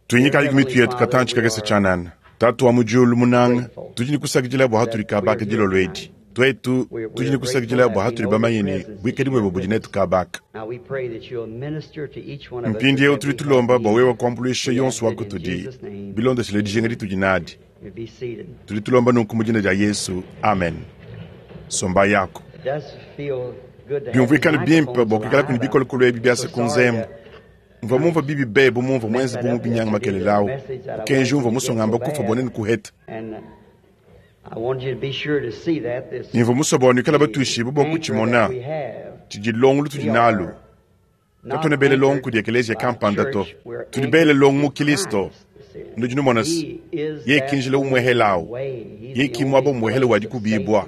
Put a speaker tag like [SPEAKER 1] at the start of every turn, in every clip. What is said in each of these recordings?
[SPEAKER 1] Tuinyikayi ku mitu yetu katantshi kakese tshianana. Tatu wa mu diulu munanga, tudi ne kusakidila bua hatudi kabaka dilolo edi. Tuetu tudi ne kusakidila bua hatudi bamanye ne buikadi buebe budi netu kabaka. Mpindieu tudi tulomba bua wewe kuambuluisha yonso wa kutudi bilondeshile dijinga ditudi nadi. Tudi tulomba nunku mu dina dia Yesu, amen. Somba yako. Biumvuikane bimpe bua kuikalaku ne bikolokolo ebi biasa ku nzembu. Mvua mumvua bibi be bu mumvua muenze bu mubinyanga makelela au. Mukenji umvua musue ngamba kufua bua nenu kuheta. Ne mvua musue bua nuikale batuishibue bua kutshimona tshidi longo lutudi nalu. Katuena bele longo kudi ekeleziya kampanda to. Tudi bele longo mu Kilisto. Nudi numona se, yeye ki njila umuehela au. Yeye ki muaba umuehela wa dikubibua.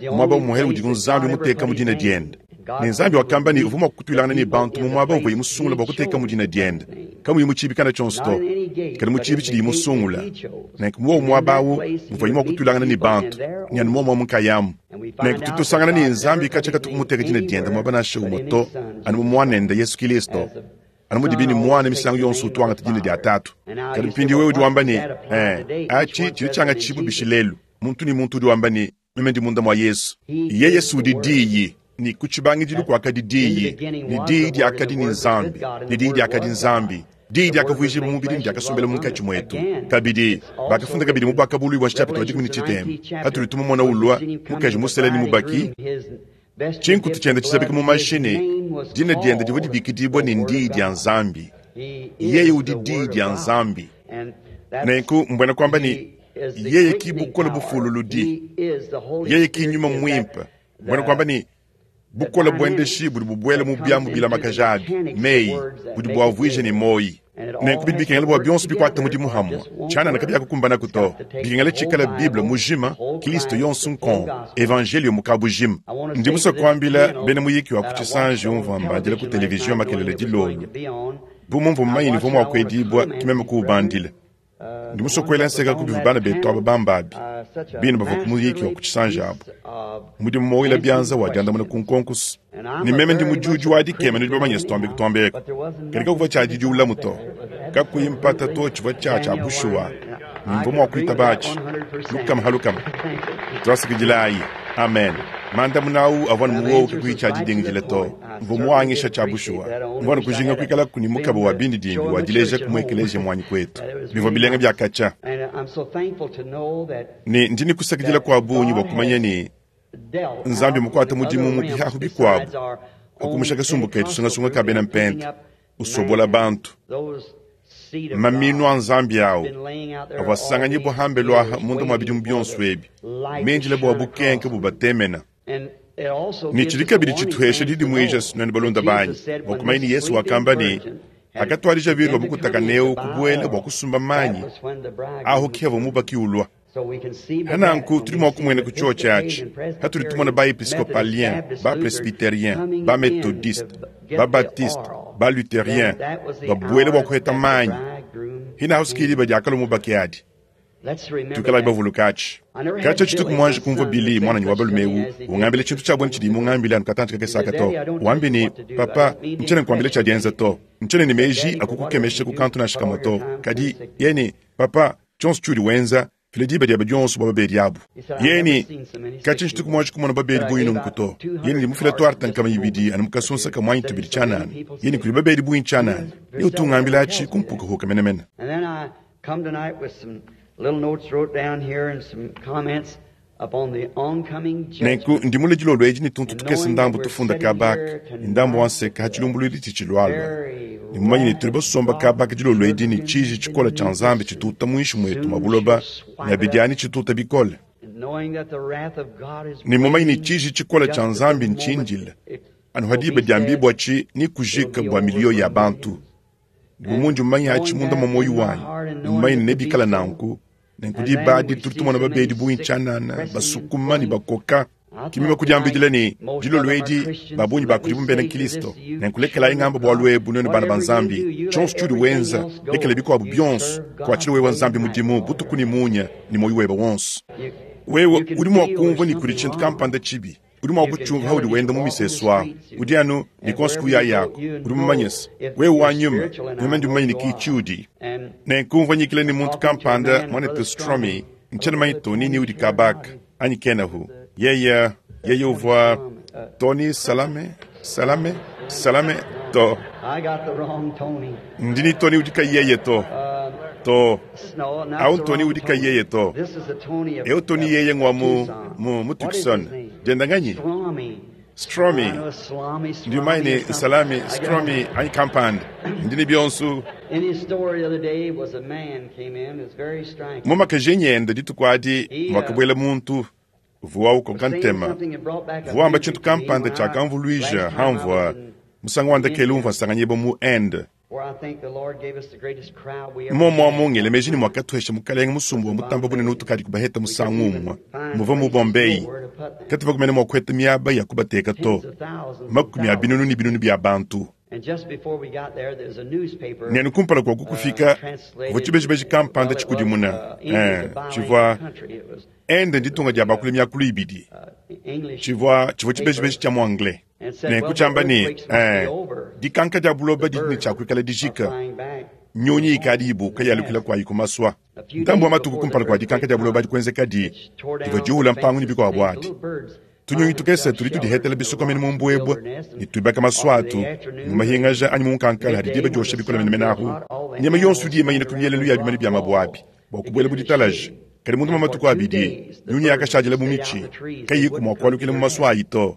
[SPEAKER 1] Muaba umuehela udi Nzambi muteka mu dina diende. Ne Nzambi wakamba ne uvua mua kutuilangana ne bantu mu muaba uvuaye musungula bua kuteka mu dina diende, kamuyi mu tshiibi kana tshionso to, kadi mu tshiibi tshidiye musungula. Nenku mu wowu muaba au muvuaye mua kutuilangana ne bantu, ne anu muomu amu nkayamu. Nenku tudi tusangana ne Nzambi katshia katu muteka dina diende muaba nansha umue to, anu mu Muanende Yesu Kilisto. Anu mudibi ne Muana misangu yonso utu wangata dina dia Tatu. Kadi mpindieu wewe udi wamba ne, Ee, atshi tshidi tshiangatshibua bishi lelu? Muntu ne muntu udi wamba ne, Meme ndi munda mua Yesu. Yeye si udi Diyi, ne ku tshibangidilu kuakadi Diyi, ne Diyi diakadi ne Nzambi, ne Diyi diakadi Nzambi. Diyi diakavuijibua mubidi ne diakasombela munkatshi muetu. Kabidi, bakafunda kabidi mu Buakabuluibua nshapita wa 13, patudi tumumona ulua, mukaji musela ne mubaki, tshinkutu tshiende tshizabika mu mashi ne dina diende divua dibikidibua ne n'Diyi dia Nzambi. Yeye udi Diyi dia Nzambi. Nenku, mbuena kuamba ne, yeye ki bukole bufululudi, yeye ki nyuma muimpe, mbuena kuamba ne, bukole buendeshi budi bubuela mu biamu bilamakaja abi, meyi, budi buavuija ne muoyi. Nenku bidi bikengela bua bionso bikuate mudimu hamue, tshianana kabiakukumbanaku to. Bikengela tshikale Bible mujima, Kilisto yonso nkong, Evanjeliyo mu kabujima. Ndi musue kuambila bena muyiki wa ku tshisanji umvua mbandila ku televizion makelela dilolo, bu mumvua mumanye ne uvua mua kuedibua, ke meme kuwubandila. Ndi musue kuela nseka ku bivua bana betu aba bamba abi, bine bavua ku muyiki wa ku tshisanji abu. Mudimu mowela bianza wa diandamuna ku nkonko ne meme ndi mudiudi wa dikema, nudi bamanye se tuambe kutuamba eku. Kadi kakuvua tshia didiulamu to, kakuyi mpata to, tshivua tshia tshia bushuwa, ne mvua mua kuitaba atshi lukama ha lukama. Tuasakidilayi. Amen. Mandamuna au avua anu mu wowu kakuyi tshia didingidila to. Mvua muangisha tshia bushuwa. Mvua anu kujinga kuikalaku ne mukaba wa bindidimbi wa dileja ku mu ekeleziya muanyi kuetu. Bivua bilenga bia katshia. Ne ndi ne kusakidila kua bungi bua kumanya ne, Nzambi mmukuate mudimu mu bihahu bikuabu pa kumusha kasumbu ketu sungasunga ka bena Mpenta, usobola bantu. Maminu a Nzambi au avua asanganyibua hambelu aha munda mua bidimu bionso ebi, mindile bua bukenke bubatemena. Ne tshidi kabidi tshituhesha didimuija nuenu balunda banyi bua kumanya ne Yesu wakamba ne, Hakatuadija virgule mukutakaneu kubuela bua kusumba manyi, ahu ke havua mubaki ulua. Pa nanku tudi mua kumuena ku tshiotshi atshi patudi tumona ba-episkopalien, ba-presbyterien, ba-metodiste, ba-baptiste, ba-lutherien babuela bua kuheta manyi. Hinahu ki diba diakalua mubaki adi. Tuikalayi bavuluke atshi. Katshia tshituku muanji kumvua Billy, muananyi wa balume eu, ungambila tshintu tshia buena tshidiye mungambile anu katantshi kakese aka to. Wambi ne, Papa, ntshiena nkuambila tshia dienza to. Ntshiena ne meji a kukukemesha ku kantu nansha kamue to. Kadi, yeye ne, Papa, tshionso tshiudi wenza, fila diba diebe dionso bua babedi abu. Yeye ne, Katshia ntshituku muanji kumona babedi bungi nunku to. Yeye ne, Ndi mufile tuarte 200 anu mu kasunsa kamue anyi tubidi tshianana. Yeye ne, Kudi babedi bungi tshianana. Ne utu ungambila atshi ku mpukahuka menemene.
[SPEAKER 2] Come tonight with some little notes wrote down here and some comments upon the oncoming
[SPEAKER 1] Nenku
[SPEAKER 2] judgment.
[SPEAKER 1] ndi mule dilolo edi ne tuntu
[SPEAKER 2] And
[SPEAKER 1] tukese
[SPEAKER 2] knowing that
[SPEAKER 1] ndambu
[SPEAKER 2] we're
[SPEAKER 1] tufunda
[SPEAKER 2] sitting
[SPEAKER 1] kaba
[SPEAKER 2] here
[SPEAKER 1] aka ne ndambu wa
[SPEAKER 2] tonight
[SPEAKER 1] nseka ha
[SPEAKER 2] with the
[SPEAKER 1] tshilumbuluidi tshitshilualua.
[SPEAKER 2] very
[SPEAKER 1] Ne mumanye ne
[SPEAKER 2] wrath
[SPEAKER 1] tudi
[SPEAKER 2] of
[SPEAKER 1] basomba
[SPEAKER 2] God
[SPEAKER 1] kaba aka dilolo edi ne
[SPEAKER 2] lurking
[SPEAKER 1] tshiji tshikole tshia
[SPEAKER 2] beneath
[SPEAKER 1] Nzambi
[SPEAKER 2] us, and
[SPEAKER 1] tshituta muinshi muetu mua
[SPEAKER 2] soon
[SPEAKER 1] buloba
[SPEAKER 2] she'll
[SPEAKER 1] ne
[SPEAKER 2] swipe it
[SPEAKER 1] abidi
[SPEAKER 2] up.
[SPEAKER 1] ani tshituta bikole.
[SPEAKER 2] And knowing that the wrath of God is
[SPEAKER 1] Ne mumanye ne
[SPEAKER 2] waiting
[SPEAKER 1] tshiji tshikole
[SPEAKER 2] just
[SPEAKER 1] tshia
[SPEAKER 2] at the
[SPEAKER 1] Nzambi
[SPEAKER 2] moment
[SPEAKER 1] ntshindile
[SPEAKER 2] it
[SPEAKER 1] anu ha
[SPEAKER 2] will
[SPEAKER 1] diba
[SPEAKER 2] be said,
[SPEAKER 1] diambibuatshi ne
[SPEAKER 2] it'll
[SPEAKER 1] kujika
[SPEAKER 2] be
[SPEAKER 1] bua
[SPEAKER 2] over
[SPEAKER 1] miliyo
[SPEAKER 2] for
[SPEAKER 1] ya bantu.
[SPEAKER 2] millions.
[SPEAKER 1] Ne bu mundi mumanye atshi
[SPEAKER 2] Knowing
[SPEAKER 1] munda mua
[SPEAKER 2] that
[SPEAKER 1] muoyo
[SPEAKER 2] in my
[SPEAKER 1] wanyi,
[SPEAKER 2] heart and
[SPEAKER 1] ne
[SPEAKER 2] knowing
[SPEAKER 1] mumanye
[SPEAKER 2] it
[SPEAKER 1] ne
[SPEAKER 2] to be
[SPEAKER 1] nebikale
[SPEAKER 2] so,
[SPEAKER 1] nanku, nenku
[SPEAKER 2] and
[SPEAKER 1] diba
[SPEAKER 2] then
[SPEAKER 1] adi
[SPEAKER 2] we
[SPEAKER 1] tudi
[SPEAKER 2] see
[SPEAKER 1] tumona
[SPEAKER 2] so many
[SPEAKER 1] babedi bungi
[SPEAKER 2] sick
[SPEAKER 1] tshianana,
[SPEAKER 2] pressing and
[SPEAKER 1] basukuma ne
[SPEAKER 2] pulling.
[SPEAKER 1] bakoka.
[SPEAKER 2] I
[SPEAKER 1] Ke meme
[SPEAKER 2] thought
[SPEAKER 1] kudiambidila
[SPEAKER 2] tonight
[SPEAKER 1] ne,
[SPEAKER 2] most of
[SPEAKER 1] dilolo
[SPEAKER 2] them are
[SPEAKER 1] edi
[SPEAKER 2] Christians.
[SPEAKER 1] ba bungi ba
[SPEAKER 2] Let me
[SPEAKER 1] kudibu mbena
[SPEAKER 2] say to this
[SPEAKER 1] Kristo.
[SPEAKER 2] youth,
[SPEAKER 1] Nenku lekelayi
[SPEAKER 2] children
[SPEAKER 1] ngamba
[SPEAKER 2] of
[SPEAKER 1] bualu
[SPEAKER 2] God,
[SPEAKER 1] ebu nuenu bana ba
[SPEAKER 2] whatever you
[SPEAKER 1] Nzambi,
[SPEAKER 2] do, you let
[SPEAKER 1] tshionso tshiudi
[SPEAKER 2] everything
[SPEAKER 1] wenza,
[SPEAKER 2] else
[SPEAKER 1] lekela
[SPEAKER 2] go.
[SPEAKER 1] bikuabu
[SPEAKER 2] You
[SPEAKER 1] bionso,
[SPEAKER 2] serve God
[SPEAKER 1] kuatshila wewe
[SPEAKER 2] day and
[SPEAKER 1] Nzambi
[SPEAKER 2] night
[SPEAKER 1] mudimu
[SPEAKER 2] with all
[SPEAKER 1] butuku
[SPEAKER 2] your
[SPEAKER 1] ne
[SPEAKER 2] heart.
[SPEAKER 1] munya ne muoyo webe wonso.
[SPEAKER 2] You,
[SPEAKER 1] Wewe
[SPEAKER 2] you can
[SPEAKER 1] udi mua
[SPEAKER 2] feel
[SPEAKER 1] kumvua
[SPEAKER 2] there's
[SPEAKER 1] ne kudi
[SPEAKER 2] something
[SPEAKER 1] tshintu
[SPEAKER 2] wrong.
[SPEAKER 1] kampanda tshibi. Udi mua kutshiumvua paudi wenda mu misesu amu. Udi anu ne konso kuyayaku. Udi mumanye se, wewe wa nyuma, meme ndi mumanye ne ki tshiudi. Nenku mvua nyikila ne muntu kampanda, Mwanetu Stromy, ntshiena mumanye Tony ni udi kaba aka anyi kenahu. Yeye, yeye uvua Tony Salame, Salame, Salame, to. Ndi ne Tony udi kayi yeye to. To. Awu n'Tony udi kayi yeye to. Eu Tony yeye ng'wa mu, mu, mu Tucson. Dienda nganyi? Stromy. Ndi mumanye ne nSalami, Stromy, anyi kampanda. Ndi ne bionso. Mu makajenyi ende dituku adi muakabuela muntu uvua ukoka ntema. Uvua wamba tshintu kampanda tshiakamvuluija hamvua musangu wa ndekelu umvua nsanganyibua mu Inde. Muomuamu ngela meji ne muakatuhesha Mukalenge musumba wa mutamba bunene utukadi kubaheta musangu umue muvua mu Bombay. Katuvua kumene mua kuheta miaba ya kubateka to, makumi a binunu ne binunu bia bantu. Ne anu kumpala kua kukufika, kuvua tshibejibeji kampanda tshikudimuna, eh, tshivua Inde nditunga dia bakula miakulu ibidi. Tshivua tshivua tshibejibeji tshia mu anglais. Nenku tshiamba ne, eh, dikanka dia buloba didi ne tshia kuikala dijika. Nyunyi ikadi ibuka yalukila kuayi ku masua. Ntambu wa matuku kumpala kua dikanka dia buloba adi kuenzekadi, divua diuwula mpangu ne bikuabu adi. Tunyunyi tukese tudi tudihetela bisokomenu mu mbuebue ne tuibaka masua atu mu mahingaja anyi mu nkankala hadi diba diosha bikole menemene ahu. Nyama yonso idi imanyina ku mielelu ya bimanu bia mabue abi bua kubuela mu ditalaja. Kadi munda mua matuku abidi, nyunyi yakashadila mu mitshi, kayiyiku mua kualukila mu masua ayi to.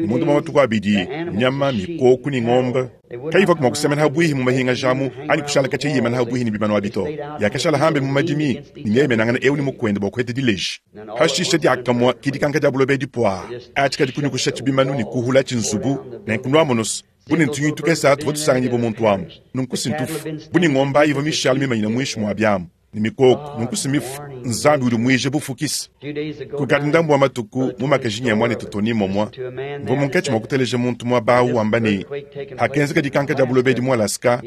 [SPEAKER 1] Munda mua matuku abidi, nyama, mikoku ne ngombe kayivuaku mua kusemena ha buihi mu mahingaja amu anyi kushala katshia yimana ha buihi ne bimanu abi to. Yakashala hambe mu madimi ne mieyemenangana eu ne mukuende bua kuheta dileji. Hashishe diakamue ki dikanka dia buloba edi puaa, atshi kadi kunyukushatshi bimanu ne kuhulatshi nzubu. Nenku nuamonu's, bu ne ntunyunyi tukese tuvua tusanganyibua muntu amu, nunku si ntufu, bu ne ngombe ayi ivua mishale mimanyine muinshi mua biamu ne mikoko, nunku si mifu. Nzambi udi muije bufukisi. Kukadi ndambu wa matuku, mu makajinyi a muanetu Tony Momwa, mvua munkatshi mua kuteleja muntu muaba au wamba ne, hakenzeka dikanka dia buloba edi mu Alaska,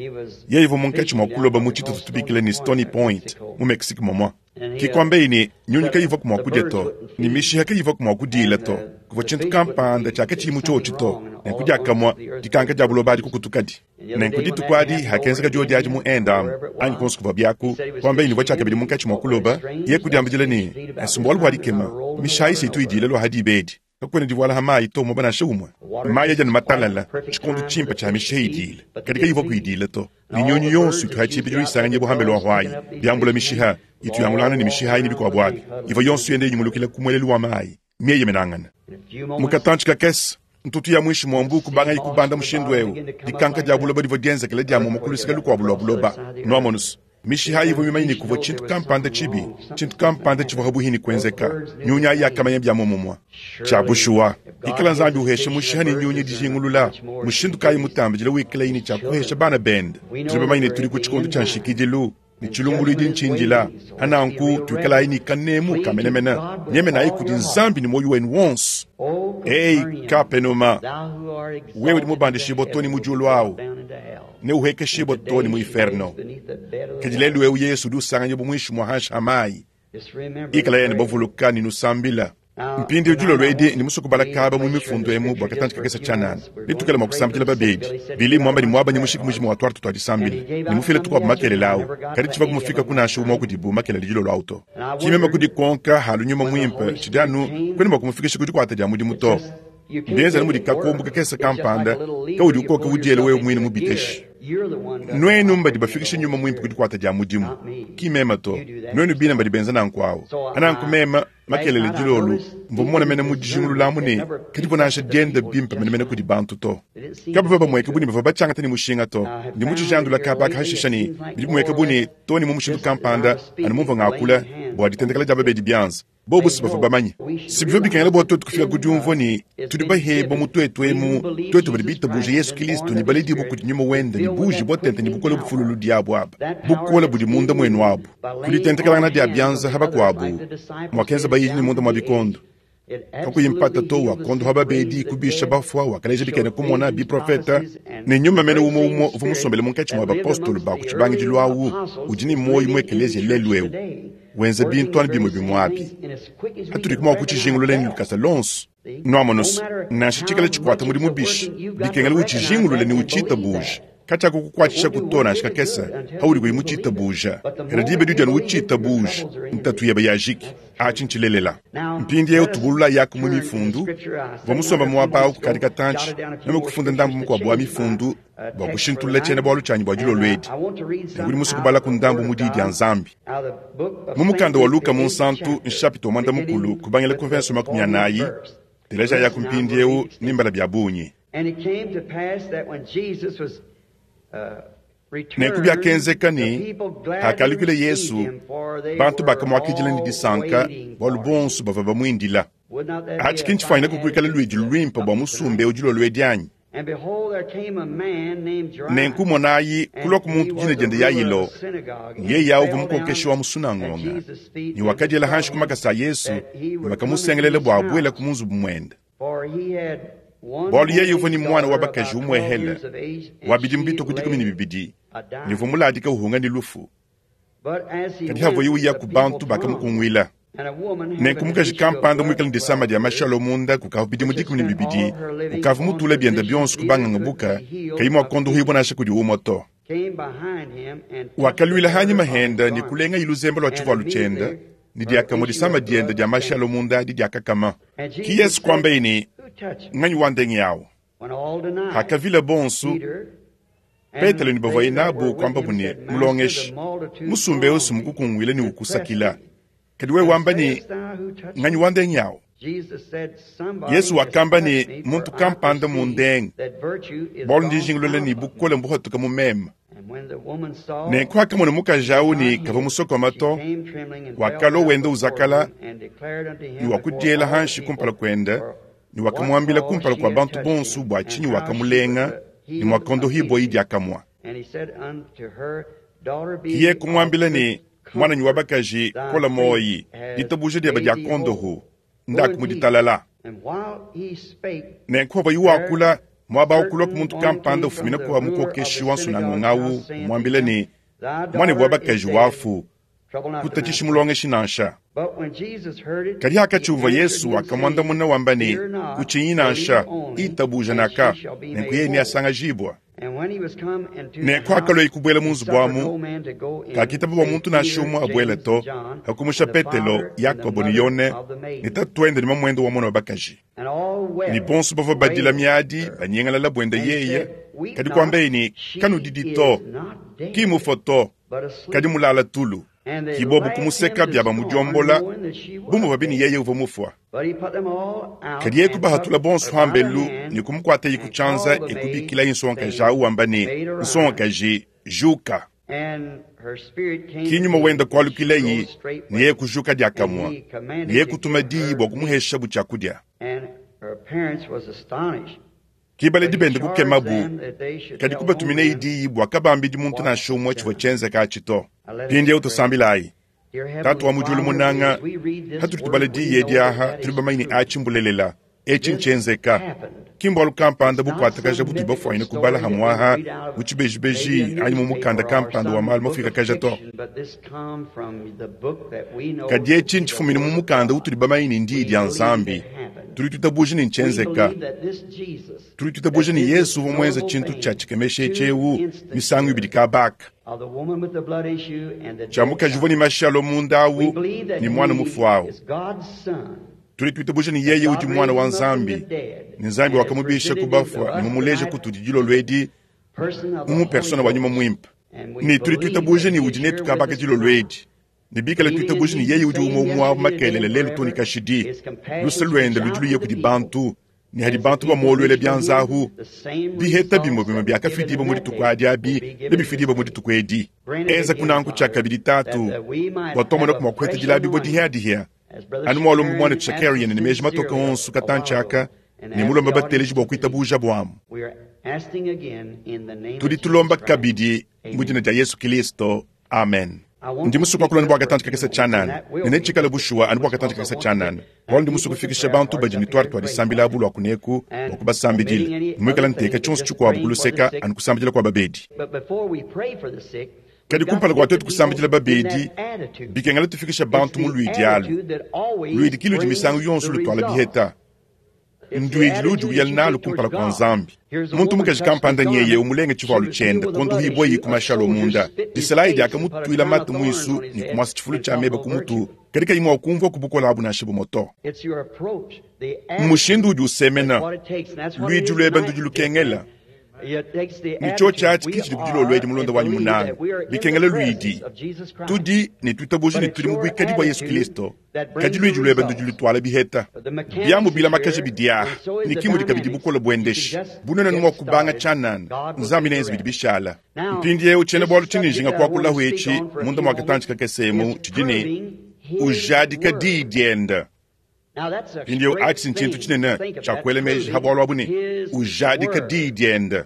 [SPEAKER 1] yeye uvua munkatshi mua kuloba mu tshitutu tubikila ne Stony Point mu Mexique momwa. Ke kuambaye ne, nyunyi kayivuaku mua kudia to, ne mishiha kayivuaku mua kudiila to. Kuvua tshintu kampanda tshiakatshiyi mu tshiotshi to. Nenku diakamue, dikanka dia buloba adi kukutukadi. Nenku dituku adi, hakenzeka diodi adi mu Inde amu, anyi kuonso kuvua biaku, kuambaye ne, uvua tshiakabidi munkatshi mua kuloba, yeye kudiambidila ne, Nsi mbualu bua dikema, mishiha isi itu idiila lua ha diba edi. Kakuena divuala ha mayi to muaba nansha umue. Mayi adi anu matalala, tshikondo tshimpe tshia mishiha idiila, kadi kayivua kuidila to. Ne nyunyu yonso itu ha tshibidilu isanganyibua ha mbelu wa huayi, biambula mishiha, itu yangulangana ne mishiha ayi ne bikuabu abi, ivua yonso yenda inyungulukila ku muelelu wa mayi, mieyemenangana. Mu katantshi kakese, ntutu ya muinshi mua mbuu kubangayi kubanda mushindu eu, dikanka dia buloba divua dienzekela dia muomua ku luseke lukuabu lua buloba. Nuamonu's, mishiha ayi ivua mimanye ne kuvua tshintu kampanda tshibi, tshintu kampanda tshivua pabuihi ne kuenzeka. Nyunyi ayi yakamanya bia muomumue. Tshia bushuwa, ikala Nzambi uhesha mushiha ne nyunyi dijingulula, mushindu kayi mutambidile wikalayi ne tshia kuhesha bana bende? Tudi bamanye ne tudi ku tshikondo tshia nshikidilu, ne tshilumbuluidi ntshindila. Hananku tuikalayi ne kanemu ka menemene, nyemenayi kudi Nzambi ne muoyo wenu wonso. Ei Kapenuma, wewe udi mubandishibua to ne mu diulu awu, ne uhuekeshibua to ne mu inferno. Kadi lelu eu Yesu udi usanganyibua muinshi mua hanshi ha mayi. Ikalayi anu bavuluka ne nusambila. Mpindieu dilolo edi ndi musue kubala kaba mu mifundu emu bua katantshi kakese tshianana. Netuikale mua kusambidila babedi. Billy mmuamba ne muabanye mushiki mujima wa tuarte tua disambila ne mufile tukuabu makelela au, kadi tshivua mufikaku nansha umue wa kudibu makelela dilolo au to. Ki meme kudikonka halu nyuma muimpe tshidi anu kuena mua kumufikisha ku dikuata dia mudimu to. Mbienze anu mudi kakombo kakese kampanda kaudi ukoka udiela wewe muine mu biteshi. Nuenu mbadi bafikishe nyuma muimpe ku dikuata dia mudimu, ki meme to. Nuenu bine mbadi benza nanku awu. Nanku meme makelela dilolu mvua mumone mene mu dijingulula amu ne, kadivua nansha dienda bimpe menemene kudi bantu to. Kabavua bamueka bu ne bavua batshiangata ne mushinga to. Ndi mutshijandula kaba aka hashisha ne, bidi bimueka bu ne, too ne mu mushindu kampanda, anu mumvua ngakula bua ditendekela dia babedi bianza. Bobu si bavua bamanye. Si bivua bikengela bua tuetu kufika ku diumvua ne, tudi bahebua mu tuetu emu, tuetu badi bitabuje Yesu Kilisto ne baledibue kudi Nyuma wende ne buujibua tente ne bukole bufululu diabu aba, bukole budi munda muenu abu. Ku ditentekelangana dia bianza ha bakuabu, muakenza bayidi ne munda mua bikondo. Kakuyi mpata to, wakondoha babedi, kubisha bafua, wakaleja bikena kumona, biprofeta, ne Nyuma mene umue umue uvua musombele munkatshi mua bapostolo ba ku tshibangidilu awu udi ne muoyo mu ekeleziya lelu eu. Wenza bintu anu bimue bimue abi. Patudi mua kutshijingulula ne lukasa luonso. Nuamonu's, nansha tshikale tshikuata mudimu bishi, bikengela utshijingulule ne utshitabuja. Katshiakukukuatshishaku to nansha kakese paudi kuyi mutshitabuja. Kadi diba diudi anu utshitabuja, ntatu yebe yajiki. Atshi ntshilelela. Mpindieu tubululayaku mu Mifundu. Mvua musombe muaba au kukadi katantshi, meme kufunda ndambu mukuabu wa Mifundu bua kushintulula tshiena-bualu tshianyi bua dilolo edi. Nenku ndi musue kubalaku ndambu mu Diyi dia Nzambi. Mu mukanda wa Luka Munsantu, nshapita wa muanda-mukulu, kubangila ku mverse wa 40, telejayaku mpindieu ne mbala bia bungi. Nenku biakenzeka ne, pakalukila Yezu, bantu bakamuakidila ne disanka, bualu bonso bavua bamuindila. Atshi ki ntshifuanyine kuikala luidi luimpe bua musumba eu dilolo edi anyi? Nenku monayi, kulua ku muntu dina diende Yailo, ne yeye au uvua mukokeshi wa mu sunangonga, ne wakadiela hanshi ku makasa a Yesu, ne wakamusengelela bua abuele ku mu nzubu muende. Bualu yeye uvua ne muana wa bakaji umuehele wa bidimu bitue ku 12, ne uvua muladika uhunga ne lufu. Kadi havuaye uya ku bantu bakamukunguila. Nenku mukaji kampanda muikale ne disama dia mashi alua munda kukavua bidimu 12, ukavua mutule biende bionso ku banganga buka, kayi mua kuondohibua nansha kudi umue to. Wakaluila hanyima hende ne kulengaye luzembe lua tshivualu tshiende, ne diakamue disama diende dia mashi alua munda adi diakakama. Ke Yesu kuambaye ne, Nganyi wandengi awu? Hakavila bonso, Petelo ne bavuaye nabu kuambabu ne, Mulongeshi, musumba eu si mukukunguile ne ukusakila, kadi wewe wamba ne, Nganyi wandengi awu? Yesu wakamba ne, Muntu kampanda mundenge, bualu ndi njingulula ne bukole mbuhatuka mu meme. Nenku hakamona mukaji au ne kavua musokoma to, wakalua wenda uzakala ne wakudiela hanshi kumpala kuende, ne wakamuambila kumpala kua bantu bonso bua tshinyi wakamulenga ne muakondohibua diakamue. Kiye kumuambila ne, Muananyi wa bakaji, kola muoyi, ditabuja diebe dia kondohu, ndaku mu ditalala. Nenku pavuaye wakula, muaba au kulua ku muntu kampanda ufumina kua mukokeshi wa nsunangonga au, umuambila ne, Muanebe wa bakaji wafu, kutatshishi mulongeshi nansha. Kadi hakatshiuvua Yesu, wakamuandamuna wamba ne, Kutshinyi nansha, itabuja naka, nenku yeye neasangajibua. Nenku hakalueye kubuela mu nzubu amu, kakitaba bua muntu nansha umue abuele to, hakumusha Petelo, Yakobo ne Yone ne tatuende ne mamuende wa muana wa bakaji. Ne bonso bavua badila miadi banyingalala buende yeye, kadi kuambeye ne, Kanudidi to, ki mufue to, kadi mulala tulu. Ki bobu kumuseka bia bamudiombola bu muvuabi ne yeye uvua mufua. Kadi yeye kubahatula bonso hambelu ne kumukuataye ku tshianza e kubikilaye nsongakaji au wamba ne, Nsongakaji, juka! Ki nyuma wenda kualukilayi ne yeye kujuka diakamue, ne yeye kutuma diyi bua kumuheshabu tshiakudia. Ke baledi bende kukemabu, kadi kubatuminayi diyi bua kabambidi muntu nansha umue tshivua tshienzeka atshi to. Mpindieu tusambilayi. Tatu wa mu diulu munanga, patudi tubala diyi edi aha, tudi bamanye ne atshi mbulelela, etshi ntshienzeka. Ki mbualu kampanda bukuatakaja butudi bafuanyine kubala hamue aha mu tshibejibeji anyi mu mukanda kampanda wa malu mafuikakaja to. Kadi etshi ntshifumine mu mukanda utudi bamanye ne ndiyi dia Nzambi. Tudi tuitabuja ne ntshienzeka. Tudi tuitabuja ne Yezu uvua muenze tshintu tshia tshikemesha etshi eu misangu ibidi kabaka, tshia mukaji uvua ne mashi alua munda au ne muana mufue au. Tudi tuitabuja ne yeye udi Muana wa Nzambi, ne Nzambi wakamubisha ku bafua ne mumuleje kutudi dilolo edi mu persona wa Nyuma Muimpe. Ne tudi tuitabuja ne udi netu kabaka dilolo edi. Ne bikala tuitabuja ne yeye udi umue umue wa makelela lelu too ne kashidi, luse luende ludi luya kudi bantu, ne hadi bantu bamuoluela bianza ahu, biheta bimue bimue biakafidibua mu dituku adi abi nebifidibue mu dituku edi. Enza kunanku tshiakabidi, Tatu, bua tuamonaku mua kuheta dilabibua dihia-dihia, anu mualomba muanetu Shakarian ne meji matoke onso katantshi aka, ne mulomba bateleji bua kuitabujabu amu. Tudi tulomba kabidi mu dina dia Yesu Kilisto, amen. Ndi musue kuakula anu bua katantshi kakese tshianana, ne netshikale bushuwa anu bua katantshi kakese tshianana, bualu ndi musue kufikisha bantu badi ne tuarte tua disambila abu lua kuneku bua kubasambidila, ne muikale nteka tshionso tshikuabu ku luseka anu kusambidila kua babedi. Kadi kumpala kua tuetu kusambidila babedi, bikengela tufikisha bantu mu luidi alu. Luidi ki ludi misangu yonso lutuala biheta. Nduidi ludi uya nalu kumpala kua Nzambi. Muntu mukaji kampanda nyeye umulenge tshivualu tshiende, konduhibua ku mashalo munda. Disalayi diakamutuila mate muisu ne kumuasa tshifulu tshia meba ku mutu, kadi kayi mua kumvua ku bukole abu nansha bumue to. Mmushindu udi usemena. Luidi luebe ndudi lukengela. Ne tshiotshi atshi ke tshidi ku dilolo edi, mulonda wanyi munanga. Bikengela luidi. Tudi ne tuitabuja ne tudi mu buikadi bua Yesu Kilisto, kadi luidi luebe ndudi lutuala biheta. Biamu bilamakaja bidiaha, ne ki mudi kabidi bukole buendeshi. Bunene mua kubanga tshianana, Nzambi neenze bidi bishala. Mpindieu tshiena-bualu tshindi njinga kuakulahu etshi munda mua katantshi kakese emu tshidi ne, Ujadika diyi diende. Mpindieu atshi ntshintu tshinene tshia kuela meji ha bualu abu ne, ujadika diyi diende.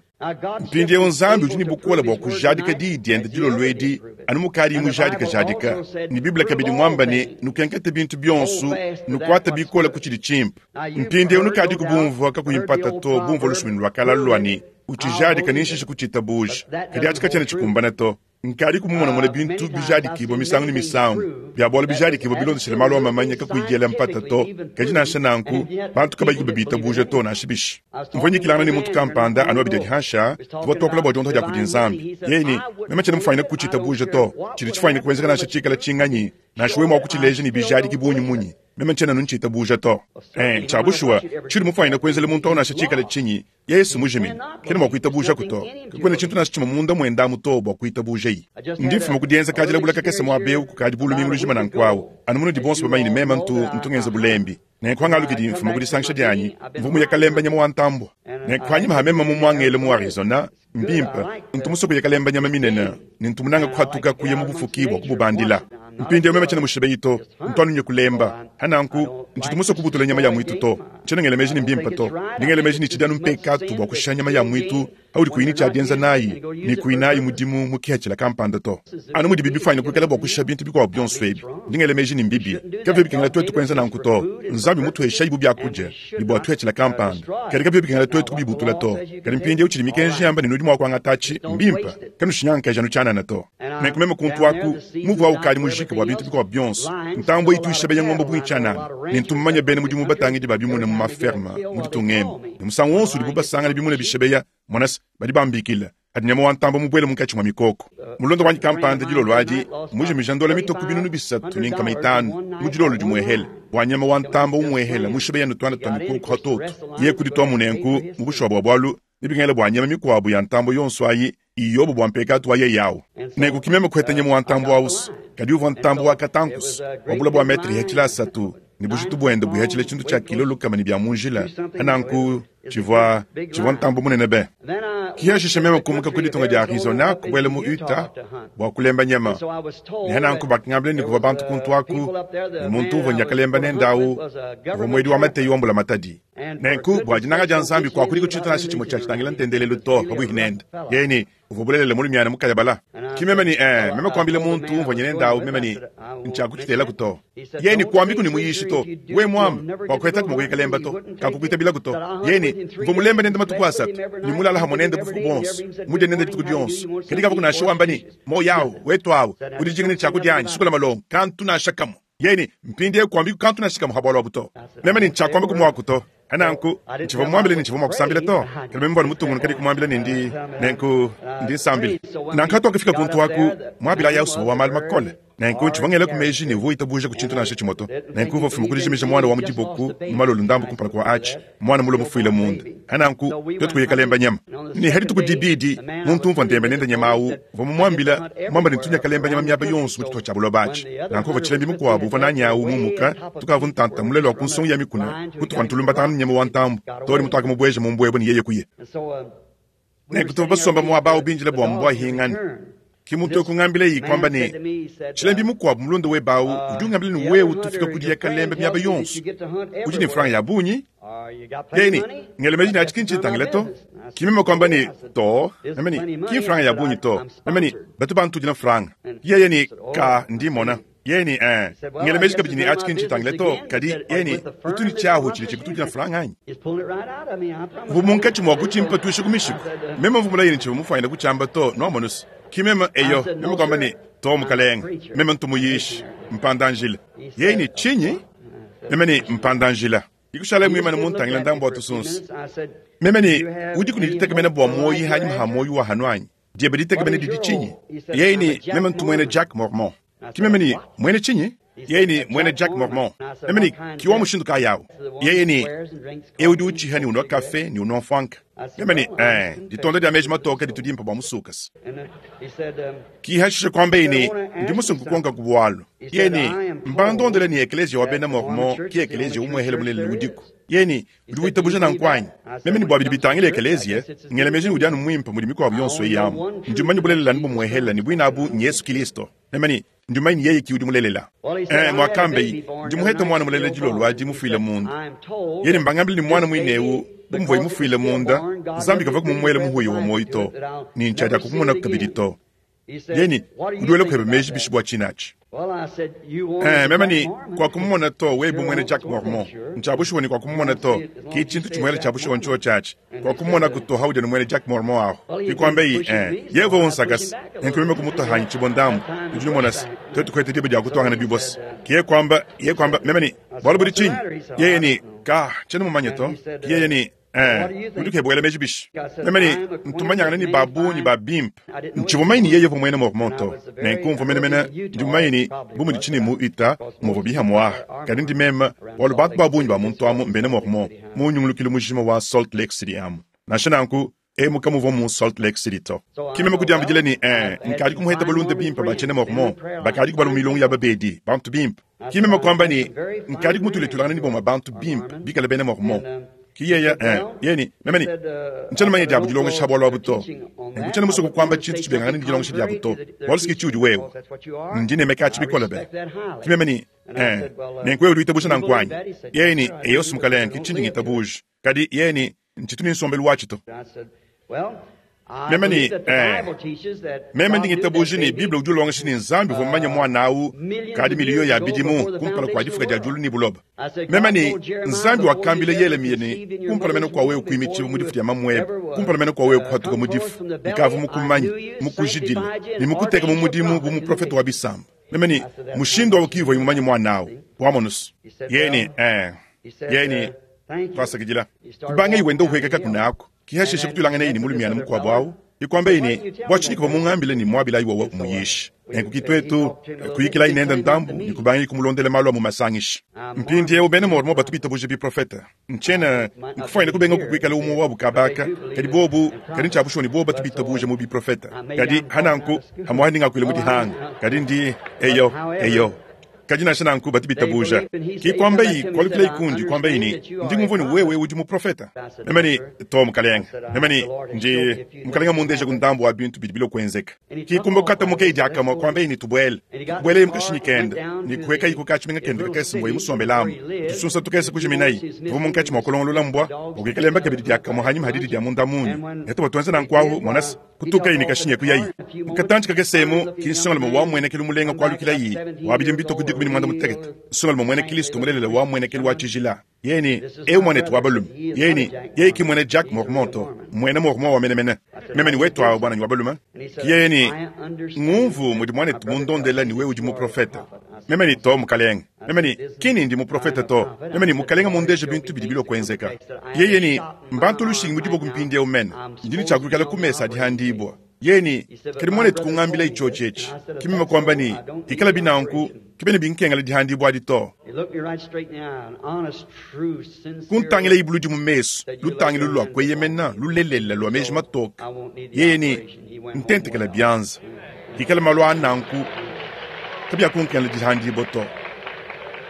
[SPEAKER 1] Mpindieu Nzambi udi ne bukole bua kujadika diyi diende dilolo edi anu mukadi mujadikajadika. Ne Bible kabidi muamba ne, nukenkete bintu bionso, nukuate bikole ku tshidi tshimpe. Mpindieu nukadiku bumvua kakuyi mpata to bumvua lusumuinu lua kala lua ne, utshijadika ne nshishe kutshitabuja. Kadi atshi katshiena tshikumbana to. Nkadi kumumonamona bintu bijadikibua misangu ne misangu, bia bualu bijadikibua bilondeshile malu a mamanya kakuyi diela mpata to. Kadi nansha nanku, bantu kabayi babitabuja to, nansha bishi. Mvua nyikilangana ne muntu kampanda anu abidi adi hansha, tuvua tuakula bua diondoha dia kudi Nzambi. Yeye ne, meme tshiena mufuanyine kutshitabuja to, tshidi tshifuanyine kuenzeka nansha tshikala tshinganyi, nansha wewe mua kutshileja ne bijadiki bungi munyi, meme tshiena anu ntshitabuja to. Eh, tshia bushuwa, tshiudi mufuanyine kuenzela muntu au nansha tshikala tshinyi, Yesu mujimine, kena mua kuitabujaku to. Kakuena tshintu nansha tshimue munda muende amu to bua kuitabujayi. Ndi mfuma ku dienza kadilabula kakese muaba eu kukadi bu lumingu lujima nanku awu, anu munudi bonso bamanye ne meme ntu ntu ngenza bulembi. Nenku hangalukidi mfuma ku disangisha dianyi, mvua muye kalemba nyama wa ntambua. Nenku panyima ha meme mumuangele mu Arizona, mbimpe, ntu musue kuya kalemba nyama minene, ne ntu munange kuhatuka kuya mu bufuki bua kububandila. Mpindieu meme tshiena mushibeyi to, ntu anu nye kulemba. Ha nanku, ntshitu musue kubutula nyama ya muitu to. Tshiena ngela meji ne mbimpe to. Ndi ngela meji ne tshidi anu mpekatu bua kushiha nyama ya muitu audi kuyi ne tshia dienza nayi ne kuyi nayi mudimu mu kihatshila kampanda to. Anu mudibi bifuanyine kuikala bua kushiha bintu bikuabu bionso ebi, ndi ngela meji ne mbibi. Kabiena bikengela tuetu kuenza nanku to. Nzambi mutuheshayi bu biakudia ne bua tuhatshila kampanda, kadi kabiena bikengela tuetu kubibutula to. Kadi mpindieu tshidi mikenji yamba ne nudi mua kuangatatshi, mbimpe, kanushinyangakeji anu tshianana to. Nenku meme kuntu aku, muvu awu ukadi mujike bua bintu bikuabu bionso. Ntambue itu ishebeya ngombe bungi tshianana, ne ntu mumanye bena mudimu batangidi ba bimuna mu maferme mu ditunga emu, ne musangu wonso udibu basangana bimuna bishebeya, mona se, badi bambikila. Padi nyama wa ntambue mubuele munkatshi mua mikoko. Mulunda wanyi kampanda dilolo adi mmujimija ndola mitue ku 3500 mu dilolo dimuehele, bua nyama wa ntambue umuehele mushebeya ne tuana tua mikoko pa tuotu. Yeye kudituamu nenku mu bushuwa bua bualu, nebikengele bua nyama mikuabu ya ntambue yonso ayi iyobo bua mpekatu wa yeye awu. Nenku ki meme kuheta nyama wa ntambue awusu, kadi uvua ntambue wa katankusu, wa bule bua metre ihachila asatu, ne bujitu buende buihachila tshintu tshia kilo lukama ne bia mu njila. Nanku tshivua tshivua ntambue munene be. Ki hashishe meme kumuka ku ditunga dia Arizona kubuela mu Utah bua kulemba nyama. Ne nanku bakangambila ne kuvua bantu kuntu aku, ne muntu uvua nya kalemba nende awu uvua muedi wa mateyi wa mbulamatadi. Nenku, bua dinanga dia Nzambi, kuakudiku tshintu nansha tshimue tshia tshitangila ntendelelu to pabuipi nende. Yeye ne, uvua bulelela mulumiana mukayabala. Ki meme ne, ee, meme kuambila muntu umvua nye nende awu, meme ne, ntshiakutshitelaku to. Yeye ne, kuambiku ne muyishi to. Wewe muamba, kuakuhetaku mua kuya kalemba to. Kakukuitabilaku to. Yeye ne, mvua mulembe nende matuku asatu, ne mulala hamue nende bufuku buonso, mudie nende dituku dionso. Kadi kavua nansha wamba ne, Muoyo awu, wetu awu, udi dijinga ne tshiakudia anyi, sukula malongo, kantu nansha kamue. Yeye ne, mpindieu kuambiku kantu nansha kamue ha bualu abu to. Meme ne, ntshiakuamba ku muaku to. Nanku, ntshivua mumuambile ne ntshivua mua kusambila to. Kadi meme mvua mutungunuka ne kumuambila ne ndi nenku ndi nsambila. Nanku hatuakafika kuntu aku, muabila Yausuma wa malu makole. Nenku ntshivua ngelaku meji ne uvua witabuja ku tshintu nansha tshimue to. Nenku uvua ufuma ku dijimija muana wa mu diboku mu malolo ndambu kumpala kua atshi, muana mulue mufuile munda. Nanku tuetu kuya kalemba nyama. Ne ha dituku dibidi, muntu umvua ndemba nende nyama awu uvua mumuambila, muamba ne tunya kalemba nyama miaba yonso mu tshitupa tshia buloba atshi. Nanku uvua tshilembi mukuabu uvua nanyi awu mumuka, tukavua ntanta mule lua ku nsongo ya mikuna, kutuvua tulumbatangana ne nyama wa ntambu, too ne mutuakamubueja mu mbuebue ne yeye kuya. Nenku tuvua basomba muaba awu bindile bua mbua ahingane. Ki muntu eu kungambilaye kuamba ne, Tshilembi mukuabu mulunda webe awu udi ungambila ne wewe tufika kudiya kalemba miaba yonso, udi ne mfranga ya bungi. Yeye ne, ngela meji ne atshi ki ntshintangila to. Ki meme kuamba ne, to, meme ne, ki mfranga ya bungi to. Meme ne, batu bantudila mfranga. Yeye ne, ka, ndi mmona. Yeye ne, eh, ngela meji kabidi ne atshi ki ntshintangila to, kadi yeye ne, utu ne tshiahu tshidi tshikutudila mfranga anyi? Uvua munkatshi mua kutshimpatuisha ku mishiku. Meme mvua mulaye ne tshivua mufuanyine kutshiamba to, nuamonu's. Ki meme, eyo, meme kuamba ne, To, mukalenge, meme ntu muyishi, mpanda-njila. Yeye ne, Tshinyi? Meme ne, Mpanda-njila. Ikushalaye muimane muntangile ndambu wa tusunsa. Meme ne, Udiku ne ditekemena bua muoyi hanyima ha muoyi wa hanu anyi? Diebe ditekemena didi tshinyi? Yeye ne, Meme ntu muena Jack Mormon. Ki meme ne, Muena tshinyi? Yeye ne, Muena Jack Mormon. Meme ne, Ki wa mushindu kayi awu? Yeye ne, Eu udi utshiha ne unua kafe ne unua mfuanka. Meme ne, Ee, ditonda dia meji matoke ditu dimpe bua musukase. Ki hashishe kuambaye ne, Ndi musue nkukonkaku bualu. Yeye ne, Mbandondele ne ekeleziya wa bena Mormon ki ekeleziya umuehele mulelela udiku. Yeye ne, Udi witabuja nanku anyi? Meme ne bua bidi bitangila ekeleziya, ngela meji ne udi anu muimpe mudi mikuabu yonso eyi amu. Ndi mumanye bulelela anu bumuehele ne buine abu n'Yesu Kilisto. Meme ne, Ndi mumanye ne yeye ki udi mulelela. Ee, muakambeyi, ndi muhete muana mulela dilolo adi mufuile munda. Yeye ne, Mbangambile ne muana muine eu, bu muvuaye mufuile munda, Nzambi kavua mumuele muhuya wa muoyo to, ne ntshiadiakukumunaku kabidi to. Yeye ne, Udi wela kuebe meji bishi bua tshine atshi? Ee, meme ne, Kuakumumona to, wewe bu muena Jack Mormon. Ntshia bushuwa ne kuakumumona to. Ki tshintu tshimuela tshia bushuwa ntshiotshi atshi. Kuakumumonaku to haudia ne muena Jack Mormon ahu. Ki kuambeyi, Ee, yeye uvua unsakase, nenku meme kumutua hanyi tshibua ndambu. Nudi numona se, tuetu kuheta diba dia kutuangana bibose. Ki yeye kuamba, yeye kuamba, meme ne, Bualu budi tshinyi? Yeye ne, Ka, tshiena mumanye to. Ki yeye ne, Ee, udi ukeba wela meji bishi? Meme ne, Ntu manyangana ne ba bungi ba bimpe. Ntshivua mumanye ne yeye uvua muena Mormon to. Nenku mvua menemene ndi mumanye ne, bu mudi tshine mu Utah muvua bihamuaha. Kadi ndi meme, bualu bantu ba bungi ba muntu amu mbena Mormon mu nyungulukilu mujima wa Salt Lake City amu. Nansha nanku, emu kamuvua mu Salt Lake City to. Ki meme kudiambidila ne, Ee, nkadi kumuheta balunda bimpe ba tshiena Mormon bakadi kubala mu milongo ya babedi, bantu bimpe. Ki meme kuamba ne, Nkadi kumutuletulangana ne bamue bantu bimpe bikale bena Mormon. Ki yeye, eh, yeye ne, meme ne, ntshiena mumanye diabu dilongesha bualu abu to. Nenku tshiena musue kukuamba tshintu tshibengangane ne dilongesha diabu to, bualu si ke tshiudi wewe. Ndi nnemeka atshi bikole be. Ki meme ne, eh, nenku wewe udi witabuja nanku anyi? Yeye ne, Eyo, mukalenge, ke tshindi ngitabuja. Kadi yeye ne, Ntshitu ne nsombelu watshi to. Meme ne, Ee, meme ndi ngitabuja ne, Bible udi ulongesha ne, Nzambi uvua mumanye muana au kadi miliyo ya bidimu kumpala kua difuka dia diulu ne buloba. Meme ne, Nzambi wakambila Yelemiya ne, kumpala mene kua wewe kuimitshibua mu difu dia mamuebe, kumpala mene kua wewe kuhatuka mu difu, nkavua mukumanye, mukujidile ne mukuteke mu mudimu bu muprofete wa bisamba. Meme ne, Mushindu au ki uvuaye mumanye muana au. Wamonus? Yeye ne, Ee. Yeye ne, Tuasakidila. Kubangaye wenda uhueka kakuna aku. Ki hashishe kutuilanganeye ne mulumiana mukuabu au, e kuambaye ne, Bua tshinyi kuvua mungambile ne muabilayi wowo umuyishi? Nenku ki tuetu kuyikilayi nende ndambu ne kubangaye kumulondela malu a mu masangisha. Mpindieu bena Mormon batu bitabuja biprofete. Ntshiena nkufuanyine kubenga kukuikala umue wabu kaba aka, kadi bobu, kadi ntshia bushuwa ne bobu batu bitabuja mu biprofete. Kadi hananku, hamuaha ndi ngakuila mu dihanga, kadi ndi, eyo, eyo. Kadi nansha nanku batu bitabuja. Ki kuambayi, kualukilayi kundi, kuambayi ne, Ndi ngumvua ne wewe udi muprofete. Meme ne, Too, mukalenge. Meme ne, Ndi, mukalenge mundeja ku ndambu wa bintu bidi bilua kuenzeka. Ki kumbuka katamukeyi diakamue, kuambayi ne, Tubuele. Kubuelaye mu kashinyi kende, ne kuhuekayi ku katshimenga kende kakese muvuaye musombelamu. Tusunsa tukese kujiminayi. Tuvua munkatshi mua kulongolola mbua bua kuikalemba kabidi diakamue hanyima ha didi dia munda munya. Ne tuvua tuenza nanku ahu, mona se, Kutukayi ne kashinya kuyayi. Mu katantshi kakese emu, ki nsongalume wa mmuenekelu mulenga kualukilayi, wa bidimu bitue ku 16, nsongalume muena Kristo mulelela wa mmuenekelu wa tshijila. Yeye ne, Eu muanetu wa balume. Yeye ne, Yeye ki mmuena Jack Mormon to, mmuena Mormon wa menemene. Meme ne, Wetu awu, muananyi wa balume. Ki yeye ne, Ngumvu mudi muanetu mundondela ne wewe udi muprofete. Meme ne, Too, mukalenge. Meme ne, Ki ne ndi muprofete to. Meme ne, Mukalenge mmundeje bintu bidi bilua kuenzeka. Yeye ne, Mbantu lushingi mu diboko mpindieu mene. Ndi ne tshia kuikala ku mesa a dihandibua. Yeye ne, Kadi muanetu kungambilayi tshiotshi etshi. Ki meme kuamba ne, Ikalabi nanku, kabiena binkengela dihandibua adi to. Kuntangilayi buludi mu mesu, lutangilu lua kueyemena, lulelela, lua meji matoke. Yeye ne, Ntentekela bianza. Ikala malu a nanku, kabiakunkengela dihandibua to.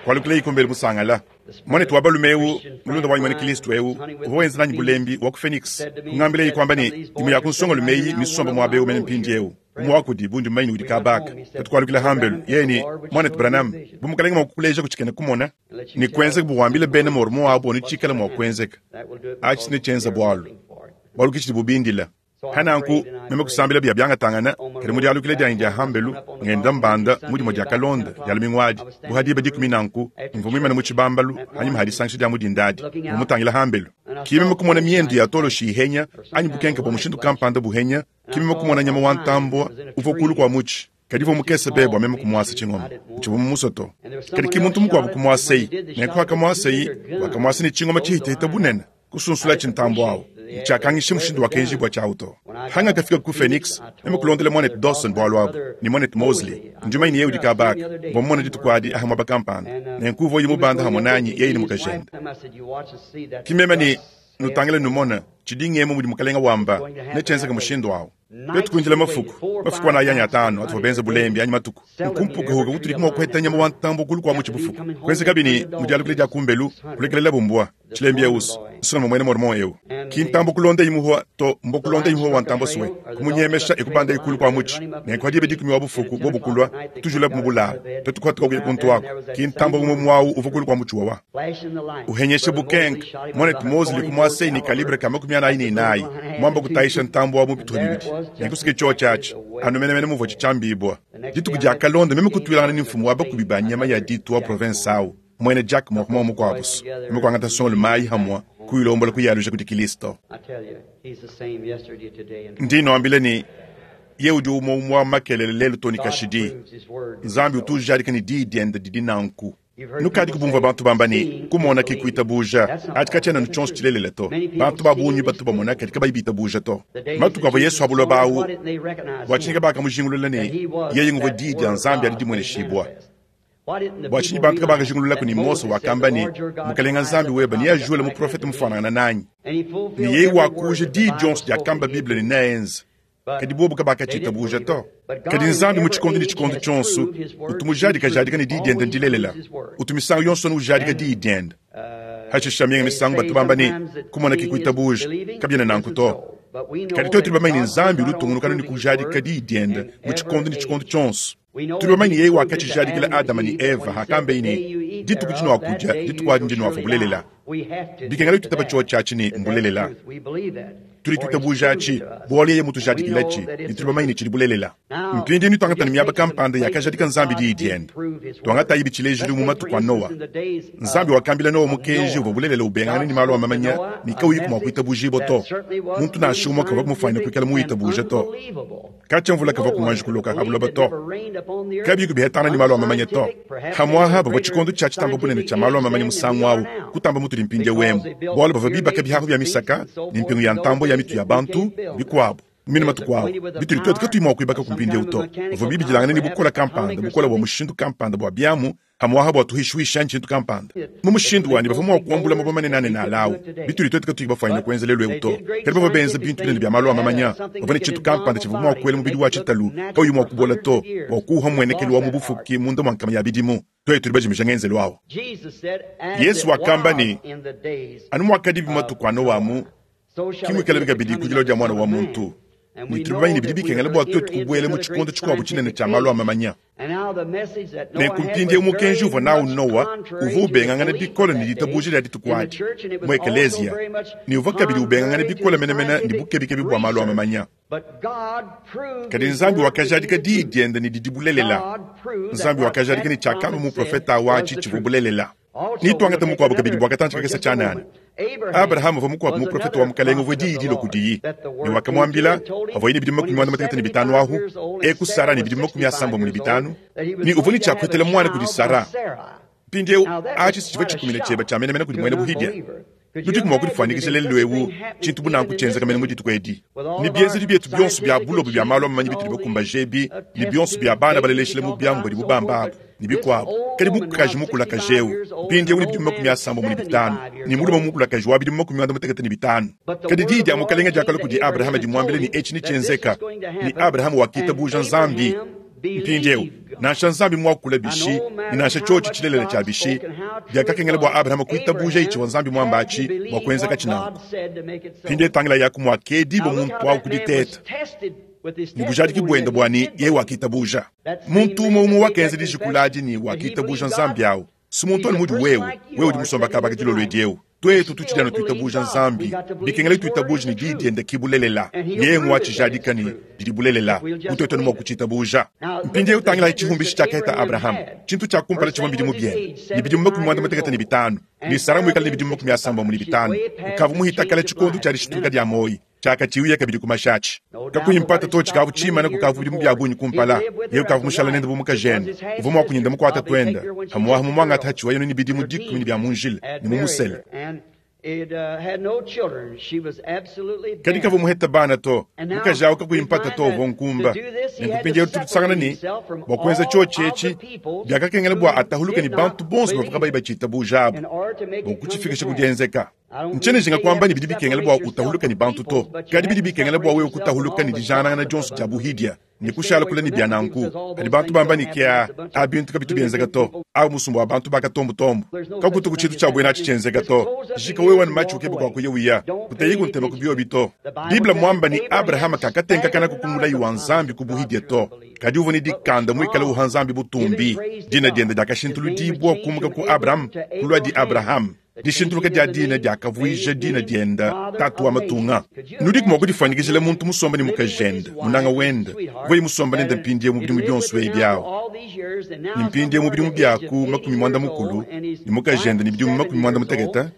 [SPEAKER 1] Kualukilayi kumbelu musangala. Muanetu wa balume eu, mulunda wanyi muena Kristo eu, uvua wenza nanyi bulembi wa ku Phoenix, kungambilaye kuamba ne, imue ya ku nsongalume eyi mmisombe muaba eu mene mpindieu. Umue wa kudibu ndi mumanye ne udi kaba aka. Tuetu kualukila hambelu, yeye ne, Muanetu Branham, bu Mukalenge mua kukuleja ku tshikena kumona ne kuenzeka bu wambile bena Mormon abu anu tshikala mua kuenzeka, atshi netshienze bualu, bualu ke tshidibu bindila. Pa nanku, meme kusambila biya biangatangana, kadi mu dialukila dianyi dia hambelu, ngenda mbanda mu dimue dia kalonda dia lumingu adi, bu ha diba dikumi nanku, mvua muimane mu tshibambalu panyima ha disangisha dia mu dinda adi, mvua mutangila hambelu. Ki meme kumona miendu ya toloshi ihenya, anyi bukenke bua mushindu kampanda buhenya, ki meme kumona nyama wa ntambua uvua kulu kua mutshi. Kadi uvua mukese be bua meme kumuasa tshingoma. Ntshivua mumusue to. Kadi ki muntu mukuabu kumuasayi. Nenku pakamuasayi, wakamuasa ne tshingoma tshihitehite bunene, kusunsulatshi ntambua au. Ntshiakangisha mushindu wakenjibua tshiawu to. Pangakafika ku Phoenix, meme kulondela muanetu Dawson bualu abu, ne muanetu Mosley. Ndi mumanye ne yeye udi kaba aka. Mvua mumone dituku adi aha muaba kampanda. Nenku uvua uya mubanda hamue nanyi, yeye ne mukajende. Ki meme ne, Nutangile numone, tshidi ngemu mudi Mukalenga wamba, netshienzeke mushindu awu. Tuetu kuindila mafuku, mafuku anayi anyi atanu atuvua benze bulembi anyi matuku, nku mpukahuka kutudi mua kuheta nyama wa ntambue kulu kua mutshi bufuku. Kuenzekabi ne, mu dialukila dia kumbelu, kulekelelabu mbua, tshilembi eus, nsongalume muena Mormon eu. Ki ntambue kulondayi muhua to, mbua kulondayi muhua wa ntambue sue, kumunyemesha e kubandayi kulu kua mutshi. Nenku ha diba dikumi wa bufuku, bobu kulua, kutujulabu mu bulalu. Tuetu kuhatuka kuya kuntu aku, ki ntambue umue muawu uvua kulu kua mutshi wawa. Uhenyesha bukenka, Muanetu Mosley kumuasayi ne kalibre ka 44, muamba kutayisha ntambue wa mu bituha bibidi. Nenku suke tshiotshi atshi, anu menemene muvuatshi tshiambibua. Dituku diakalonda, meme kutuilangana ne mfumu wa bakubi ba nyama ya ditu wa provense au, muena Jack Mormon mukuabusu. Meme kuangata nsongalume ayi hamua, kuyilombola kuyaluja kudi Kilisto. Ndi nuambila ne, Yeye udi umue umue wa makelela lelu too ne kashidi. Nzambi utu ujadika ne Diyi diende didi nanku. Nukadiku bumvua bantu bamba ne, Kumona ke kuitabuja. Atshi katshiena anu tshionso tshilelela to. Bantu ba bungi batu bamona kadi kabayi bitabuja to. Matuku avua Yesu pa buloba au, bua tshinyi kabakamujingulula ne, yeye nguvua Diyi dia Nzambi adi dimueneshibua? Bua tshinyi bantu kabakajingululaku ne, Mose wakamba ne, Mukalenga Nzambi webe neajule muprofete mufuanangane nanyi, ne yeye wakuuja diyi dionso diakamba Bible ne neenze? Kadi bobu kabakatshitabuja to. Kadi Nzambi mu tshikondo ne tshikondo tshionso utu mujadikajadika ne diyi diende ndilelela. Utu misangu yonso anu ujadika diyi diende. Hashisha minga misangu batu bamba ne, kumona ke kuitabuja. Kabiena nanku to. Kadi tuetu tudi bamanye ne Nzambi udi utungunuka anu ne kujadika diyi diende mu tshikondo ne tshikondo tshionso. Tudi bamanye ne yeye wakatshijadikila Adama ne Eva hakambeye ne, Dituku dinuakudia, dituku adi ndinuafua bulelela. Bikengela tuitaba tshiotshi atshi ne mbulelela. Tudi tuitabuja atshi bualu yeye mutujadikilatshi ne tudi bamanye ne tshidi bulelela. Mpindieu tuangata ne miaba kampanda yakajadika Nzambi diyi diende. Tuangatayibi tshilejilu mu matuku a Noa. Nzambi wakambila Noa mukenji uvua bulelela ubengangana ne malu a mamanya ne kawuyiku mua kuitabujibua to. Muntu nansha umue kavua mufuanyine kuikala muwitabuja to. Katshia mvula kavua kumuanji kuloka ha buloba to, kabiku bihetangana ne malu a mamanya to. Hamuaha bavua tshikondo tshia tshitamba bunene tshia malu a mamanya musangu au kutamba mutudi mpindieu emu, bualu bavua bibaka bihahu bia misaka ne mpingu ya ntambue ya mitu ya bantu bikuabu mine matuku au bitudi tuetu katuyi mua kuibaka ku mpindieu to. Bavua bibidilangane ne bukole kampanda, bukole bua mushindu kampanda bua biamu Pamu'apa bua tuhishuisha anyi tshintu kampanda mu mushindu wa ne bavua mua kuambula mabue manene alawu, bitudi tuetu katuyi bafuanyine kuenza lelu eu to. Kadi bavua benza bintu binene bia malu a mamanya. Bavua ne tshintu kampanda tshivua mua kuela mubidi wa tshitalu kauyi mua kubola to, bua kuuha mmuenekelu wa mu bufuki munda mua nkama ya bidimu. Tuetu tudi bajimije ngenzelu au. Yezu wakamba ne, Anu muakadibi matuku a Noa amu, ki muikalabi kabidi ku dilua dia Muana wa muntu. Ne tudi bamanye ne, bidi bikengela bua tuetu kubuela mu tshikondo tshikuabu tshinene tshia malu a mamanya. Nenku mpindieu mukenji uvua nawu Noa uvua ubengangana bikole ne ditabuja dia dituku adi mu ekeleziya, ne uvua kabidi ubengangana bikole menemene ne bukebikebi bua malu a mamanya. Kadi Nzambi wakajadika diyi diende ne didi bulelela. Nzambi wakajadika ne tshiakamba muprofete au atshi tshivua bulelela. Netuangate mukuabu kabidi bua katantshi kakese tshianana. Abrahama uvua mukuabu muprofete wa Mukalenge uvua diyi dilua kudiyi, ne wakamuambila pavuaye ne bidimu 55 ahu, eku Sara ne bidimu 75, ne uvua ne tshia kupetela muana kudi Sara. Mpindieu atshi si tshivua tshikumina tshiebe tshia menemene kudi muena buhidia. Nudiku mua kudifuanyikija lelu'eu tshintu bu nanku tshienzeka mene mu dituku edi, ne bienzedi bietu bionso bia bulobo bia malu a mamanyi bitudi bakumbaje ebi, ne bionso bia bana baleleshile mu biamu badibu bamba abu, ne bikuabu. Kadi mukaji mukulakaje eu, mpindieu ne bidimu 75, ne mulume mukulakaje wa bidimu 95. Kadi diyi dia Mukalenge diakalua kudi Abrahama dimuambila ne etshi netshienzeka, ne Abrahama wakitabuja Nzambi. Mpindieu, nansha Nzambi muakula bishi ne nansha tshiotshi tshilelela tshia bishi, biakakengela bua Abrahama kuitabuja tshivua Nzambi muamba atshi bua kuenzekatshi nanku. Mpindieu tangilayaku muakedibua muntu au ku diteta ne bujadiki buende bua ne, yeye wakitabuja. Muntu umue umue wakenza dijikula adi ne wakitabuja Nzambi au, si muntu anu mudi wewe, wewe udi musomba kaba ka dilolo edi eu. Twetu tutshidi anu twitabuuja Nzambi, bikengela twitabuuje ne Diyi Dyende ki Bulelela. Yeye ngwacijadika ne Didi Bulelela, bu twetu anu mwa kucitabuuja. Mpindyewu tangilaayi cihumbishi cyakaheta Abrahama, cintu cya kumpala civwa mbidimu byende, ne bidimu makumi mwandamutekete ne bitaanu, ne Sara mwikale ne bidimu makumi asambombo ne bitaanu, ukavwa muhita kale cikondo cya dishintuluka dya mwoyi. Tshiakatshiuya kabidi ku mashi atshi. Kakuyi mpata to, tshikavua tshiimane kukavua bidimu bia bungi kumpala. Yeye ukavua mushale nende bu mukajende. Uvua muakunyende mukuate tuende, pamu'apa mumuangate hatshivuaye ne bidimu dikumi ne bia mu njila, ne mumusele. Kadi kavua muhete bana to. Mukaji au kakuyi mpata to uvua nkumba. Nenku mpindieu tudi tusangana ne, bua kuenza tshiotshi etshi, biakakengela bua atahuluke ne bantu bonso bavua kabayi batshitabuja abu bua kutshifikisha ku dienzeka. Ntshiena njinga kuamba ne bidi bikengela bua utahuluke ne bantu to, kadi bidi bikengela bua wewe kutahuluka ne dijanangana dionso dia buhidia ne kushala kule ne bia nanku. Padi bantu bamba ne, Kea, a bintu kabitu bienzeka to, au musumba wa bantu ba katombotombo, kakutuku tshintu tshia buena atshi tshienzeka to. Jika wewe ne matshi ukebe kua kuya uya, kuteyiku ntema ku biobi to. Bible mmuamba ne, Abrahama kakatenkakanaku ku mulayi wa Nzambi ku buhidia to, kadi uvua ne dikanda muikale uha Nzambi butumbi. Dina diende diakashintuludibua kumuka ku Abram kuluadi Abrahama. Dishintuluka dia dina diakavuija dina diende Tatu wa matunga. Nudiku mua kudifuanyikijila muntu musombe ne mukajende, munanga wende, uvuaye musombe nende mpindieu mu bidimu bionso ebi awu, ne mpindieu mu bidimu bia ku 80 ne mukajende ne bidimu 80,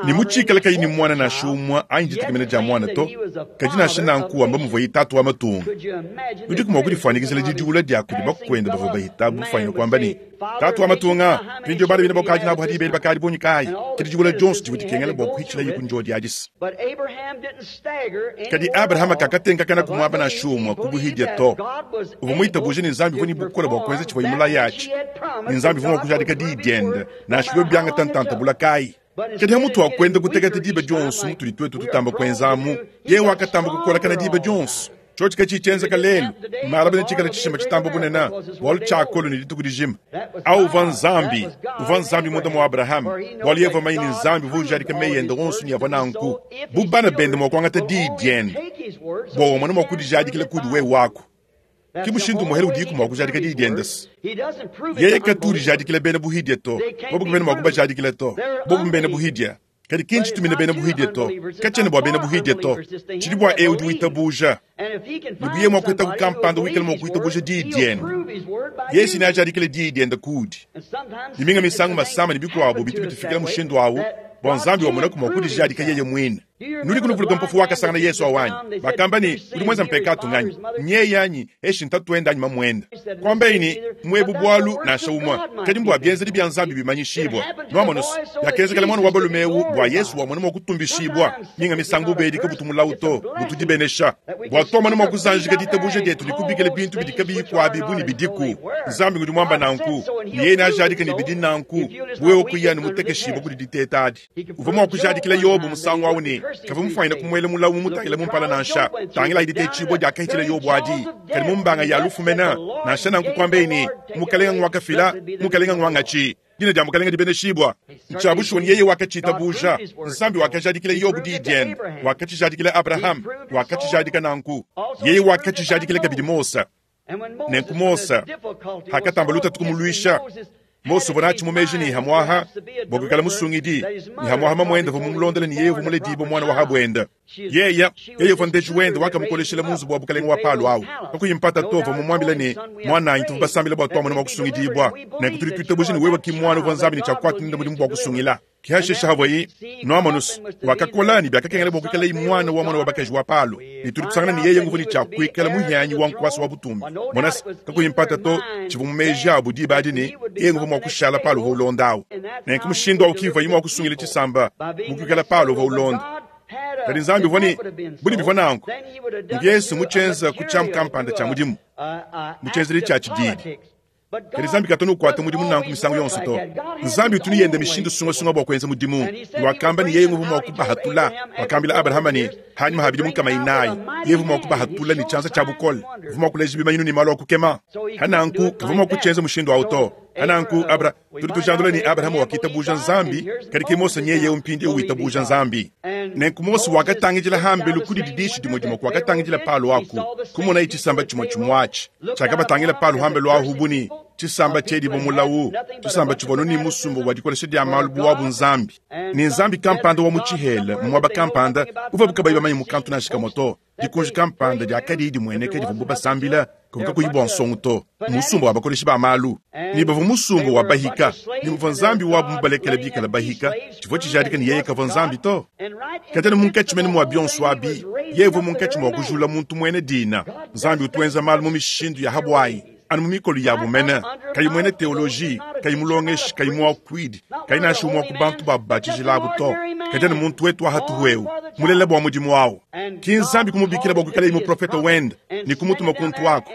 [SPEAKER 1] ne mutshikale kayi ne muana nansha umue anyi ditekemena dia muana to, kadi nansha nanku wamba muvuaye tatu wa matunga? Nudiku mua kudifuanyikijila didiwula dia kudi bakuende bavua bahita bufuanyine kuamba ne, Tatu wa matunga, mpindieu bana bine bakadi nabu hadi beli bakadi bungi kayi? Ke didiwula dionso divua dikengela bua kuhitshilaye ku ndio diadisa. Kadi Abrahama kakatenkakana ku muaba nansha umue ku buhidia to. Uvua muitabuje ne Nzambi uvua ne bukole bua kuenza tshivuaye mulaye atshi, ne Nzambi uvua mua kujadika diyi diende nansha biobi biangata ntanta bula kayi. Kadi hamutu ha kuenda kuteketa diba dionso mutudi tuetu tutamba kuenza amu, yeye wakatamba kukolakana diba dionso. Tshiotshi katshiyi tshienzeka lelu, malaba netshikale tshishima tshitamba bunene, bualu tshiakolu ne dituku dijima. Au uvua Nzambi, uvua Nzambi munda mua Abrahama, bualu yeye uvua manye ne Nzambi uvua ujadika meyi ende onso ne avua nanku, bu bana bende mua kuangata diyi diende bua wamona mua kudijadikila kudi wewe waku. Ke mushindu umuehele udiku mua kujadika diyi diende se, yeye katu udijadikila bena buhidia to, bobu kabena mua kubajadikila to, bobu mbena buhidia. Kadi ki ntshitumina bena buhidia to, katshiena bua bena buhidia to, tshidi bua eu udi witabuja. Ne bu yeye mua kuhetaku kampanda wikala mua kuitabuja diyi diende, yeye si neajadikile diyi diende kudi. Ne minga misangu masama ne bikuabo bitu bitufikila mushindu au, bua Nzambi wamonaku mua kudijadika yeye muine. Nudiku nuvuluka mpofu wakasangana Yesu awu anyi? Bakamba ne, Udi muenza mpekatu nganyi? Nyeye anyi, eshi ntatuende anyi mamuende? Kuambaye ne, Muebu bualu nansha umue, kadi mbua bienzedi bia Nzambi bimanyishibua. Nuamonu's, biakenzekela muana wa balume eu bua Yesu wamona mua kutumbishibua. Minga misangu bubedi kabutu mulawu to, butu dibenesha. Bua tuamona mua kuzanjika ditabuja dietu ne kubikila bintu bidi kabiyi kuabi bu ne bidiku. Nzambi ngudi muamba nanku, ne yeye neajadike ne bidi nanku, bu wewe kuyi anu mutekeshibue kudi diteta adi. Uvua mua kujadikila Yobo musangu au ne, kavua mufuanyine kumuela mulawu mumutangile mu mpala nansha. Tangilayi ditetshibua diakahitshila Yobo adi, kadi mu mbanga ya lufu mene. Nansha nanku kuambeyi ne, Mukalenga nguakafila, Mukalenga nguangatshi. Dina dia Mukalenga dibeneshibua. Ntshia bushuwa ne yeye wakatshitabuja. Nzambi wakajadikila Yobo diyi diende, wakatshijadikila Abrahama, wakatshijadika nanku. Yeye wakatshijadikila kabidi Mose. Nenku Mose hakatamba lutatu kumuluisha, Mose uvua natshi mu meji ne hamuaha bua kuikala musungidi, ne hamuaha mamuende uvua mumulondele ne yeye uvua muledibue muana wa habuende. Yeye, yeye uvua ndeji wende wakamukoleshela mu nzubu wa bukalenge wa Palo au. Kakuyi mpata to, uvua mumuambile ne, Muananyi, tuvua basambile bua tuamona mua kusungidibua, nenku tudi tuitabuja ne wewe ki muana uvua Nzambi ne tshia kuata nende mudimu bua kusungila. Ke hashishe havuaye nuamonus, wakakola ne biakakengela bua kuikalaye muana wa muana wa bakaji wa Palo, ne tudi tusangana ne yeye nguvua ne tshia kuikala muhianyi wa nkuasa wa butumbi. Monase, kakuyi mpata to, tshivua mu meji abu diba adi ne yeye nguvua mua kushala Palo uvua ulonda awu. Nenku mushindu awu kivuaye mua kusungila tshisamba mu kuikala Palo uvua ulonda. Kadi Nzambi uvua ne budi bivua nanku ngesu mu tshienza ku tshiamu kampanda tshia mudimu mu tshienzedi tshia tshididi. Kadi Nzambi katu anu ukuata mudimu nanku misangu yonso to. Nzambi utu ne yende mishindu sungasunga bua kuenza mudimu. Wakamba ne yeye nguvua mua kubahatula. Wakambila Abrahama ne, hanyima ha bidimu nkama inayi, yeye uvua mua kubahatula ne tshianza tshia bukole. Uvua mua kuleja bimanyinu ne malu a kukema. Hananku kavua mua kutshienza mushindu au to. Hananku Abra, tudi tujandula ne Abrahama wakitabuja Nzambi, kadi ke Mose nyeye eu mpindieu witabuja Nzambi. Nenku Mose wakatangidila hambelu ku dididishi dimue dimue kuakatangidila Palo aku, kumonaye tshisamba tshimue tshimue atshi tshiakabatangila Palo hambelu ahu bu ne. Tshisamba tshiedibua mulawu, tshisamba tshivua anu ne musumba wa dikolesha dia malu bu wabu nzambi, ne nzambi kampanda wa mu tshihela mu muaba kampanda uvuabu kabayi bamanye mu kantu nansha kamue to. Dikunji kampanda dia kadiyi dimueneka divuabu basambila kavua kakuyi bua nsongo to, musumba wa bakoleshi ba malu, ne bavua musumba wa bahika, ne muvua nzambi wabu mubalekele bikale bahika, tshivua tshijadika ne yeye kavua nzambi to. Kadi anu munkatshi mene mua bionso abi, yeye uvua munkatshi mua kujula muntu muena dina. Nzambi utu wenza malu mu mishindu ya habuayi, anu mu mikolo yabu mene, kayi muena teoloji, kayi mulongeshi, kayi muakuidi, kayi nansha umue wa ku bantu babu ba tshijila abu to, kadi anu muntu wetu wa hatuhu eu, mulela bua mudimu au. Ki Nzambi kumubikila bua kuikalaye muprofete wende ne kumutuma kuntu aku,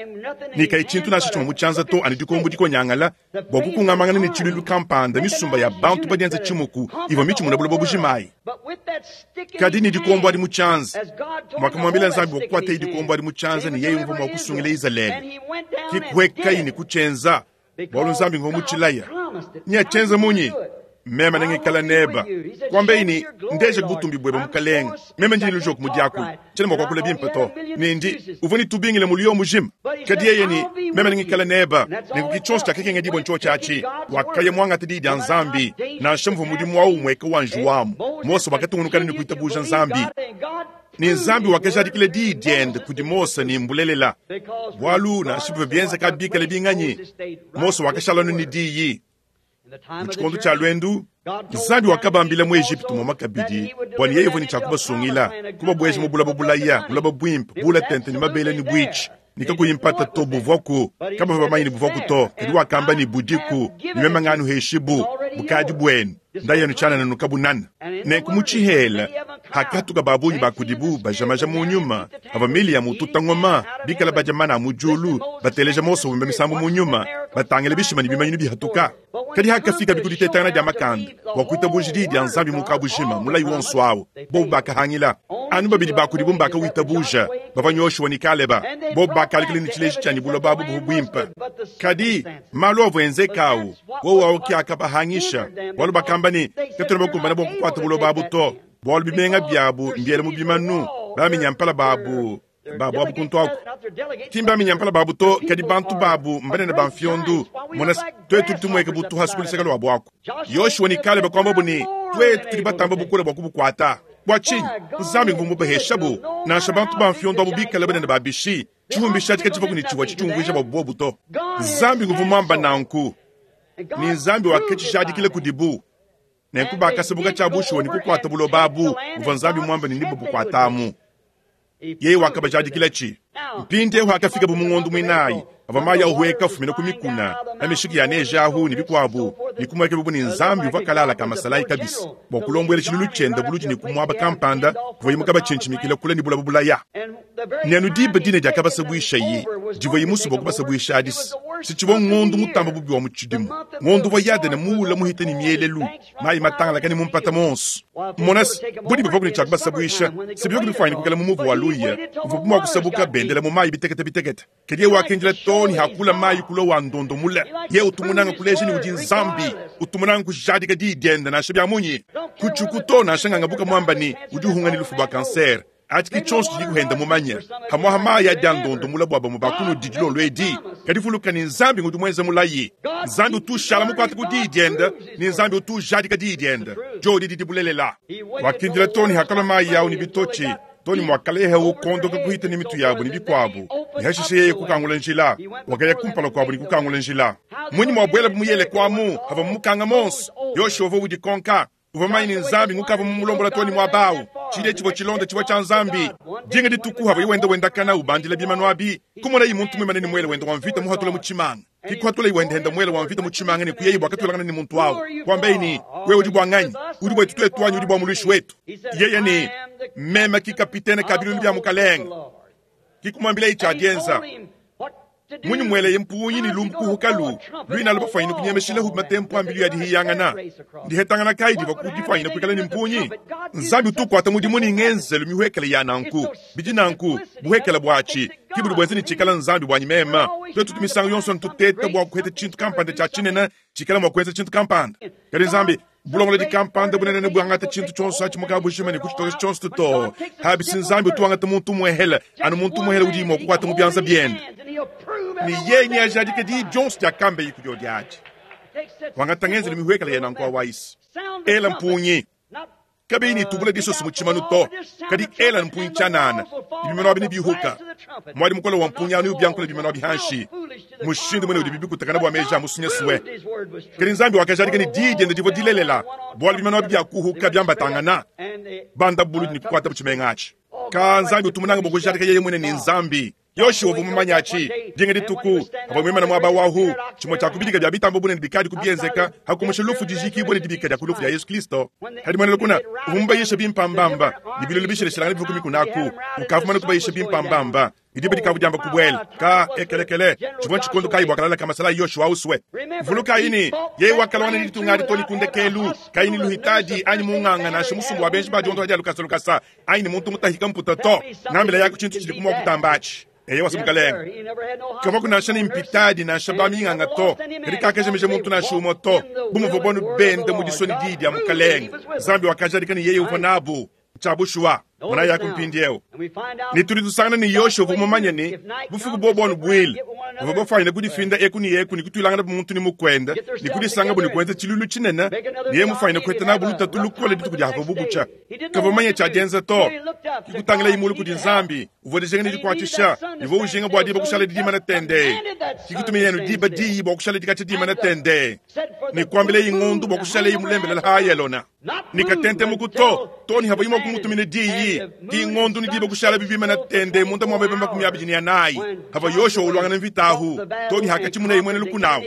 [SPEAKER 1] ne kayi tshintu nansha tshimue mu tshianza to, anu dikombo dikonyangala bua kukungamangana ne tshiluilu kampanda, misumba ya bantu badienza tshimuku ivua mitshimune buloba bujima ayi. Kadi ne dikombo adi mu tshianza, muakamuambila Nzambi bua kukuataye dikombo adi mu tshianza ne yeye uvua mua kusungila Izalele. Ke kuhuekaye ne kutshienza, bualu Nzambi nguvua mutshilaya. Neatshienze munyi? Meme nengikala neba. Kuambeyi ne, Ndeja butumbi buebe, Mukalenge. Meme ndi ne lujoko mu diakula. Tshiena mua kuakula bimpe to. Ne ndi, uvua ne tubingila mu luyo mujima. Kadi yeye ne, Meme nengikala neba. Nenku ki tshionso tshiakakengedibua ntshiotshi atshi. Wakaya muangate Diyi dia Nzambi. Nansha muvua mudimu au umueka wa njiwu Mose wakatungunuka ne kuitabuja Nzambi. Ne Nzambi wakajadikila Diyi diende kudi Mose ne mbulelela. Bualu nansha bivua bienzeka bikale binganyi, Mose wakashala anu ne Diyi. Mu tshikondo tshia luendu, Nzambi wakabambila mu Ejipitu muamua kabidi bua ne yeye uvua ne tshia kubasungila, kubabueja mu bulaba bulaya, bulaba buimpe, bula tente ne mabele ne buitshi, ne kakuyi mpata to buvuaku. Kabavua bamanye ne buvuaku to, kadi wakamba ne budiku, ne meme nganuheshibu, bukadi buenu, ndayenu tshianana nukabunana. Nenku mu tshihela hakatuka ba bungi ba kudibu bajamaja mu nyuma, pavua Miriam ututa ngoma, bikale badia mana a mu diulu, bateleja Mose wimba misambu mu nyuma, batangila bishima ne bimanyinu bihatuka. Kadi hakafikabi ku ditetangana dia makanda bua kuitabuja diyi dia Nzambi mu kabujima, mulayi wonso au, bobu bakahangila. Anu babidi ba kudibu mbakawitabuja, bavua Yoshua ne Kaleba. Bobu bakalikila ne tshileji tshia ne buloba abu buvua buimpe. Kadi malu avua enzeka au, wowu au ke akabahangisha, bualu bakamba ne, Katuena bakumbane bua kukuata buloba abu to, bualu bimenga biabu mbiele mu bimanu, baminyampala babu babu abu kuntu aku ki mbaminyampala babu to, kadi bantu babu mbanene ba mfiondu. Mona, tuetu tudi tumueka bu tuhasu ku luseke luabu aku. Yoshua ne Kaleba kuambabu ne, tuetu tudi batamba bukole bua kubukuata. Bua tshinyi? Nzambi nguvua mubaheshabu, nansha bantu ba mfiondu abu bikale banene ba bishi. Tshihumbishi atshi katshivuaku ne tshivua tshitshiumvuija bua bobu to. Nzambi nguvua muamba nanku, ne Nzambi wakatshijadikila kudibu. Nenku bakasabuka tshia bushuwa ne kukuata buloba abu buvua Nzambi muambe ne nebabukuatamu. Yeye wakabajadikilatshi. Mpindieu hakafikabu mu ngondo muinayi, avua mayi ahueka afumina ku mikuna na mishiki ya neje ahu ne bikuabu, ne kumuekabi bu ne Nzambi uvua kalala ka masalayi kabisa bua kulombuela tshiluilu tshiende buludi ne ku muaba kampanda kuvuaye mukabatshintshimikila kule ne bulaba bulaya. Ne anu diba dine diakabasabuishaye divuaye musue bua kubasabuisha adi, si tshivua ngondo mutamba bubi wa mu tshidimu, ngondo uvua Yadene muule muhite ne mielelu, mayi matangalakane mu mpata muonso. Mona se, bu diba ne tshia kubasabuisha, se bivua bifuanyine kuikala mu muvu wa luya uvuabu mua kusabuka bendela mu mayi bitekete bitekete. Kadi yeye wakindila too ne hakula mayi kulua wa ndondo mule. Yeye utu munanga kuleja ne udi Nzambi, utu munanga kujadika diyi diende nansha bia munyi. Kutshiuku to nansha ngangabuka muamba ne udi uhunga ne lufu bua kansere. Atshi ke tshionso tshidi kuhenda mumanye. Pamuapa mayi adi a ndondo mule bua bamue ba kunudi dilolo edi. Kadi vuluka ne, Nzambi ngudi muenze mulayi. Nzambi utu ushala mukuate ku diyi diende, ne Nzambi utu ujadika diyi diende. Diodi didi bulelela. Wakindila too ne hakalua mayi au ne bitotshi, too ne muakalehewu kuondoka kuhita ne mitu yabu ne bikuabu, ne hashishe yeye kukangula njila. Wakaya kumpala kuabu ne kukangula njila. Munyi muabuelabu mu Yeleko amu havua mukanga monso? Yoshua uvua udikonka. Uvua mumanye ne Nzambi ngukavua mumulombola too ne muaba au. Tshidia tshivua tshilonda tshivua tshia Nzambi. Dinga dituku havuaye wenda wendakana ubandila bimanu abi, kumonaye muntu muimane ne muele wende wa mvita muhatula mu tshimanga. Ke kuhatulaye wendehenda muele wa mvita mu tshimanga ne kuyaye bua katuilangana ne muntu au. Kuambaye ne, Wewe udi bua nganyi? Udi buetu tuetu anyi udi bua muluishi wetu? Yeye ne, Meme ki kapitene ka biluilu bia mukalenge. Ke kumuambilaye tshia dienza. Munyi mueleye mpungi ne lumbu kuhukalu luinalu bafuanyine kunyemeshilahu matempu a mbilu ya dihiyangana? Ndihetangana kayi divua ku difuanyine kuikala ne mpungi? Nzambi utu ukuata mudimu ne ngenzelu mihuekele ya nanku. Bidi nanku, buhuekele buatshi ki budi buenza ne tshikala Nzambi buanyi meme. Tuetu tu misangu yonso ntuteta bua kuheta tshintu kampanda tshia tshinene tshikala mua kuenza tshintu kampanda. Kadi Nzambi bulongolodi kampanda bunene nebuangate tshintu tshionso atshi mu kabujima ne kutshitokesha tshionso to. Abi si Nzambi utu wangata muntu muehele, anu muntu muehele udi mua kukuata mu bianza biende. Ne yeye neajadike diyi dionso diakambeyi kudiodi adi. Wangata ngenzelu mihuekele ya nanku wa wayisi. Ela mpungi. Kabiyi ne tubula disoso mu tshimanu to, kadi ela mpungi tshianana, ne bimanu abi nebihuka. Muadi mukole wa mpungi au neubiankule bimanu abi hanshi. Mushindu munene udibi bikutakana bua meji a musunyasue. Kadi Nzambi wakajadika ne diyi diende divua dilelela, bualu bimanu abi biakuhuka biambatangana, banda buludi ne kukuatabu tshimenga atshi. Ka Nzambi utu munange bua kujadika yeye muine ne Nzambi. Yoshua uvua mumanye atshi. Dinga dituku, avua muimane muaba wahu, tshimue tshia ku bidika bia bitamba bunene bikadi ku bienzeka, ha kumusha lufu dijikibua ne dibika dia ku lufu dia Yesu Kristo. Kadi muena lukuna uvua mubayisha bimpambamba, ne bilulu bishilashilangane bivua ku mikuna aku. Ukavua mumane kubayisha bimpambamba, ne diba dikavua diamba kubuela. Ka ekelekele, tshivua ntshikondo kayi bua kalala ka masalayi Yoshua usue? Vulukayi ne, yeye wakalongana ne ditunga adi too ne ku ndekelu, kayi ne luhitadi anyi munganga nansha musumba wa benji ba diondoha dia lukasa lukasa anyi ne muntu mutahika mputa to. Ngambila yaku tshintu tshidi kumua kutamba atshi. Eyewa, se mukalenge. Kavua nansha ne mpitadi nansha baminganga to, kadi kakajimija muntu nansha umue to. Bu muvua bonu benda mu disua ne diyi dia mukalenge, Nzambi wakajadika ne yeye uvua nabu. Ntshia bushuwa. Monayi yaku mpindieu. Ne tudi tusangana ne Yoshua uvua mumanye ne, bufuku bobu anu buile, bavua bafuanyine kudifinda eku ne eku ne kutuilangana bu muntu ne mukuende ne kudisangabu ne kuenza tshiluilu tshinene, ne yeye mufuanyine kuheta nabu lutatu lukole dituku diavua butshia. Kavua mumanye tshia dienza to. Ke kutangilaye mulu kudi Nzambi, uvua dijinga ne dikuatshisha, ne uvua ujinga bua diba kushala didimana tendee. Ke kutumiye anu diba diyi bua kushala dikatshia dimana tendee, ne kuambilaye ngondo bua kushalaye mulembelela ha Ayalona. Ne katentemuku to, to ne havua mua kumutumina diyi, ki ngondo ne diba kushala bibimana tende munda mua meba 24, havua Yoshua uluangana mvita ahu, to ne hakatshimunaye muena lukuna ahu.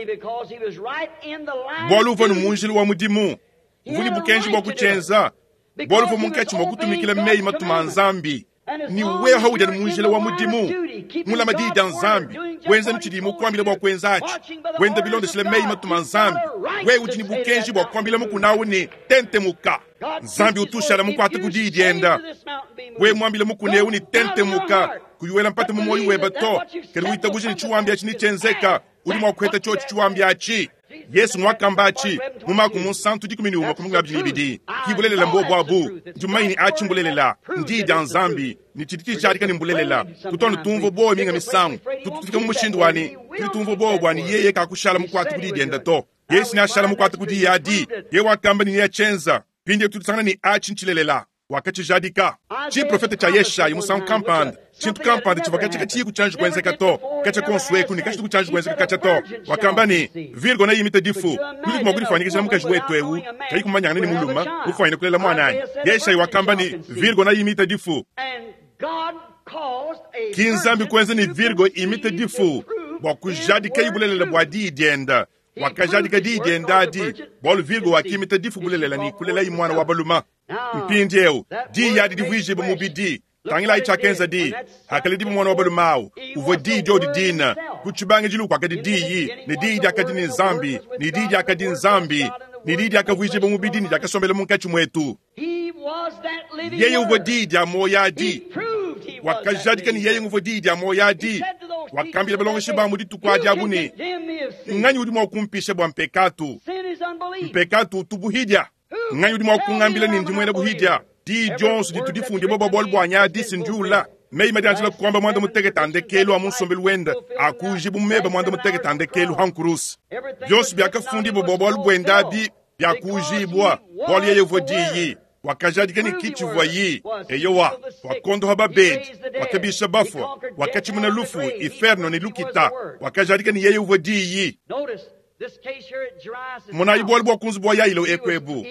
[SPEAKER 1] Bualu uvua ne mu njila wa mudimu, uvua ne bukenji bua kutshienza, bualu uvua munkatshi mua kutumikila meyi matuma a Nzambi. Ne wewe haudi anu mu njila wa mudimu, mulama diyi dia Nzambi, wenza ne tshidiye mukuambile bua kuenza atshi, wenda bilondeshile meyi matuma a Nzambi, wewe udi ne bukenji bua kuambila mukuna au ne, Tentemuka. Nzambi utu ushala mukuate ku diyi dienda. Wewe muambile mukuna eu ne, Tentemuka, kuyi wela mpata mu muoyo webe to, kadi witabuja ne tshiwambi atshi netshienzeka, udi mua kuheta tshiotshi tshiwambi atshi. Yesu nguakamba atshi mu Mako Munsantu 11 ku 22. Ki bulelela mbobu abu. Ndi mumanye ne atshi mbulelela, ndiyi dia Nzambi, ne tshidi tshijadika ne mbulelela. Tutu anu tumvua buowa minga misangu. Tutu tufika mu mushindu wa ne tudi tumvua buowa bua ne yeye kakushala mukuate ku diyi diende to. Yesu neashala mukuate ku diyi adi. Yeye wakamba ne neatshienza. Mpindieu tudi tusangana ne atshi ntshilelela. Wakatshijadika. Tshiprofete tshia Yeshaya musangu kampanda, tshintu kampanda tshivua katshia katshiyi kutshianji kuenzeka to, katshia konso eku ne katshitu kutshianji kuenzeka katshia to. Wakamba ne, Virgo neimite difu. Nudiku mua kudifuanyikijila mukaji wetu eu kayi kumanyangana ne mulume, mufuanyine kulela muana anyi? Yeshaya wakamba ne, Virgo neimite difu. Ki Nzambi kuenza ne Virgo imite difu bua kujadikayi bulelela bua diyi diende. Wakajadika diyi diende adi, bualu Virgo wakimita difu bulelela ne kulelayi muana wa balume. Mpindieu, diyi adi divuijibue mubidi. Tangilayi tshiakenza diyi. Hakaledibua muana wa balume au, uvua diyi diodi dine. Ku tshibangidilu kuakadi diyi, ne diyi diakadi ne Nzambi, ne diyi diakadi Nzambi, ne diyi diakavuijibua mubidi ne diakasombela munkatshi muetu. Yeye uvua diyi dia muoyo adi. Wakajadika ne yeye nguvua diyi dia muoyo adi. Wakambila balongeshi ba mu dituku adi abu ne, Nganyi udi mua kumpisha bua mpekatu? Mpekatu utu buhidia. Nganyi udi mua kungambila ne ndi muena buhidia? Diyi dionso ditu difundibua bua bualu buanyi adi si ndiula. Meyi madianjila kuamba 18 a ndekelu a mu nsombelu wende akuujibu mu meba 18 a ndekelu ha nkuruse. Bionso biakafundibua bua bualu buende abi biakuujibua, bualu yeye uvua Diyi. Wakajadika ne ki tshivuayi. Eyowa, wakondoha babedi, wakabisha bafua, wakatshimuna lufu, inferno ne lukita. Wakajadika ne yeye uvua Diyi. Monayi bualu bua ku nzubu wa Yailo eku ebu.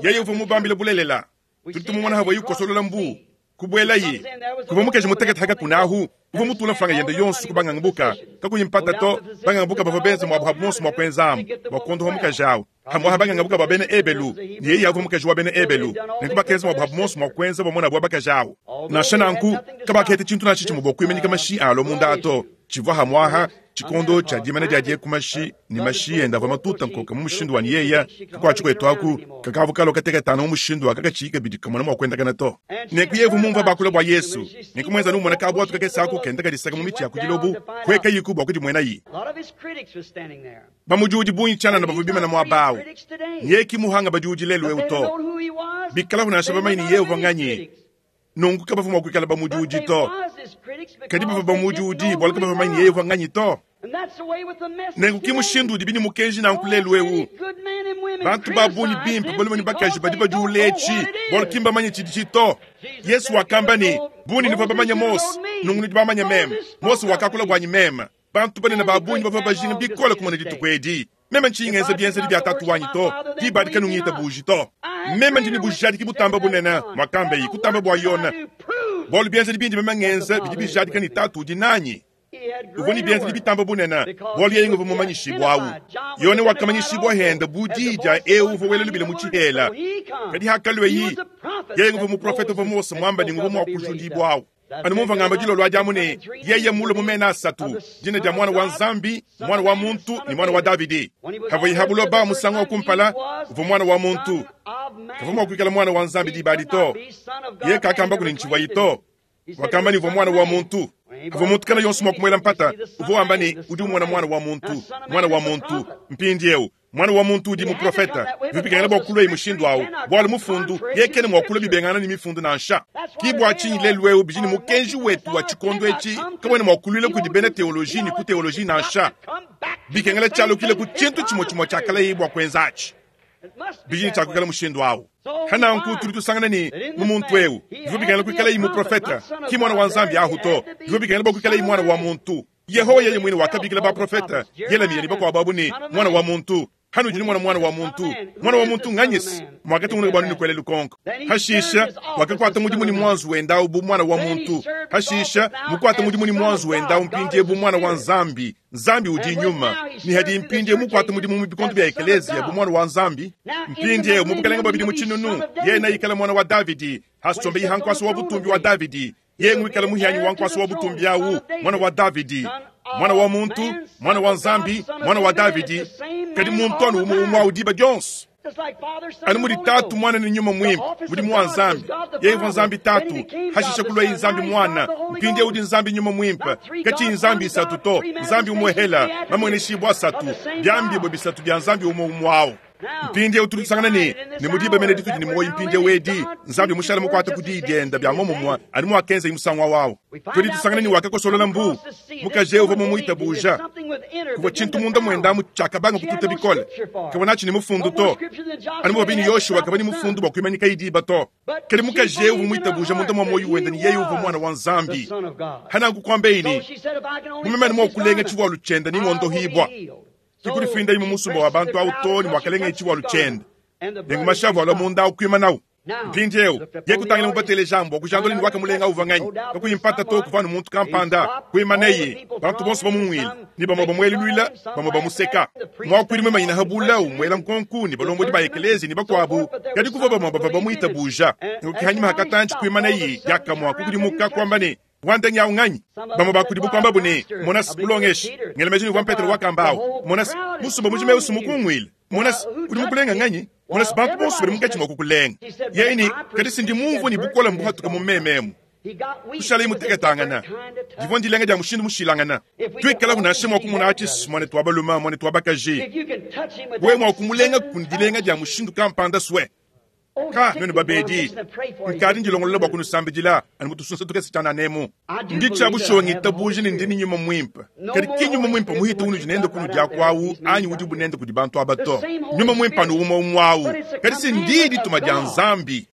[SPEAKER 1] Yeye uvua mubambile bulelela. Tudi tumumona havuaye ukosolola mbuu, kubuelaye. Kuvua mukaji mutekete ha kakuna ahu, uvua mutula mfranga yende yonso ku bangangabuka. Kakuyi mpata to, bangangabuka bavua benze muabu habu muonso mua kuenzamu bua kuondoha mukaji au. Hamuaha bangangabuka ba bena Ebelu, ne yeye avua mukaji wa bena Ebelu. Nenku bakenza muabu habu muonso mua kuenza bua muanabu wa bakaji au. Nansha nanku, kabakaheta tshintu nansha tshimue bua kuimanyika mashi alua munda to. Tshivua hamuaha tshikondo tshia dimana dia dieku mashi ne mashi ende avua matuta nkoka mu mushindu wa ne yeya kakuatshi kuetu aku kakavua kalua kateketana mu mushindu wa kakatshiyi kabidi kamona mua kuendakana to. Nenku yevu mumvua bakula bua Yesu, nenku muenza numona kabuatu kakese aku kenda kadisaka mu mitshi ya ku dilobu, kuekayiku bua kudimuenayi. Bamudiudi bungi tshianana bavua bimana muaba au, ne ki muhanga badiudi lelu eu to. Bikalabu nansha bamanye ne yeye uvua nganyi, Nunku kabavua mua kuikala bamudiudi to. Kadi bavua bamudiudi bualu kabavua bamanye yeye uvua nganyi to. Nenku ki mushindu udibi ne mukenji nanku lelu eu. Bantu ba bungi bimpe, balume ne bakaji, badi badiula etshi bualu ki mbamanye tshiditshi to. Yesu wakamba ne, Bu nuvua bamanye Mose, nunku nudi bamanye meme. Mose wakakula buanyi meme. Bantu banene ba bungi bavua bajinga bikole kumona dituku edi. Meme ntshiyi ngenza bienzedi bia Tatu wanyi to, diba adi kanungitabuji to. Meme ndi ne bujadiki butamba bunene, muakambaye, kutamba bua Yone, bualu bienzedi bindi meme ngenza bidi bijadika ne Tatu udi nanyi. Uvua ne bienzedi bitamba bunene, bualu yeye nguvua mumanyishibua awu. Yone wakamanyishibua hende bu diyi dia eu uvua wela lubila mu tshihela. Kadi hakalueyi, yeye nguvua muprofete uvua Mose muamba ne nguvua mua kujudibua awu. Anu mumvua ngamba dilolo adi amu ne, yeye mmulue mu mena asatu, dina dia Muana wa Nzambi, Muana wa muntu ne Muana wa Davidi. Pavuaye ha buloba musangu wa kumpala, uvua Muana wa muntu. Kavua mua kuikala Muana wa Nzambi diba adi to. Yeye kakambaku ne ntshivuayi to. Wakamba ne uvua Muana wa muntu. Pavua muntu kana yonso mua kumuela mpata, uvua wamba ne, udi umona Muana wa muntu, Muana wa muntu. Mpindieu, Muana wa muntu udi muprofete. Bivua bikengela bua kuluaye mushindu au, bualu mufundu yeye kena mua kulua bibengangana ne mifundu nansha. Ke bua tshinyi lelu'eu bidi ne mukenji wetu wa tshikondo etshi kawena mua kuluila kudi bena teoloji ne ku teoloji nansha. Bikengela tshialukile ku tshintu tshimue tshimue tshiakalaye bua kuenza atshi. Bidi ne tshia kuikala mushindu au. Pa nanku tudi tusangana ne, mu muntu eu bivua bikengela kuikalaye muprofete, ki muana wa Nzambi ahu to. Bivua bikengela bua kuikalaye muana wa muntu. Yehowa yeye muine wakabikila baprofete Yelemiya ne bakuabu abu ne, Muana wa muntu. Hanudi numona Muana wa muntu, Muana wa muntu nganyi-se? Muakatungunuka bua nuenu kuela lukonko. Hashisha, wakakuata mudimu ne muanzu wende au bu Muana wa muntu. Hashisha, mukuate mudimu ne muanzu wende au mpindieu bu Muana wa Nzambi. Nzambi udi Nyuma, ne hadi mpindieu mukuate mudimu mu bikondo bia ekeleziya bu Muana wa Nzambi. Mpindieu mu bukalenge bua bidimu tshinunu, yeye neikale Muana wa Davidi, hasombeye ha nkuasa wa butumbi wa Davidi. Yeye ngwikala muhianyi wa nkuasa wa butumbi au, mwana wa Davidi, mwana wa muntu, mwana wa Nzambi, mwana wa Davidi, kadi muntu anu umue umue au diba dionso. Anu mudi Tatu, Muana ne Nyuma Muimpe, mudimu wa Nzambi. Yeye uvua Nzambi Tatu, hashishe kuluaye Nzambi Muana, mpindieu udi Nzambi Nyuma Muimpe. Katshiyi Nzambi isatu to, Nzambi umuehela, mamueneshibua asatu, biambibue bisatu bia Nzambi umue umue au. Mpindieu tudi tusangana ne, ne mu diba mene ditudi ne muoyo mpindieu edi, Nzambi mushale mukuate ku diyi diende bia muomumue anu muakenzaye musangu au au. Tudi tusangana ne, wakakosolola mbuu. Mukaji eu uvua mumuitabuja. Kuvua tshintu munda muende amu tshiakabanga kututa bikole. Kavua natshi ne mufundu to, anu muvua bine Yoshua kavua ne mufundu bua kuimanyikaye diba to. Kadi mukaji eu uvua muitabuja munda mua muoyo wende ne, yeye uvua Muana wa Nzambi. Hananku kuambaye ne, Bu meme anu mua kulenga tshivualu tshiende nengondohibua. Kikudifindayi mu musumba wa bantu awu too ne muakalengaye tshivualu tshiende, nenku mashi avua alua munda awu kuimanawu. Mpindieu, ye kutangila mubatelejamu bua kujandula ne wakamulenga uvua nganyi. Kakuyi mpata to, kuvua anu muntu kampanda. Kuimanaye, bantu bonso bamunguile, ne bamue bamueluluila, bamue bamuseka. Muakuidi muimanyine ha bule umuela nkonku, ne balombodi ba ekeleziya ne bakuabu. Kadi kuvua bamue bavua bamuitabuja. Nenku ke hanyima ha katantshi kuimanaye diakamue, kukudimuka, kuamba ne, Wandengi awu nganyi? Bamue ba kudibu kuambabu ne, Monase, mulongeshi. Ngela meji ne uvua Petelo wakamba awu. Monase, musumba mujima eu sumukunguile. Monase, udi mukulenga nganyi? Monase, bantu bonso badi munkatshi mua kukulenga. Yeye ne, Kadi si ndi mumvue ne bukole mbuhatuka mu meme emu. Kushalaye muteketangana. Divua ndilenga dia mushindu mushilangana. Tuikalaku nansha mua kumona atshi, muanetu wa balume, muanetu wa bakaji. Wewe mua kumulenga ku dilenga dia mushindu kampanda sue. Ka, nuenu babedi, nkadi ndilongolola bua kunusambidila anu mu tusunsa tukese tshianana emu. Ndi tshia bushuwa ngitabuja ne ndi ne Nyuma Muimpe, kadi ki Nyuma Muimpe muhite unudi nende kunudi aku awu anyi udibu nende kudi bantu aba to. Nyuma Muimpe anu umue umue awu, kadi si ndiyi dituma dia Nzambi.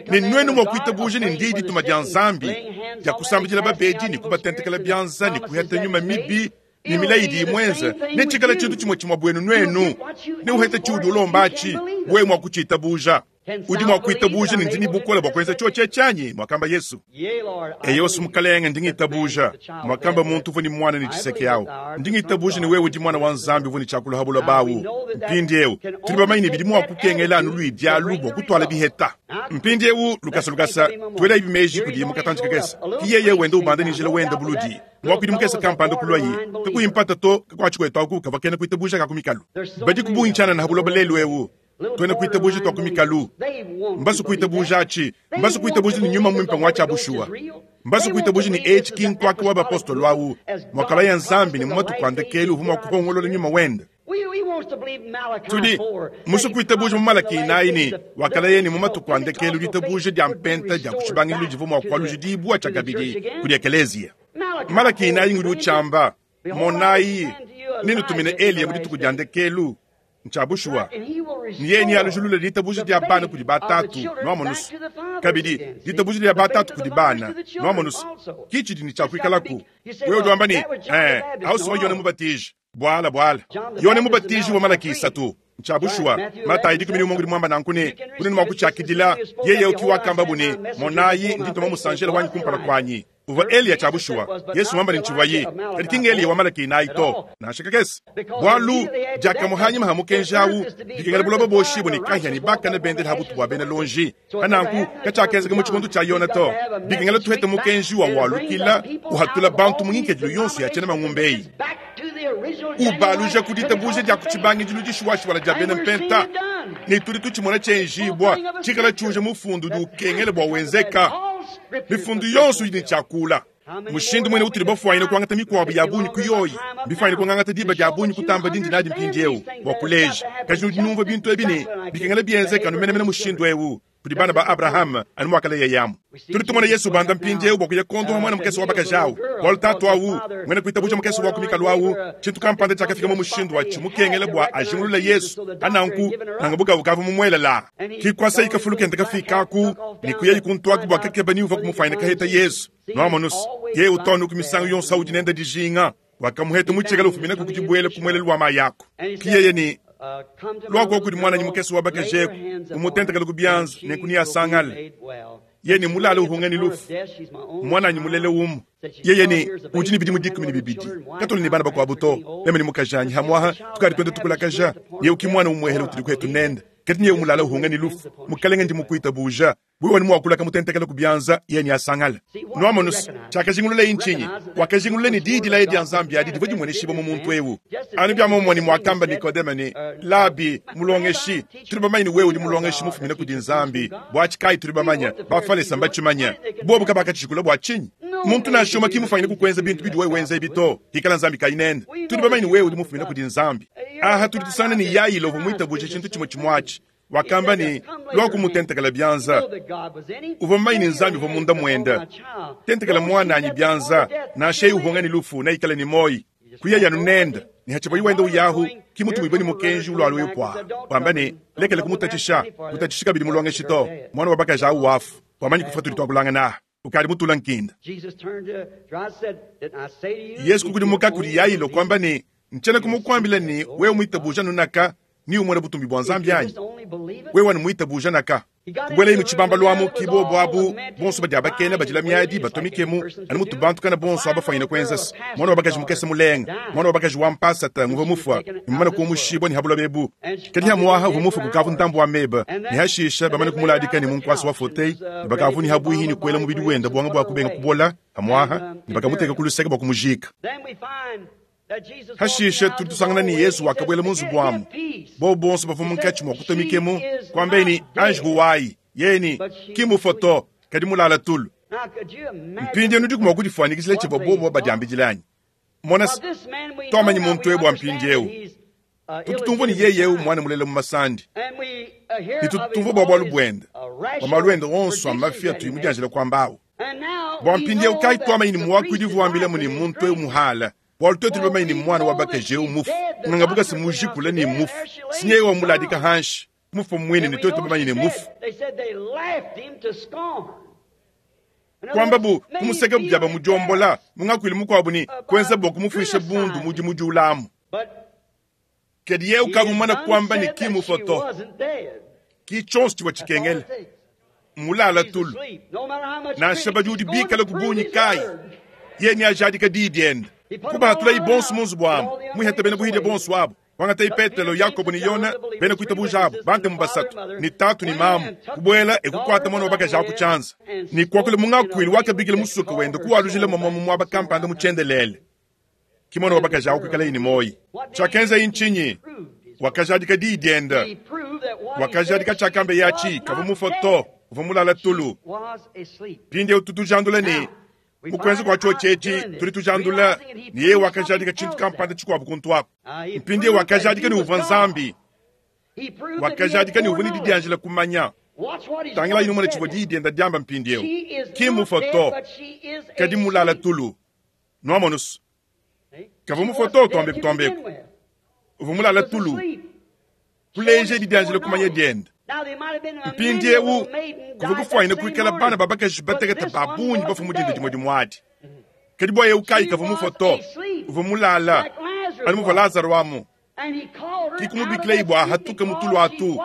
[SPEAKER 1] Ne nuenu mua kuitabuja ne ndiyi dituma dia Nzambi dia kusambidila babedi ne kubatentekela bianza ne kuheta nyuma mibi, ne milayi idi imuenza, netshikale tshintu tshimue tshimue buenu nuenu. Neuhete tshiudi ulomba atshi, wewe mua kutshitabuja. Udi mua kuitabuja ne ndi ne bukole bua kuenza tshiotshi etshi anyi? Muakamba Yesu. Eyo, Mukalenge, ndi ngitabuja. Muakamba muntu uvua ne muana ne tshiseke au. Ndi ngitabuja ne wewe udi Muana wa Nzambi uvua ne tshiakula ha buloba au. Mpindieu tudi bamanye ne bidi mua kukengela anu luidi alu bua kutuala biheta. Mpindieu lukasa lukasa tuelayi meji kudiye mu katantshi kakese. Ki yeye wenda ubanda ne njila wenda buludi. Muakuidi mukese kampanda kuluaye, kakuyi mpata to, kakuatshi kuetu aku kavua kena kuitabuja ka ku mikalu. Badi ku bungi tshianana ha buloba lelu eu, tuena kuitabuja tua ku mikalu. Mbasu kuitabuja atshi, mbasu kuitabuja ne Nyuma Muimpe ngua tshia bushuwa. Mbasu kuitabuja ne etshi ki nkuaka wa bapostolo au, muakalaya Nzambi ne mu matuku a ndekelu uvua mua kuhongolola Nyuma wende. Tudi musue kuitabuja mu Malaki inayi ne wakalaya ne mu matuku a ndekelu ditabuja dia mpenta dia ku tshibangidilu divua mua kualujidibua tshiakabidi kudi ekeleziya. Malaki inayi ngudi utshiamba, Monayi, nenutumine Eliya mu dituku dia ndekelu. Ntshia bushuwa, ne yeye nealujilule ditabuja dia bana kudi batatu, nuamonu's. Kabidi, ditabuja dia batatu kudi bana, nuamonu's, ki tshidi ne tshia kuikalaku. Wewe udi wamba ne, Ee, au si wa Yone Mubatiji. Bwala, bwala. Yone Mubatiji wa Malaki isatu. Ntshia bushuwa, Matayi 11 udi muamba nanku ne, Kunena mua kutshiakidila, yeye eu ki wakambabu ne, Monayi, ndi ntuma musanjela wanyi kumpala kuanyi. Uvua Eliya tshia bushuwa. Yesu muamba ne ntshivuaye, kadi ki ng'Eliya wa Malaki inayi to, nansha kakese. Bualu, diakamue hanyima ha mukenji au, dikengela buloba buoshibue ne kahia ne bakane bendele ha butu bua bena luonji. Pa nanku, katshiakenzeka mu tshikondo tshia Yona to. Bikengela tuhete mukenji wa walukila uhatula bantu mu ngikadilu yonso ya tshiena mangumba eyi, ubaluja ku ditabuja dia ku tshibangidilu dishuwashuwala dia bena mpenta, ne tudi tutshimona tshienjibua tshikala tshiuja mufundu udi ukengela bua wenzeka. Mifundu yonso idi ne tshiakula. Mushindu muine utudi bafuanyine kuangata mikuabu ya bungi ku yoyi, mbifuanyine kungangata diba dia bungi kutamba dindi nadi mpindieu bua kuleja. Kadi nudi numvua bintu ebi ne bikengela bienzeke anu menemene mushindu eu kudi bana ba Abrahame, anu muakaleyayamu. Tudi tumona Yesu ubanda mpindieu bua kuya kuondopa muana mukese wa bakaji au, bualu tatu au muena kuitabuja mukese wa ku mikalu au, tshintu kampanda tshiakafika mu mushindu wa tshimukengela bua ajingulule Yesu. Pa nanku, nanga bukavu ukavua mumuele laa. Ki kuasayi kafulu kende kafikaku ne kuyayi kuntuaku bua kakeba ni uvua kumufuanyina kaheta Yesu. Nuamonus, yeye utu ku misangu yonso audi nende dijinga. Wakamuheta mu tshikala ufuminaku ku dibuela ku muelelu wa mayi aku. Ki yeye ne, Luaku kudi muananyi mukese wa bakaji eku, umutentekele ku bianza, nenku neasangale. Yeye ne mulale uhunga ne lufu, muananyi mulele umue. Yeye ne, Udi ne bidimu 12. Katuena ne bana bakuabu to, meme ne mukajanyi hamuaha tukadi tuenda tukulakaja. Yeye ki muana umuehele utudi kuetu nende. Kadi nyeye mulale uhunga ne lufu. Mukelenge, ndi mukuitabuja. Wewe wanu muakula kamutentekele ku bianza, yeye neasangale. Nuamonus, tshiakajingululaye ntshinyi? Wakajingulula ne diyi dilaya dia Nzambi adi divua dimueneshibua mu muntu eu. Anu bia muomumue ne muakamba Nikodeme ne, Labi, mulongeshi, tudi bamanye ne wewe udi mulongeshi mufumine kudi Nzambi. Buatshi kayi tudi bamanye? Bafalese mbatshimanye. Bobu kabakatshijikula bua tshinyi? Muntu nansha umue ki mufanyine kukuenza bintu bidi wewe wenza ebi to, hikala Nzambi kayi nende. Tudi bamanye ne wewe udi mufumine kudi Nzambi. Aha tudi tusangana ne Yailo uvua muitabuje tshintu tshimue tshimue atshi. Wakamba ne, Lua kumutentekela bianza. Uvua mumanye ne Nzambi uvua munda muende. Tentekela muananyi bianza, nansha yeye uhunga ne lufu, neikale ne muoyo. Kuyaye anu nende, ne hatshivuaye wenda uyahu, ki mutumibue ne mukenji ulualua epu wamba ne, Lekela kumutatshisha, kutatshishi kabidi mulongeshi to, muana wa bakaji au wafu, wamanyi kufua tudi tuakulangana aha, ukadi mutula nkinda. Yesu kukudimuka kudi Yailo kuamba ne, Ntshiena kumukuambila ne, wewe muitabuja nunaka, ni umona butumbi bua Nzambi anyi? Wewe anu muitabuja naka. Kubuelaye mu tshibambalu amu, ki bobu abu bonso badiabakena badila miadi batumikemu anu mutu bantu kana bonso abafwanyine kuenza se mwana wa bakaji mukese mulenga, mwana wa bakaji wa mpasata nguvua mufua ne mumane kumushibua ne ha buloba ebu. Kadi hamuaha uvua mufue kukavu ntambu wa meba, ne hashisha bamane kumuladika ne mu nkuasa wa fauteuil, ne bakavu ne habuihi ne kuela mubidi wenda buanga bua kubenga kubola hamuaha, ne bakamuteka ku luseke bua kumujika. Hashishe tudi tusangana ne Yesu wakabuela mu nzubu amu, bobu bonso bavua munkatshi mua kutua mikemu, kuambaye ne, Anji huwayi. Yeye ne, Ki mufue to, kadi mulala tulu. Mpindieu nudiku mua kudifuanyikijila tshivua bobu badiambidile anyi? Mona se, tuamanyi muntu eu bua mpindieu. Tutu tumvua ne yeye eu muana mulela mu masandi, ne tutu tumvua bua bualu buende, bua malu ende onso a mafi atuyi mudianjile kuamba au. Bua mpindieu kayi tuamanyi ne muakuidi uvua wambilamu ne muntu eu muhala, bualu tuetu tudi bamanye ne muana wa bakaji eu mufu, nganga se mujikula ne mufu, si nyeye wamuladika hanshi, mufu muine ne tuetu bamanye ne mufu. Kuamba bu kumuseka bia bamudiombola mu ngakuilu mukuabu ne kuenza bua kumufuisha bundu mudi mudiulamu. Kadi yeye ukavua mumane kuamba ne ki mufue to. Ki tshionso tshivua tshikengela. Mmulala tulu. Nansha badiudi bikale ku bungi kayi, yeye neajadike diyi diende. Kubahatulayi bonso mu nzubu amu, muihate bena buhidia bonso abu. Kuangatayi Petelo, Yakobo ne Yone, bena kuitabuja abu, bantemu basatu, ne tatu ne mamu, kubuela e kukuata muana wa bakaji awu ku tshianza, ne kuakula mu ngakuilu wakabikila musuke wende kuwalujila momua mu muaba kampanda mu tshiendelele. Ki muana wa bakaji awu kuikalaye ne muoyi. Tshiakenzaye ntshinyi? Wakajadika diyi diende. Wakajadika tshiakambeye atshi, kavua mufue to, uvua mulale tulu. Mpindieu tudi tujandula ne, Mu kuenza kua tshiotshi etshi, tudi tujandula ne yeye wakajadika tshintu kampanda tshikuabu kuntu aku. Mpindieu wakajadika ne uvua Nzambi. Wakajadika ne uvua ne didianjila kumanya. Tangilayi numone tshivua diyi dienda diamba mpindieu. Ki mmufue to, kadi mmulale tulu. Nuamonu's, kavua mufue to, tuambeku tuambeku. Uvua mulale tulu, kuleja didianjila kumanya diende. Mpindieu kuvua kufuanyine kuikala bana ba bakaji batekete ba bungi bafue mu dinda dimue dimue adi. Kadi bua eu kayi kavua mufue to, uvua mulala anu muvua Lazaro amu. Ki kumubikilayi bua ahatuke mu tulu atu,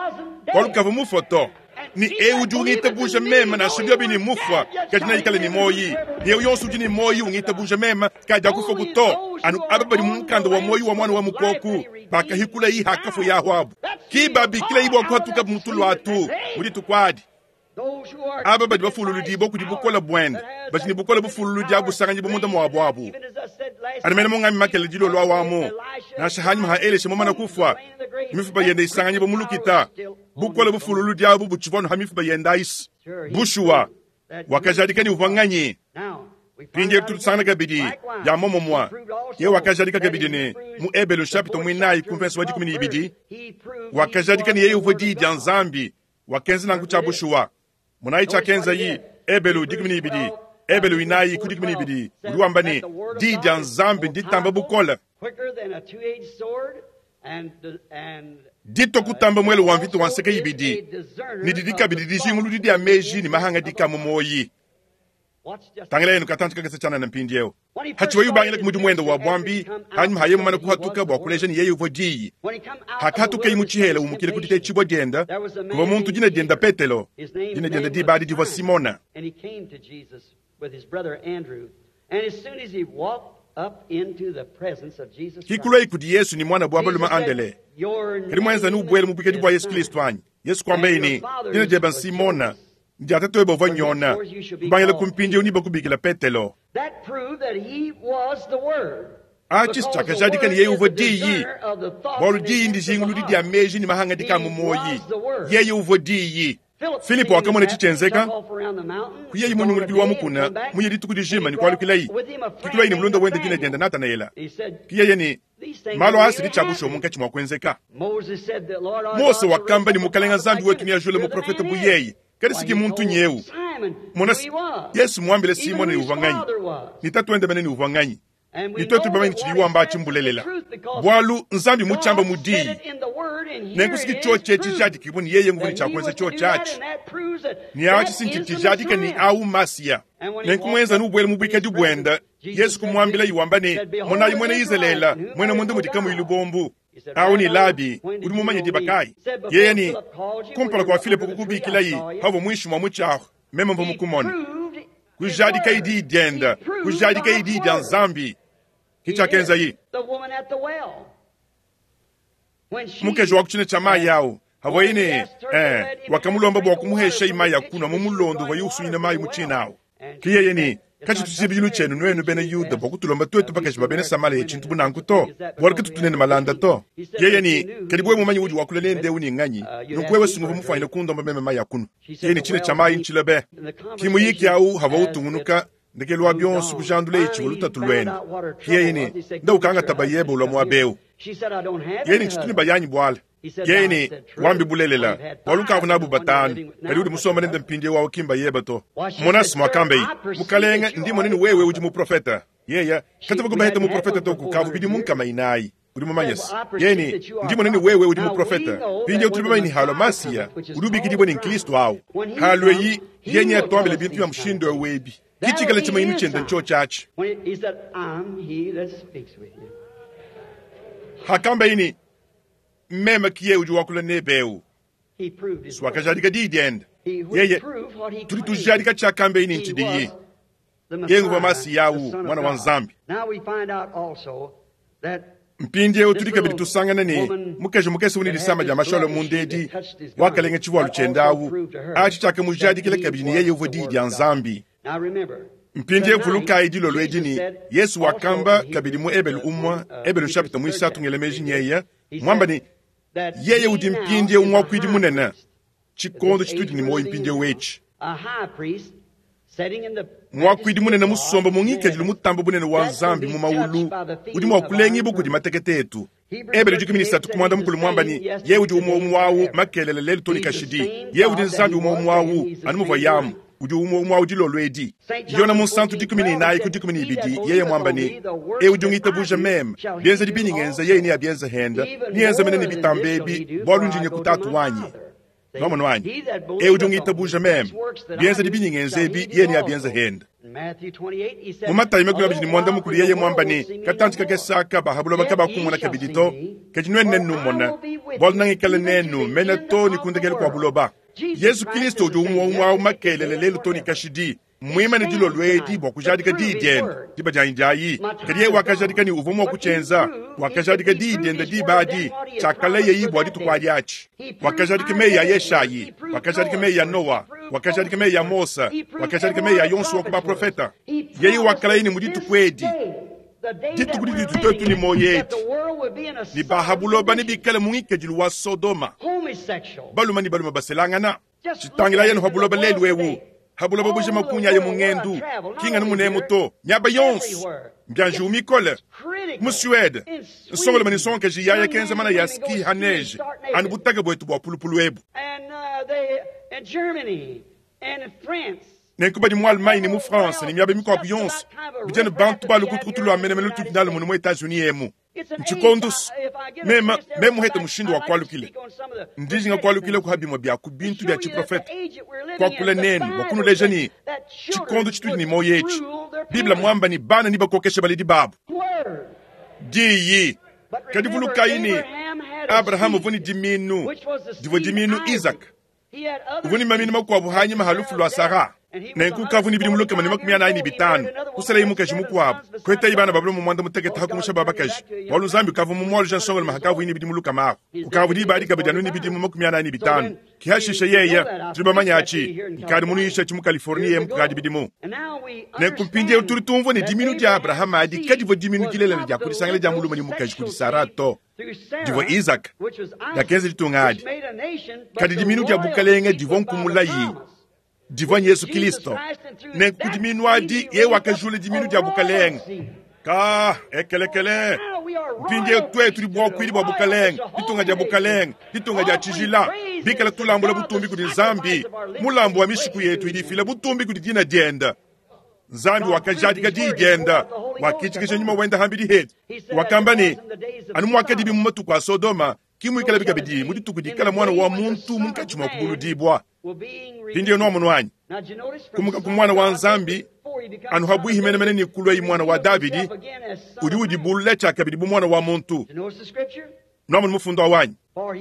[SPEAKER 1] bualu kavua mufue to. Ne eu udi ungitabuja meme, nansha biobi ne mufua, kadi neikale ne muoyi. Ne eu yonso udi ne muoyi ungitabuja meme, kadiakufuaku to. Anu aba badi mu mukanda wa muoyi wa Muana wa Mukoku bakahikulayi hakafua yahu abu, ki babikilayi bua kuhatukabu mu tulu atu mu dituku adi. Aba badi bafululudibua kudi bukole buende, badi ne bukole bufululudi abu busanganyibua munda muabu abu. Anu mene mungami makele dilolo awamu, nansha hanyima ha Elisha mumana kufua, ne mifuba yende isanganyibua mu lukita, bukole bufululudi abu butshivua anu ha mifuba yende ayisi. Bushuwa, wakajadika ne uvua nganyi? Mpindieu tudi tusangana kabidi bia muomumue. Yeye wakajadika kabidi ne, mu Ebelu nshapita muinayi ku mvese wa 12, wakajadika ne yeye uvua Diyi dia Nzambi. Wakenza nanku tshia bushuwa. Monayi tshiakenzayi, Ebelu 12, Ebelu 4 ku 12, udi wamba ne, Diyi dia Nzambi nditamba bukole, ditua kutamba muele wa mvita wa nseke ibidi, ne didi kabidi dijinguludi dia meji ne mahangadika a mu muoyi. Tangilayenu katanci kakese tshianana mpindieu. Hatshivuaye ubangila ku mudimu wende wa buambi, hanyima haye mumane kuhatuka bua kuleja ne yeye uvua Diyi. Hakahatukaye mu tshihela umukila ku ditetshibua diende, kuvua muntu dina diende Petelo, dina diende diba adi divua Simona. Kikuluaye kudi Yesu ne muanabu wa balume Andele. Kadi muenza ne ubuela mu buikadi bua Yesu Kristo anyi? Yesu kuambaye ne, Dina diebe n'Simona, Dia tatuebe uvua Yona. Kubangila ku mpindieu nebakubikila Petelo. Atshi tshiakajadika ne yeye uvua Diyi, bualu Diyi ndijinguludi dia meji ne mahangadika a mu muoyi. Yeye uvua Diyi. Filipo wakamona etshi tshienzeka, kuyaye mu nyungulukilu wa mukuna, muye dituku dijima ne kualukilaye. Kikuluaye ne mulunda wende dina diende Natanaela. Ke yeye ne, Malu aa sidi tshia bushuwa munkatshi mua kuenzeka. Mose wakamba ne, Mukalenga Nzambi wetu neajule muprofete bu yeye, kadi siki muntu nyeu. Mona, Yesu muambile Simona ne uvua nganyi, ne tatuende mene ne uvua nganyi, ne tuetu bamanye tshidi wamba atshi mbulelela, bualu Nzambi mutshiamba mu diyi. Nenku siki tshiotshi etshi tshijadikibue ne yeye nguvua ne tshia kuenza tshiotshi atshi, ne atshi si ntshidi tshijadika ne au Masiya. Nenku muenza nubuele mu buikadi buende. Yesu kumuambilaye wamba ne, Monayi muena Izalele, muena munda mudi kamuyi lubombu. Awu ne Labi, udi mumanye diba kayi? Yeye ne, Kumpala kua Filipo kukubikilaye, pauvua muinshi mua mutshi ahu, meme mvua mukumone. Kujadikaye diyi diende, kujadikaye diyi dia Nzambi. Ke tshiakenzaye. Mukaji wa ku tshina tshia mayi awu, havuaye ne, eh, wakamulomba bua kumuheshaye mayi a kunua mu mulondo uvuaye usunyina mayi mu tshina awu. Ke yeye ne, Katshitu tshibidilu tshienu nuenu bena Yuda bua kutulomba tuetu bakaji ba bena Samalea tshintu bu nanku to, bualu katutu nenu malanda to. Yeye ne, Kadi wewe mumanye udi wakula nende eu ne nganyi, nunku wewe sunguvua mufuanyine kundomba meme mayi a kunua. Yeye ne, Tshina tshia mayi ntshile be. Ki muyiki au havua utungunuka, ndekelu wa bionso kujandulaye tshivua lutatu luende. Ke yeye ne, Nda ukangata bayebe ulua muaba eu. Yeye ne, Tshitu ne bayanyi buala. Yeye ne, Wambi bulelela, bualu ukavua nabu batanu, kadi udi musombe nende mpindieu au ki mbayebe to. Mona muakambeye, Mukalenge, ndi mmona ne wewe udi muprofete. Yeye katuvua kubaheta muprofete to kukavua bidimu nkama inayi. Udi mumanye se, yeye ne, Ndi mmona ne wewe udi muprofete. Mpindieu tudi bamanye ne halua Masiya, udi ubikidibua ne n'Kristo au. Halueyi, yeye neatuambile bintu bia mushindu eu ebi. Ki tshikale tshimanyinu tshiende ntshiotshi atshi. Hakambeye ne, Meme ki yeye udi wakula nebe eu. Wakajadika diyi diende. Yeye, tudi tujadika tshiakambeye ne ntshidiyi. Yeye nguvua Masiya au, Muana wa Nzambi. Mpindieu tudi kabidi tusangana ne, mukaji mukese udi ne disama dia mashi alua munda edi wakalenga tshivualu tshiende au. Atshi tshiakamujadikila kabidi ne yeye uvua Diyi dia Nzambi. Mpindieu vulukayi dilolo edi ne, Yesu wakamba kabidi mu Ebelu umue, Ebelu nshapita muisatu ngela meji nyeye, muamba ne, Yeye udi mpindieu muakuidi munene, tshikondo tshitudi ne muoyo mpindieu etshi. Muakuidi munene musombe mu ngikadilu mutambe bunene wa Nzambi mu mawulu udi mua kulengibua kudi matekete etu. Ebele 13 ku muanda mukulu muamba ne, Yeye udi umue umue awu makelela lelu too ne kashidi. Yeye udi Nzambi umue umue awu, anu muvua Yamu udi umue umue awu dilolo edi. Yona Munsantu 14 ku 12 yeye muamba ne, Eu udi ungitabuja meme, bienzedi bindi ngenza yeye neabienze hende, neenze mene ne bitambe ebi, bualu ndi nya ku Tatu wanyi. Nwamonu anyi? Eu udi ungitabuja meme, bienzedi bindi ngenza ebi yeye neabienze hende. Mu Matayi 25 yeye muamba ne, Katantshi kakese aka ba ha buloba kabakummona kabidi to, kadi nuenu nennummone, bualu nangikale nenu mene to ne ku ndekelu kua buloba. Yezu Kilisto udi umue umue awu makelela, lelu to ne kashidi. Mmuimane dilolo edi bua kujadika diyi diende, diba dianyi diayi. Kadi yeye wakajadika ne uvua mua kutshienza. Wakajadika diyi diende diba adi, tshiakalayeyi bua dituku adi atshi. Wakajadika meyi a Yeshayi, wakajadika meyi a Noa, wakajadika meyi a Mose, wakajadika meyi a yonso wa ku baprofeta. Yeye wakalaya ne mu dituku edi, dituku ditudi tuetu ne muoyo edi, ne ba ha buloba nebikale mu ngikadilu wa Sodoma, balume ne balume baselangana. Tshitangilayi anu ha buloba lelu eu, ha buloba bujima kunyaye mu ngendu, ki nganu munemu to, miaba yonso. Mbia njiwu mikole. Mu Suede, nsongalume ne nsongakaji yaya kenza manaya a ski ha neige anu butaka buetu bua pulupulu ebu. Nenku badi mu Allemagne ne mu France ne miaba mikuabu yonso, bidi anu bantu ba lukutukutu lua menemene lutudi nalu munu mu Etats-Unis emu. Ntshikondo meme meme muhete mushindu wa kualukila, ndi njinga kualukila ku ha bimue bia ku bintu bia tshiprofete, kuakula nenu bua kunuleja ne tshikondo tshitudi ne muoyo etshi, Bible muamba ne bana nebakokeshe baledi babu. Diyi. Kadi vulukayi ne, Abrahama uvua ne dimiinu, divua dimiinu Izaka. Uvua ne maminu makuabu hanyima ha lufu lua Sara. Nenku ukavua ne bidimu 145, kuselaye mukaji mukuabu, kuhetaye bana ba balume 16 ha kumusha ba bakaji, bualu Nzambi ukavua mumualuja nsongalume hakavuaye ne bidimu lukama ahu. Ukavua diba adi kabidi anu ne bidimu 45. Ke hashishe yeye, tudi bamanye atshi, nkadi munuyishe atshi mu Californie emu kukadi bidimu. Nenku mpindieu tudi tumvua ne diminu dia Abrahama adi kadivua diminu dilelela dia ku disangila dia mulume ne mukaji kudi Sara to. Divua Izaka diakenza ditunga adi, kadi diminu dia bukalenge divua nkumulayi divua Yezu Kristo. Nenku ku diminu adi yeye wakajula diminu dia bukalenge. Ka ekelekele mpindieu tuetu tudi buakuidi bua bukalenge, ditunga dia bukalenge, ditunga dia tshijila, bikala tulambula butumbi kudi Nzambi. Mulambu wa mishiku yetu idi ifila butumbi kudi dina diende. Nzambi wakajadika diyi diende, wakitshikija nyuma wende hambidi hetu. Wakamba ne, anu muakadibi mu matuku a Sodoma, ki muikalabi kabidi mu dituku dikala Muana wa muntu munkatshi mua kubuludibua. Mpindieu nuamonu anyi? Kumuka ku Muana wa Nzambi, anu habuihi menemene ne kuluayi Muana wa Davidi, udi udibulula tshiakabidi bu Muana wa muntu. Nuamonu mufundu awu anyi?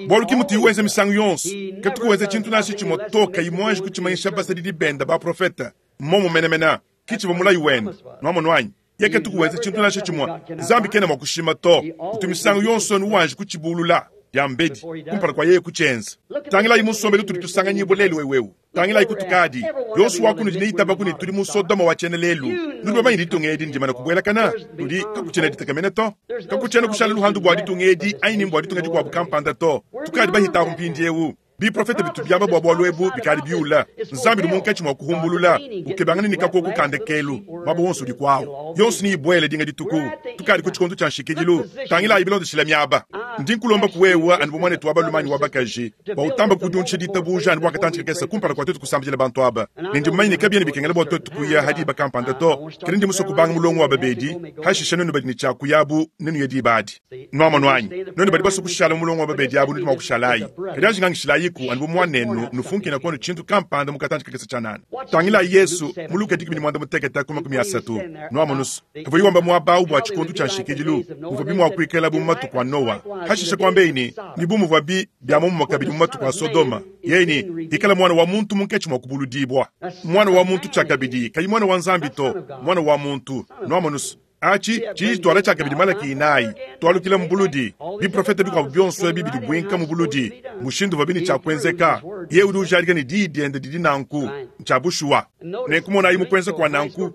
[SPEAKER 1] Bualu ki mutuyi wenza misangu yonso, katuku wenza tshintu nansha tshimue to kayi muanji kutshimanyisha basadidi bende baprofete. Mmomu menemene, ki tshivua mulayi wende. Nuamonu anyi? Yeye katuku wenza tshintu nansha tshimue. Nzambi kena mua kushima to. Utu misangu yonso anu wanji kutshibulula diambedi kumpala kua yeye kutshienza. Tangilayi mu nsombelu utudi tusanganyibua lelu eu. Tangilayi kutukadi. Yonso wa kunudi neitabaku ne tudi mu Sodoma wa tshiena lelu. Nudi bamanye ditunga edi ndimane kubuelakana? Nudi kakutshiena ditekemena to. Kakutshiena kushala luhandu bua ditunga edi anyi ni mbua ditunga dikuabu kampanda to. Tukadi bahitaku mpindieu. Biprofete bitu biamba bua bualu ebu bikadi biula. Nzambi udi munkatshi mua kuhumbulula, ukebangana ne kakoku ka ndekelu, muaba wonso udi kuawu. Yonso neyibuele dinga dituku. Tukadi ku tshikondo tshia nshikidilu. Tangilayi bilondeshile miaba. Ndi nkulomba ku wewe anu bu muanetu wa balume anyi wa bakaji, bua utamba kudiundisha ditabuja anu bua katantshi kakese kumpala kua tuetu kusambidila bantu aba. Ne ndi mumanye ne kabiena bikengela bua tuetu kuya ha diba kampanda to, kadi ndi musue kubanga mulongo wa babedi, hashishe nuenu badi ne tshia kuyabu nenuye diba adi. Nuamonu anyi? Nuenu badi basue kushala mu mulongo wa babedi abu nudi mua kushalayi. Kadi anji ngangishilayiku anu bu muanenu, nufunkina kuanu tshintu kampanda mu katantshi kakese tshianana. Tangilayi Yesu mu Luka 16 ku 30. Nuamonu's, pavuaye wamba muaba au bua tshikondo tshia nshikidilu, muvuabi mua kuikala bu mu matuku a Noa. Hashishe kuambeyi ne, ne bu muvuabi bia muomumue kabidi mu matuku a Sodoma, yeye ne, ikala Muana wa muntu munkatshi mua kubuludibua. Muana wa muntu tshiakabidi, kayi Muana wa Nzambi to, Muana wa muntu. Nuamonu's. Aci cidi citwala cyakabidi Malaki inaayi, twalukila mu buludi. Biprofeta bikwabo byonso ebi bidi bwinka mu buludi, mushindu uvwabi ne cya kwenzeka. Yeye udi ujaadika ne Diyi Dyende didi nanku. Ncya bushuwa. Nenku monaayi mu kwenza kwa nanku,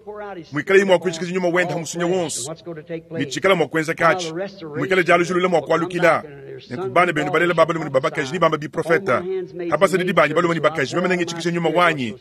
[SPEAKER 1] mwikalaye mwa kwijikija Nyuma Wende ha musunya wonso, ne cikala mwa kwenzeka aci, mwikale dyalujilula mwa kwalukila. Nenku bana benu balela ba balume ne ba bakaji nebambe biprofeta, ha basadidi banyi balume ne bakaji meme nengitshikije Nyuma wanyi,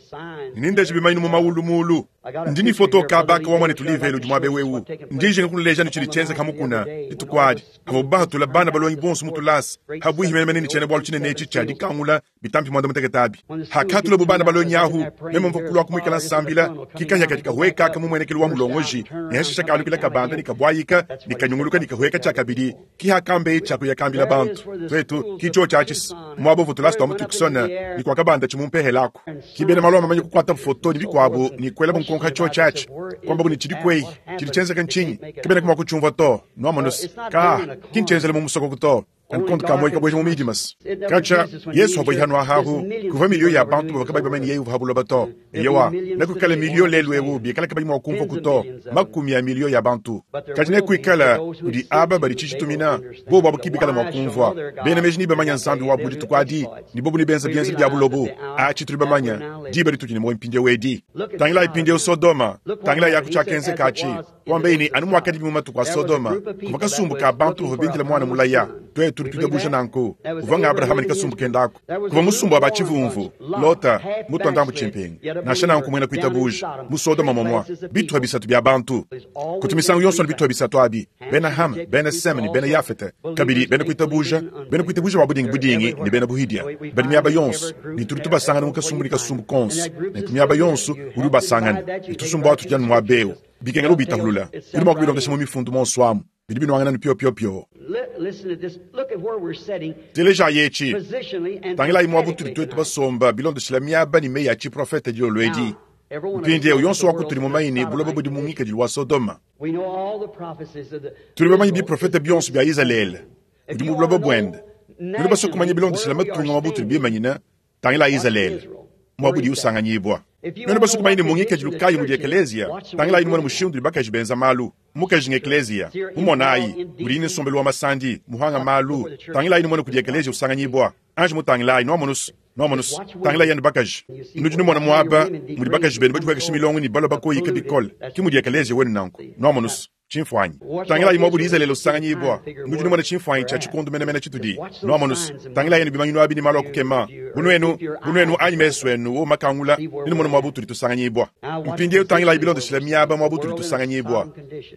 [SPEAKER 1] ne nendeje bimanyinu mu mawulu mulu. Ndi ne foto kaba ka wa muanetu Livele udi muaba eu eu. Ndi njinga kunuleja ne tshidi tshienzeka ha mukuna dituku adi, havua bahatula bana balongi bonso mu tulasa habuihi menemene ne tshiena-bualu tshinene etshi tshia dikangula bitampi muanda-mutekete abi. Hakahatulabo bana balongi ahu, meme mvua kuluaku muikala nsambila, ki kahia kadi kahuekaka mu muenekelu wa mulongoji, ne hashisha kalukila kabanda ne kabuayika ne kanyunguluka ne kahueka tshiakabidi. Ki hakambeye tshia kuya kambila bantu. Tuetu, ki tshiotshi atshi muaba uvua tulasa tua mu Tucson ne kuakabanda tshi mu mpehela aku. Ki bena malu a mamanya kukuata foto ne bikuabu ne kuelabu nkonko ha tshiotshi atshi, kuambabu ne tshidi kueyi, tshidi tshienzeka ntshinyi? Kabena mua kutshiumvua to. Nuamonu's? Kaa, ki ntshienzela mu musokoku to. Kankonto ka muoyo kabueja mu midimas. Katshia Yesu avua hanu ahahu, kuvua miliyo ya bantu bavua kabayi bamanye yeye uvua ha buloba to. Eyowa, nekuikale miliyo lelu eu bikala kabayi mua kumvuaku to, makumi a miliyo ya bantu. Kadi nekuikale kudi aba badi tshitshitumina, bobu abu ki bikala mua kumvua. Bena meji nebamanye Nzambi wabu mu dituku adi, ne bobu nebenze bienzedi bia bulobu. Atshi tudi bamanye, diba ditudi ne muoyo mpindieu edi. Tangilayi mpindieu Sodoma, tangilayi aku tshiakenzeka atshi. Kuambaye ne, Anu muakadibi mu matuku a Sodoma, kuvua kasumbu ka bantu bavua bindile muana mulaya. Tuetu tudi tuitabuja nanku. Uvua nga Abrahama ne kasumbu kende aku. Kuvua musumba wa ba tshivumvu, Lota, mutua ndambu tshimpingu, nansha nanku muena kuitabuja, mu Sodoma momua, bitupa bisatu bia bantu. Kutu misangu yonso anu bitupa bisatu abi, bena Ham, bena Sem ne bena Yafete, kabidi bena kuitabuja, bena kuitabuja ba budingi budingi ne bena buhidia. Badi miaba yonso, ne tudi tubasangana mu kasumbu ne kasumbu konso. Nenku miaba yonso udi ubasangana, ne tusumbu atu tudi anu muaba eu. Bikengela ubitahulula. Udi mua kubilondesha mu mifundu monso amu. Bidi binuangana ne pio-pio-pio. Telejayi etshi. Tangilayi muaba utudi tuetu basomba bilondeshila miaba ne meyi a tshiprofete dilolo edi. Mpindieu, yonso wa kutudi mumanye ne, buloba budi mu ngikadilu wa Sodoma. Tudi bamanye biprofete bionso bia Izalele budi mu buloba buende. Nudi basue kumanya bilondeshila matunga muaba utudi bimanyine. Tangilayi Izalele, muaba udiye usanganyibua. Nuenu basue kumanya ne mu ngikadilu kayi mudi ekeleziya, tangilayi numone mushindu udi bakaji benza malu. Mukaji ng'ekeleziya. Mumonayi mudiye ne nsombelu wa masandi, muhanga malu. Tangilayi numone kudi ekeleziya usanganyibua. Anji mutangilayi, nuamonu's. Nuamonu's? Tangilayi anu bakaji. Nudi numona muaba mudi bakaji benu badipuekesha milongo ne balua bakoyika bikole. Ke mudi ekeleziya wenu nanku. Nuamonu's? Tshimfuanyi. Tangilayi muaba udi Izalele usanganyibua. Nudi numona tshimfuanyi tshia tshikondo menemene tshitudi. Nuamonu's? Tangilayi anu bimanyinu abi ne malu a kukema. Bu nuenu, bu nuenu anyi mesu enu wowu makangula, nenumone muaba utudi tusanganyibua. Mpindieu tangilayi bilondeshile miaba muaba utudi tusanganyibua.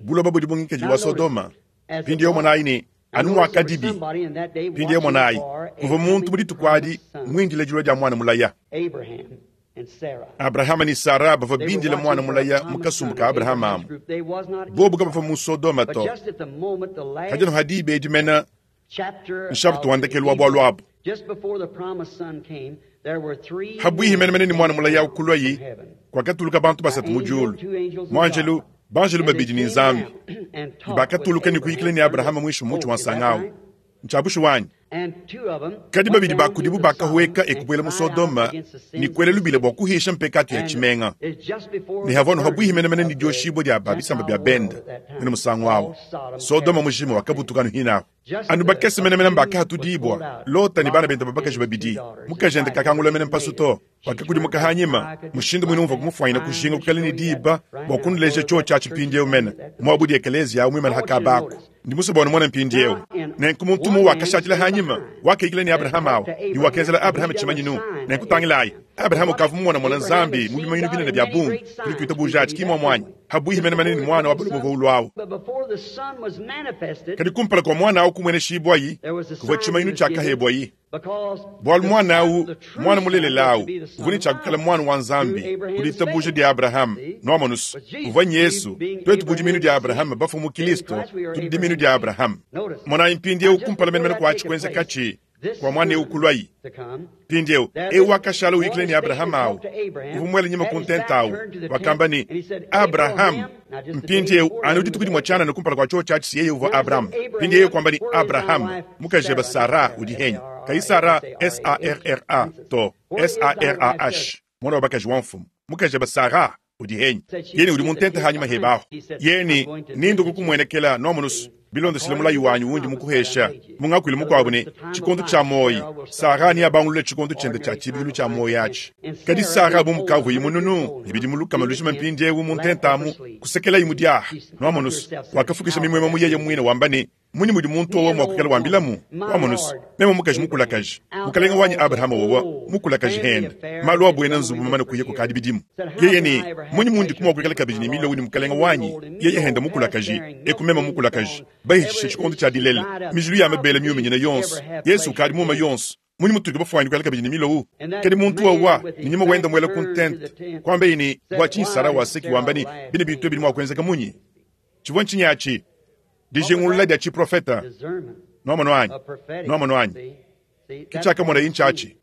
[SPEAKER 1] Buloba budi bu ngikadilu wa Sodoma. Mpindieu monayi ne, anu muakadibi. Mpindieu monayi, kuvua muntu mu dituku adi muindile dilua dia muana mulaya. Abrahama ne Sara bavua bindile muana mulaya mu kasumbu ka Abrahama amu. Bobu kabavua mu Sodoma to. Kadi anu ha diba edi mene, nshapita wa ndekelu wa bualu abu. Habuihi menemene ne muana mulaya au kuluayi, kuakatuluka bantu basatu mu diulu, muanjelu, banjelu babidi ne Nzambi. Ne bakatuluka ne kuyikila ne Abrahama muinshi mua mutshi wa nsanga au. Ntshia bushuwa anyi? Kadi babidi ba kudibu bakahueka e kubuela mu Sodoma ne kuela lubila bua kuhisha mpekatu ya tshimenga. Ne havua anu habuihi menemene ne dioshibua dia ba bisamba bia bende mene musangu au. Sodoma mujima wakabutuka anu hinahu. Anu bakese menemene mbakahatudibua, Lota ne bana bende ba bakaji babidi. Mukajende kakangula mene mpasu to. Wakakudimuka hanyima, mushindu muine umvua kumufuanyina kujinga kuikala ne diba bua kunuleja tshiotshi atshi mpindieu mene, muaba udi ekeleziya au muimane ha kaba aku. Ndi musue bua numone mpindieu. Nenku muntu umue wakashadila hanyima, wakayikila ne Abrahama au, ne wakenzela Abrahama tshimanyinu. Nenku tangilayi, Abrahama ukavua mumonamona Nzambi mu bimanyinu binene bia bungi. Tudi tuitabuja atshi, ki muomu anyi? Habuihi menemene ne muana wa balume uvua ulua au. Kadi kumpala kua muana au kumueneshibuayi, kuvua tshimanyinu tshiakahebuayi. Bualu muana au, muana mulelela au, uvua ne tshia kuikala muana wa Nzambi ku ditabuja dia Abrahama. Nuamonu's, uvua n'Yesu. Tuetu bu diminu dia Abrahama bafue mu Kilisto, tudi diminu dia Abrahama. Monayi mpindieu kumpala menemene kua atshi kuenzekatshi, kua muana eu kuluayi. Mpindieu, eu wakashala uyikila ne Abrahama au, uvua muele nyima ku ntenta au, wakamba ne, Abrahama! Mpindieu, anu dituku dimue tshianana kumpala kua tshiotshi atshi, yeye uvua Abrahama. Mpindieu yeye kuamba ne, Abrahama, mukajebe Sara udi henyi? Kayi Sara, S-a-r-r-a, to, S-a-r-a-h, muana wa bakaji wa mfumu. Mukajebe Sara. Udi henyi? Yeye udi mu ntenta hanyima hebe ahu. Yeye ne, Nindue kukumuenekela, nuamonusu, bilondeshile mulayi wanyi undi mukuhesha. Mu ngakuilu mukuabu ne, tshikondo tshia muoyi, Sara neabangulule tshikondo tshiende tshia tshibidilu tshia muoyi atshi. Kadi Sara bu mukavuaye mununu ne bidimu lukama lujima mpindieu mu ntenta amu, kusekelaye mu diaha. Nuamonusu, wakafukisha mimuemue mu yeye muine wamba ne, Mmunyi mudi muntu wowa mua kuikala wambilamu? Wamonu's, meme mukaji mukulakaje, mukalenge wanyi Abrahama wowa mukulakaje hende, malu a buena nzubu mamane kuya kukadi bidimu. Yeye ne, Mmunyi mundiku mua kuikala kabidi ne milowu ne mukalenge wanyi, yeye hende mukulakaje, eku meme mukulakaje? Bahitshishe tshikondo tshia dilela, mijilu ya mabele miuminyine yonso, Yesu ukadi muuma yonso. Mmunyi mutudi bafuanyine kuikala kabidi ne milowu? Kadi muntu wowa ne nyuma wende muela ku ntenta, kuambaye ne, Bua tshinyi Sara waseki wamba ne, bine bintu ebi bidi mua kuenzeka munyi? Tshivua ntshinyi atshi? Dijingulula dia tshiprofeta. Nwamonu anyi? Nwamonu anyi? Ke tshiakamonaye ntshiatshi.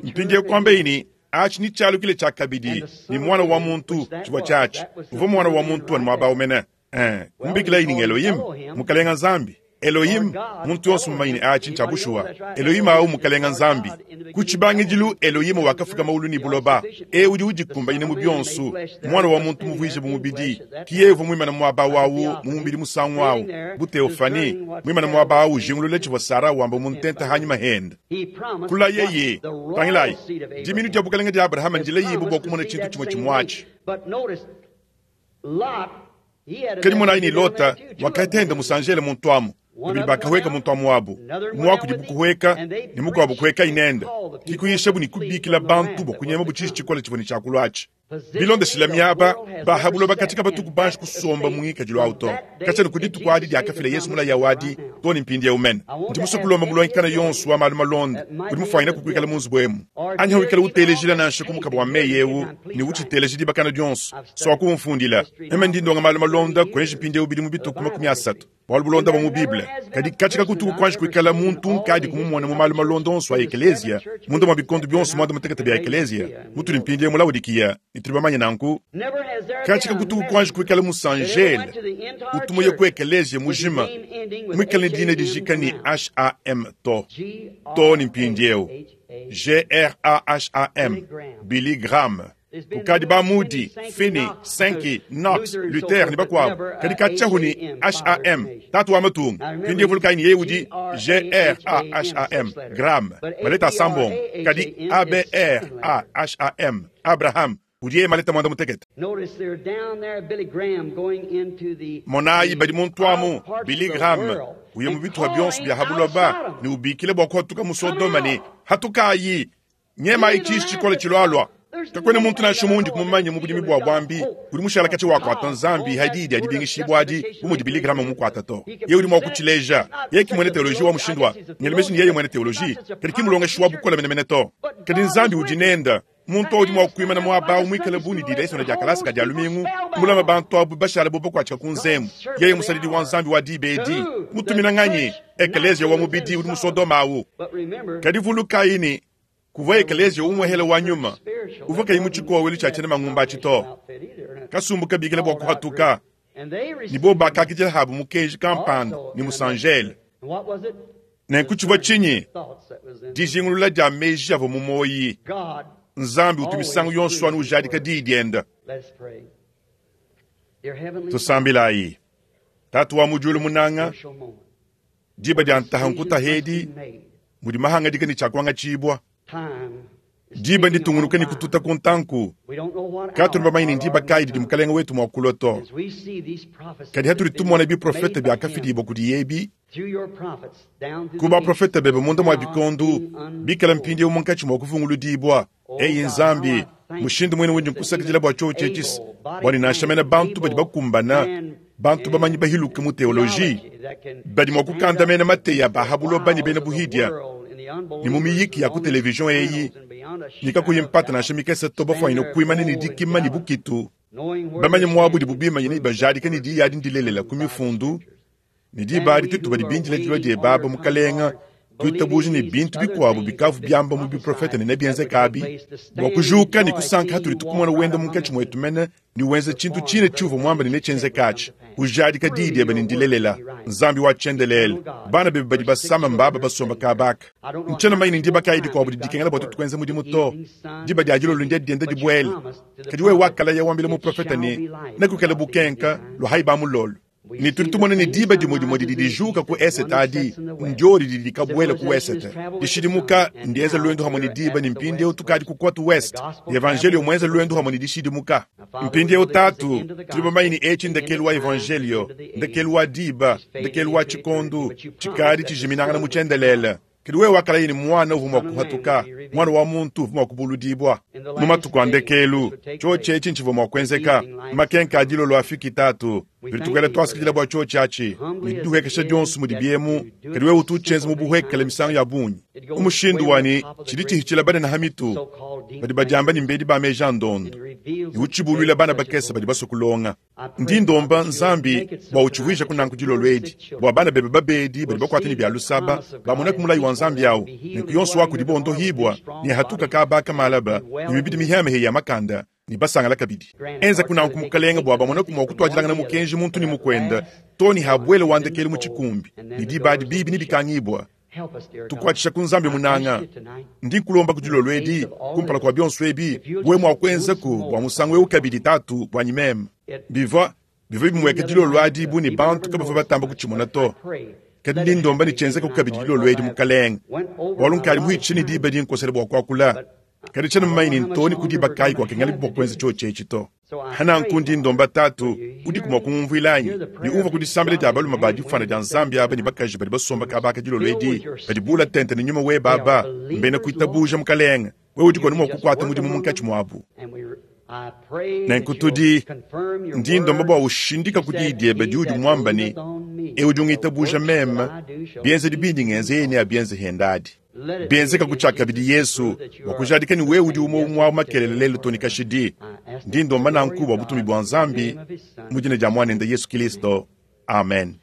[SPEAKER 1] Mpindieu kuambaye ne, Atshi netshialukile tshiakabidi ne Muana wa muntu. Tshivua tshiatshi. Uvua Muana wa muntu anu muaba au mene. Ee, kumubikilaye ne ng'Elohim, Mukalenga Nzambi. Elohim, muntu yonso mumanye ne atshi ntshia bushuwa. Elohim awu Mukalenga Nzambi. Ku tshibangidilu Elohim wakafuka mawulu ne buloba. E udi udikumbanyina mu bionso, Muana wa muntu muvuije bu mubidi. Ki yeye uvua muimane muaba awu mu mubidi musangu awu, bu theophanie, muimane muaba awu ujingulula tshivua Sara wamba mu ntenta hanyima hende. Kulayeye, Tangilayi, diminu dia bukalenge dia Abrahama ndilayibue bua kumona tshintu tshimue tshimue atshi. Kadi monayi ne Lota wakatenda musanjele muntu amu, babidi bakahueka muntu amu wabu, umue wa kudibu kuhueka ne mukuabu kuhuekayi nende. Ke kuyishabu ne kubikila bantu bua kunyemabu tshiji tshikole tshivua ne tshia kulua atshi. Bilondeshile miaba, ba ha buloba katshia kabatuku banji kusomba mu ngikadilu au to, katshia ne ku dituku adi diakafila Yezu mulayi au adi too ne mpindieu mene. Ndi musue kulomba mulongi kana yonso wa malu malonda udi mufuanyine kukuikala mu nzubu emu anyi hawikala utelejila nansha ku mukaba wa meyi eu ne utshiteleja dibakana dionso, suaku umfundila. Meme ndi ndonga malu malonda kuenji mpindieu bidimu bitue ku 30, bualu bulonda bua mu Bible. Kadi katshia kakutuku kuanji kuikala muntu unkadi kumumona mu malu malonda onso a ekeleziya, munda mua bikondo bionso muanda-mutekete bia ekeleziya, mutudi mpindieu mu Laodikiya, ne tudi bamanye nanku. Katshia kakutuku kuanji kuikala musanjele utu muye ku ekeleziya mujima muikale ne dina dijika ne HAM to, too ne mpindieu. G-r-a-h-a-m, Billy Graham. Kukadi ba Moody, Finney, Sankey, Knox, Luther ne bakuabu, kadi katshiahu ne HAM, tatu wa matunga. Mpindieu vulukayi ne yeye udi G-r-a-h-a-m, Graham, maleta asambombo, kadi A-b-r-a-h-a-m, Abraham, udi yeye maleta muanda-mutekete. Monayi badi muntu amu, Billy Graham, uya mu bituha bionso bia ha buloba ne ubikila bua kuhatuka mu Sodoma ne, Hatukayi! Nyemayi tshiji tshikole tshilualua. Kakuena muntu nansha umue undi mumanye mu budimi bua buambi udi mushala katshia wakuata Nzambi ha diyi dia dibingishibua adi bu mudi Billy Graham mukuata to. Yeye udi mua kutshileja. Yeye ki muena teoloji wa mushindu wa, ngela meji ne yeye muena teoloji, kadi ki mulongeshi wa bukole menemene to. Kadi Nzambi udi nende. Muntu au udi mua kuimana muaba au muikale bu ne dilesona dia kalasa ka Dia lumingu, mulame bantu abu bashale bu bakuatshika ku nzembu. Yeye musadidi wa Nzambi wa diba edi, mutumina nganyi? Ekeleziya wa mubidi udi mu Sodoma au. Kadi vulukayi ne, kuvua ekeleziya umuehele wa nyuma uvua kayi mu tshikowelu tshia tshiena mangumba atshi to. Kasumbu kabikila bua kuhatuka, ne bobu bakakidila habu mukenji kampanda ne musanjele. Nenku tshivua tshinyi? Dijingulula dia meji avua mu muoyi. Nzambi utu misangu yonso anu ujadika diyi diende. Tusambilayi. Tatu wa mu diulu munanga, diba dia ntaha nkutaha edi mudi mahangadika ne tshia kuangatshibua. Diba nditungunuke ne kututa ku ntanku. Katuena bamanye ne ndiba kayi didi Mukalenge wetu mua kulua to. Kadi hatudi tumona biprofete biakafidibua kudiye ebi, ku baprofete bebe munda mua bikondo, bikala mpindieu munkatshi mua kuvunguludibua, Eyi Nzambi, mushindu muine undi nkusakidila bua tshiotshi etshi, bua ne nansha mene bantu badi bakumbana, bantu bamanyi bahiluke mu teoloji, badi mua kukandamena mateyi a ba ha buloba ne bena buhidia, ne mu miyiki ya ku television eyi, ne kakuyi mpata nansha mikese to, bafuanyine kuimana ne dikima ne bukitu, bamanye muabu udibu bimanyine ne bajadike ne diyi adi ndilelela ku mifundu, ne diba adi tuetu badi bindila dilua diebe aba, Mukalenga. Tuitabuja ne bintu bikuabu bikavua biamba mu biprofete ne nebienzeke abi, bua kujuka ne kusanka hatudi tukumona wenda munkatshi muetu mene ne wenza tshintu tshine tshiuvua muambe ne netshienzeke atshi, ujadika diyi diebe ne ndilelela. Nzambi wa tshiendelele, bana bebe badi basama mbaba basomba kaba aka. Ntshiena mumanye ne ndiba kayi dikuabu didi dikengela bua tuetu kuenza mudimu to. Diba dia dilolo ndiedi dienda dibuela. Kadi wewe wakalaya wambila muprofete ne, Nekuikale bukenka, luahayi ba mulolo. Ne tudi tumona ne diba dimue dimue didi dijuka ku esete adi, ndiodi didi dikabuela ku wesete. Dishidimuka ndienza luendu hamue ne diba, ne mpindieu tukadi ku cote ouest. Evanjelio muenza luendu hamue ne dishidimuka. Mpindieu Tatu, tudi bamanye ne etshi ndekelu wa Evanjelio, ndekelu wa diba, ndekelu wa tshikondu, tshikadi tshijiminangana mu tshiendelele. Kadi wewe wakalaya ne muana uvua mua kuhatuka, muana wa muntu uvua mua kubuludibua. Mu matuku a ndekelu, tshiotshi etshi ntshivua mua kuenzeka. Makenka a dilolo afiki, Tatu. Tudi tukuela tuasakidila bua tshiotshi atshi, ne didihuekesha dionso mudi biemu, kadi wewe utu utshienza mu buhuekele misangu ya bungi, mu mushindu wa ne tshidi tshihitshila banene ha mitu, badi badiamba ne mbedi ba meji a ndondo, ne utshibuluila bana bakese badi basue kulonga. Ndi ndomba Nzambi bua utshivuijaku nanku dilolo edi, bua bana bebe babedi badi bakuate ne bia lusaba bamoneku mulayi wa Nzambi au, nenku yonso wa kudibo ondohibua ne hatuka kaba aka malaba ne mibidi mihiamihia ya makanda ne basangala kabidi. Enzaku nanku, Mukelenge, bua bamoneku mua kutuadilangana mukenji muntu ne mukuende to ne habuela wa ndekelu mu tshikumbi, ne diba adi bibi nebikangibua. Tukuatshisha ku Nzambi munanga. Ndi nkulomba ku dilolo edi, kumpala kua bionso ebi, wewe mua kuenzaku bua musangu eu kabidi, Tatu, buanyi meme. Bivua bivua bimueka dilolo adi bu ne bantu kabavua batamba kutshimona to. Kadi ndi ndomba ne tshienzekaku kabidi dilolo edi, Mukalenge, bualu nkadi muhitshishe ne diba dinkosela bua kuakula. Kadi tshiena mumanye ne ntoo ne ku diba kayi kuakengelabi bua kuenza tshiotshi etshi to. Hananku ndi ndomba Tatu, udiku mua kungumvuila anyi? Ne umvua ku disambila dia balume ba difuana dia Nzambi aba ne bakaji badi basomba kaba aka dilolo edi, badi bula tente ne nyuma webe aba, mbena kuitabuja, Mukalenge. Wewe udiku anu mua kukuata mudimu munkatshi muabu. Nenku tudi, ndi ndomba bua ushindika ku diyi diebe diudi muamba ne, Eu udi ungitabuja meme, bienzedi bindi ngenza yeye neabienze hende adi. Bienzeka ku tshiakabidi Yesu bua kujadika ne wewe udi umue umue wa makelela lelu to ne kashidi. Ndi ndomba nanku bua butumbi bua Nzambi mu dina dia Muanende Yesu Kilisto. Amen.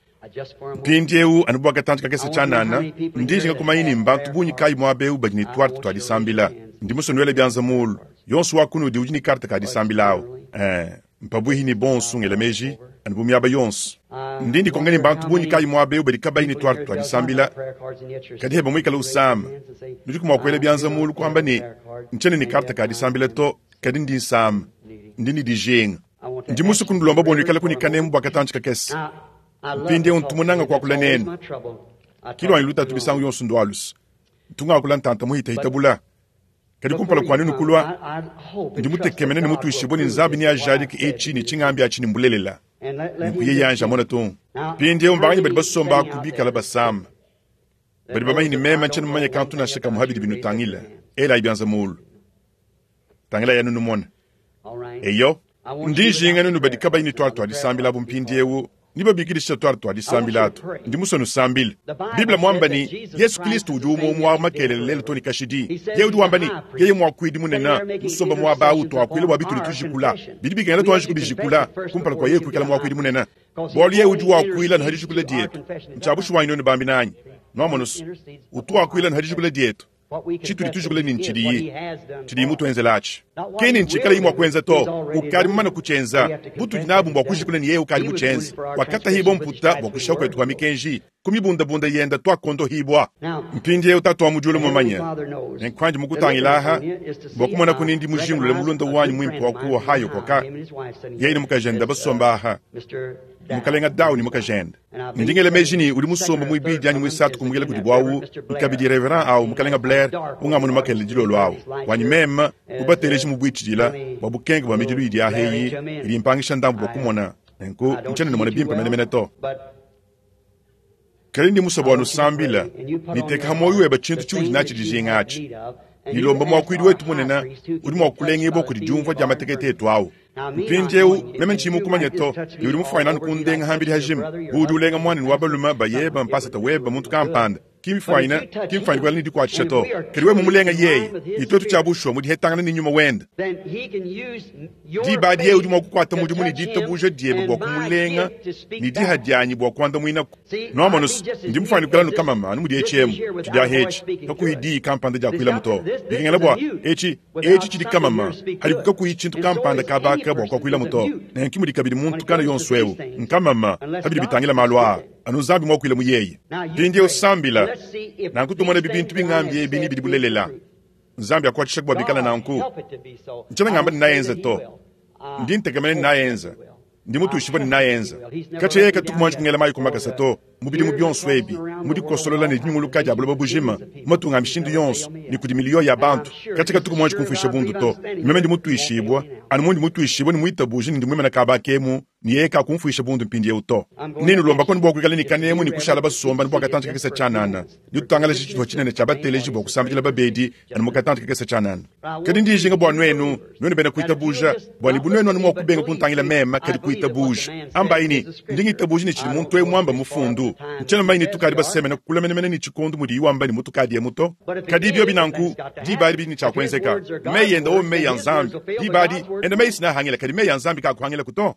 [SPEAKER 1] Mpindieu anu bua katantshi kakese tshianana, ndi njinga kumanya ni mbantu bungi kayi muaba eu badi ne tuarte tua disambila. Ndi musue nuele bianza muulu. Yonso wa kunudi udi ne karte ka disambila au. Eh, mpabuihi ne bonso ngela meji anu bu miaba yonso. Ndi ndikonka ne bantu bungi kayi muaba eu badi kabayi ne tuarte tua disambila, kadi heba muikale usama. Nudiku mua kuela bianza muulu kuamba ne, Ntshiena ne karte ka disambila to, kadi ndi nsama. Ndi ne dijinga. Ndi musue kunulomba bua nuikaleku ne kanemu bua katantshi kakese. Mpindieu ntu munange kuakula nenu. Ki luanyi lutatu misangu yonso ndua luse. Ntu ngakula ntanta muhitahita bula. Kadi kumpala kua nuenu kulua, ndi mutekemene ne mutuishibue ne Nzambi neajadike etshi ne tshingambi atshi ne mbulelela. Nunku yeye anji amone tung. Mpindieu mbanganyi badi basomba aku bikala basama, badi bamanye ne meme ntshiena mumanye kantu nansha kamue ha bidi binutangila? Elayi bianza mulu. Tangilayi anu numone. Eyo, ndi njinga nuenu badi kabayi ne tuarte tua disambila abu mpindieu ne babikidisha tuarte tua disambila atu. Ndi musue nusambile. Bible muamba ne, Yesu Kristo udi umue umue wa makelela lelu too ne kashidi. Yeye udi wamba ne, yeye muakuidi munene musomba muaba au tuakuila bua bitudi tujikula. Bidi bikengela tuanji kubijikula kumpala kua yeye kuikala muakuidi munene. Bualu yeye udi wakuila anu ha dijikula dietu. Ntshia bushuwa anyi nuenu bambi nanyi? Nuamonusu, utu wakuila anu ha dijikula dietu. Tshitudi tujikula ni ntshidiyi tshidiyi mutuenzela atshi, ki ni ntshikalayi mua kuenza to. Ukadi mumane kutshienza. Butudi nabu mbua kujikula ne yeye ukadi mutshienze. Wakatahibua mputa bua kushiha kuetu kua mikenji, ku mibundabunda yenda tuakondohibua. Mpindieu Tatu wa mu diulu mumanye ne nkuandi mukutangila aha bua kumona ku ni ndi mujingulule mulunda wanyi muimpe wa ku Ohio koka yeye ne mukajende basomba aha, Mukalenga Dow ne mukajende. Ndi ngela meji ne udi musomba muibidi anyi muisatu kumukila kudibu awu, kabidi Reverend awu, Mukalenga Blair, ungamona makelela dilolo awu. Wanyi meme, kubateleji mu buitshidila bua bukenke bua midilu idi aha eyi, idi impangisha ndambu bua kumona, nenku ntshiena numona bimpe menemene to. Kadi ndi musue bua nusambila, ne teka ha muoyo webe tshintu tshiudi natshi dijinga atshi, ne lomba muakuidi wetu munene udi mua kulengibua kudi diumvua dia matekete etu awu. Mpindieu, meme ntshiyi mukumanye to, ne udi mufuanyine anu kundenga hambidi hajima, bu udi ulenga muanenu wa balume, bayebe, mpasata webe, muntu kampanda. Ki mfwanyine, ki mfwanyine kuikala ne dikuatshisha to. Kadi wewe mumulenga yeye, ne tuetu tshia bushuwa mu dihetangana ne nyuma wende. Diba adi yeye udi mua kukuata mudimu ne ditabuja diebe bua kumulenga, ne diha dianyi bua kuandamuinaku. Nwamonu's, ndi mufwanyine kuikala anu kamama anu mudi etshi emu, tshidiaha etshi, kakuyi diyi kampanda diakuilamu to. Bikengela bua etshi, etshi tshidi kamama, hadiku kakuyi tshintu kampanda kaba aka bua kuakuilamu to. Nenku mudi kabidi muntu kana yonso ewu, nkamama pa bidi bitangila malu aa. Anu Nzambi muakuile mu yeye. Mpindieu sambila, nanku tumonebi bintu bingambi ebi ni bidi bulelela. Nzambi akuatshishaku bua bikala nanku. Ntshiena ngamba ne naenza to. Ndi ntekemena ne naenza. Ndi mutuishibue ne naenza. Katshia yeye katuku muanji kungela mayi ku makasa to, mu bidimu bionso ebi, mu dikosolola ne dinyunguluka dia buloba bujima, mu matunga a mishindu yonso, ne kudi miliyo ya bantu. Katshia katuku muanji kumfuisha bundu to. Meme ndi mutuishibue, anu mundi mutuishibue ne muitabuje ne ndi muimane kaba akemu, ne yeye kakumfuisha bundu mpindieu to. Nenulomba konu bua kuikala ne kanemu ne kushala basomba anu bua katantshi kakese tshianana. Netutangalaje tshitupa tshinene tshia bateleji bua kusambidila babedi anu mu katantshi kakese tshianana. Kadi ndi njinga bua nuenu, nuenu bena kuitabuja, bua ne bu nuenu anu mua kubenga kuntangila meme, kadi kuitabuja. Ambayi ne, Ndi ngitabuja ne tshidi muntu eu muamba mmufundu. Ntshiena mumanye ne tukadi basemena kule menemene ne tshikondo mudiyi wamba ne mutukadi emu to. Kadi biobi nanku, diba adi bidi ne tshia kuenzeka. Meyi ende owo mmeyi a Nzambi. Diba adi, ende meyi si neahangile, kadi meyi a Nzambi kaakuhangilaku to.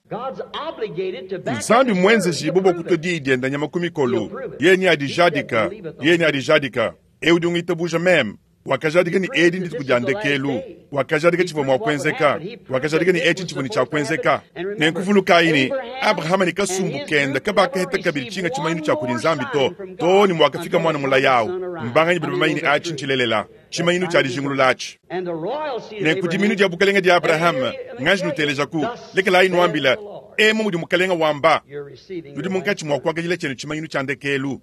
[SPEAKER 1] Nzambi mmuenzejibue bua kutua diyi diende nyama ku mikolo. Yeye neadijadika. Yeye neadijadika. Eu udi ungitabuja meme, wakajadika ne edi ndituku dia ndekelu. Wakajadika tshivua mua kuenzeka. Wakajadika ne etshi ntshivua ne tshia kuenzeka. Nenku vulukayi ne, Abrahama ne kasumbu kende kabakaheta kabidi tshinga tshimanyinu tshia kudi Nzambi to, too ne muakafika muana mulaya au. Mbanganyi badi bamanye ne atshi ntshilelela, tshimanyinu tshia dijingulula atshi? Nenku diminu dia bukalenge dia Abrahama, nganji nutelejaku, lekelayi nuambila, Emu mudi Mukalenga wamba, nudi munkatshi mua kuakajila tshienu tshimanyinu tshia ndekelu.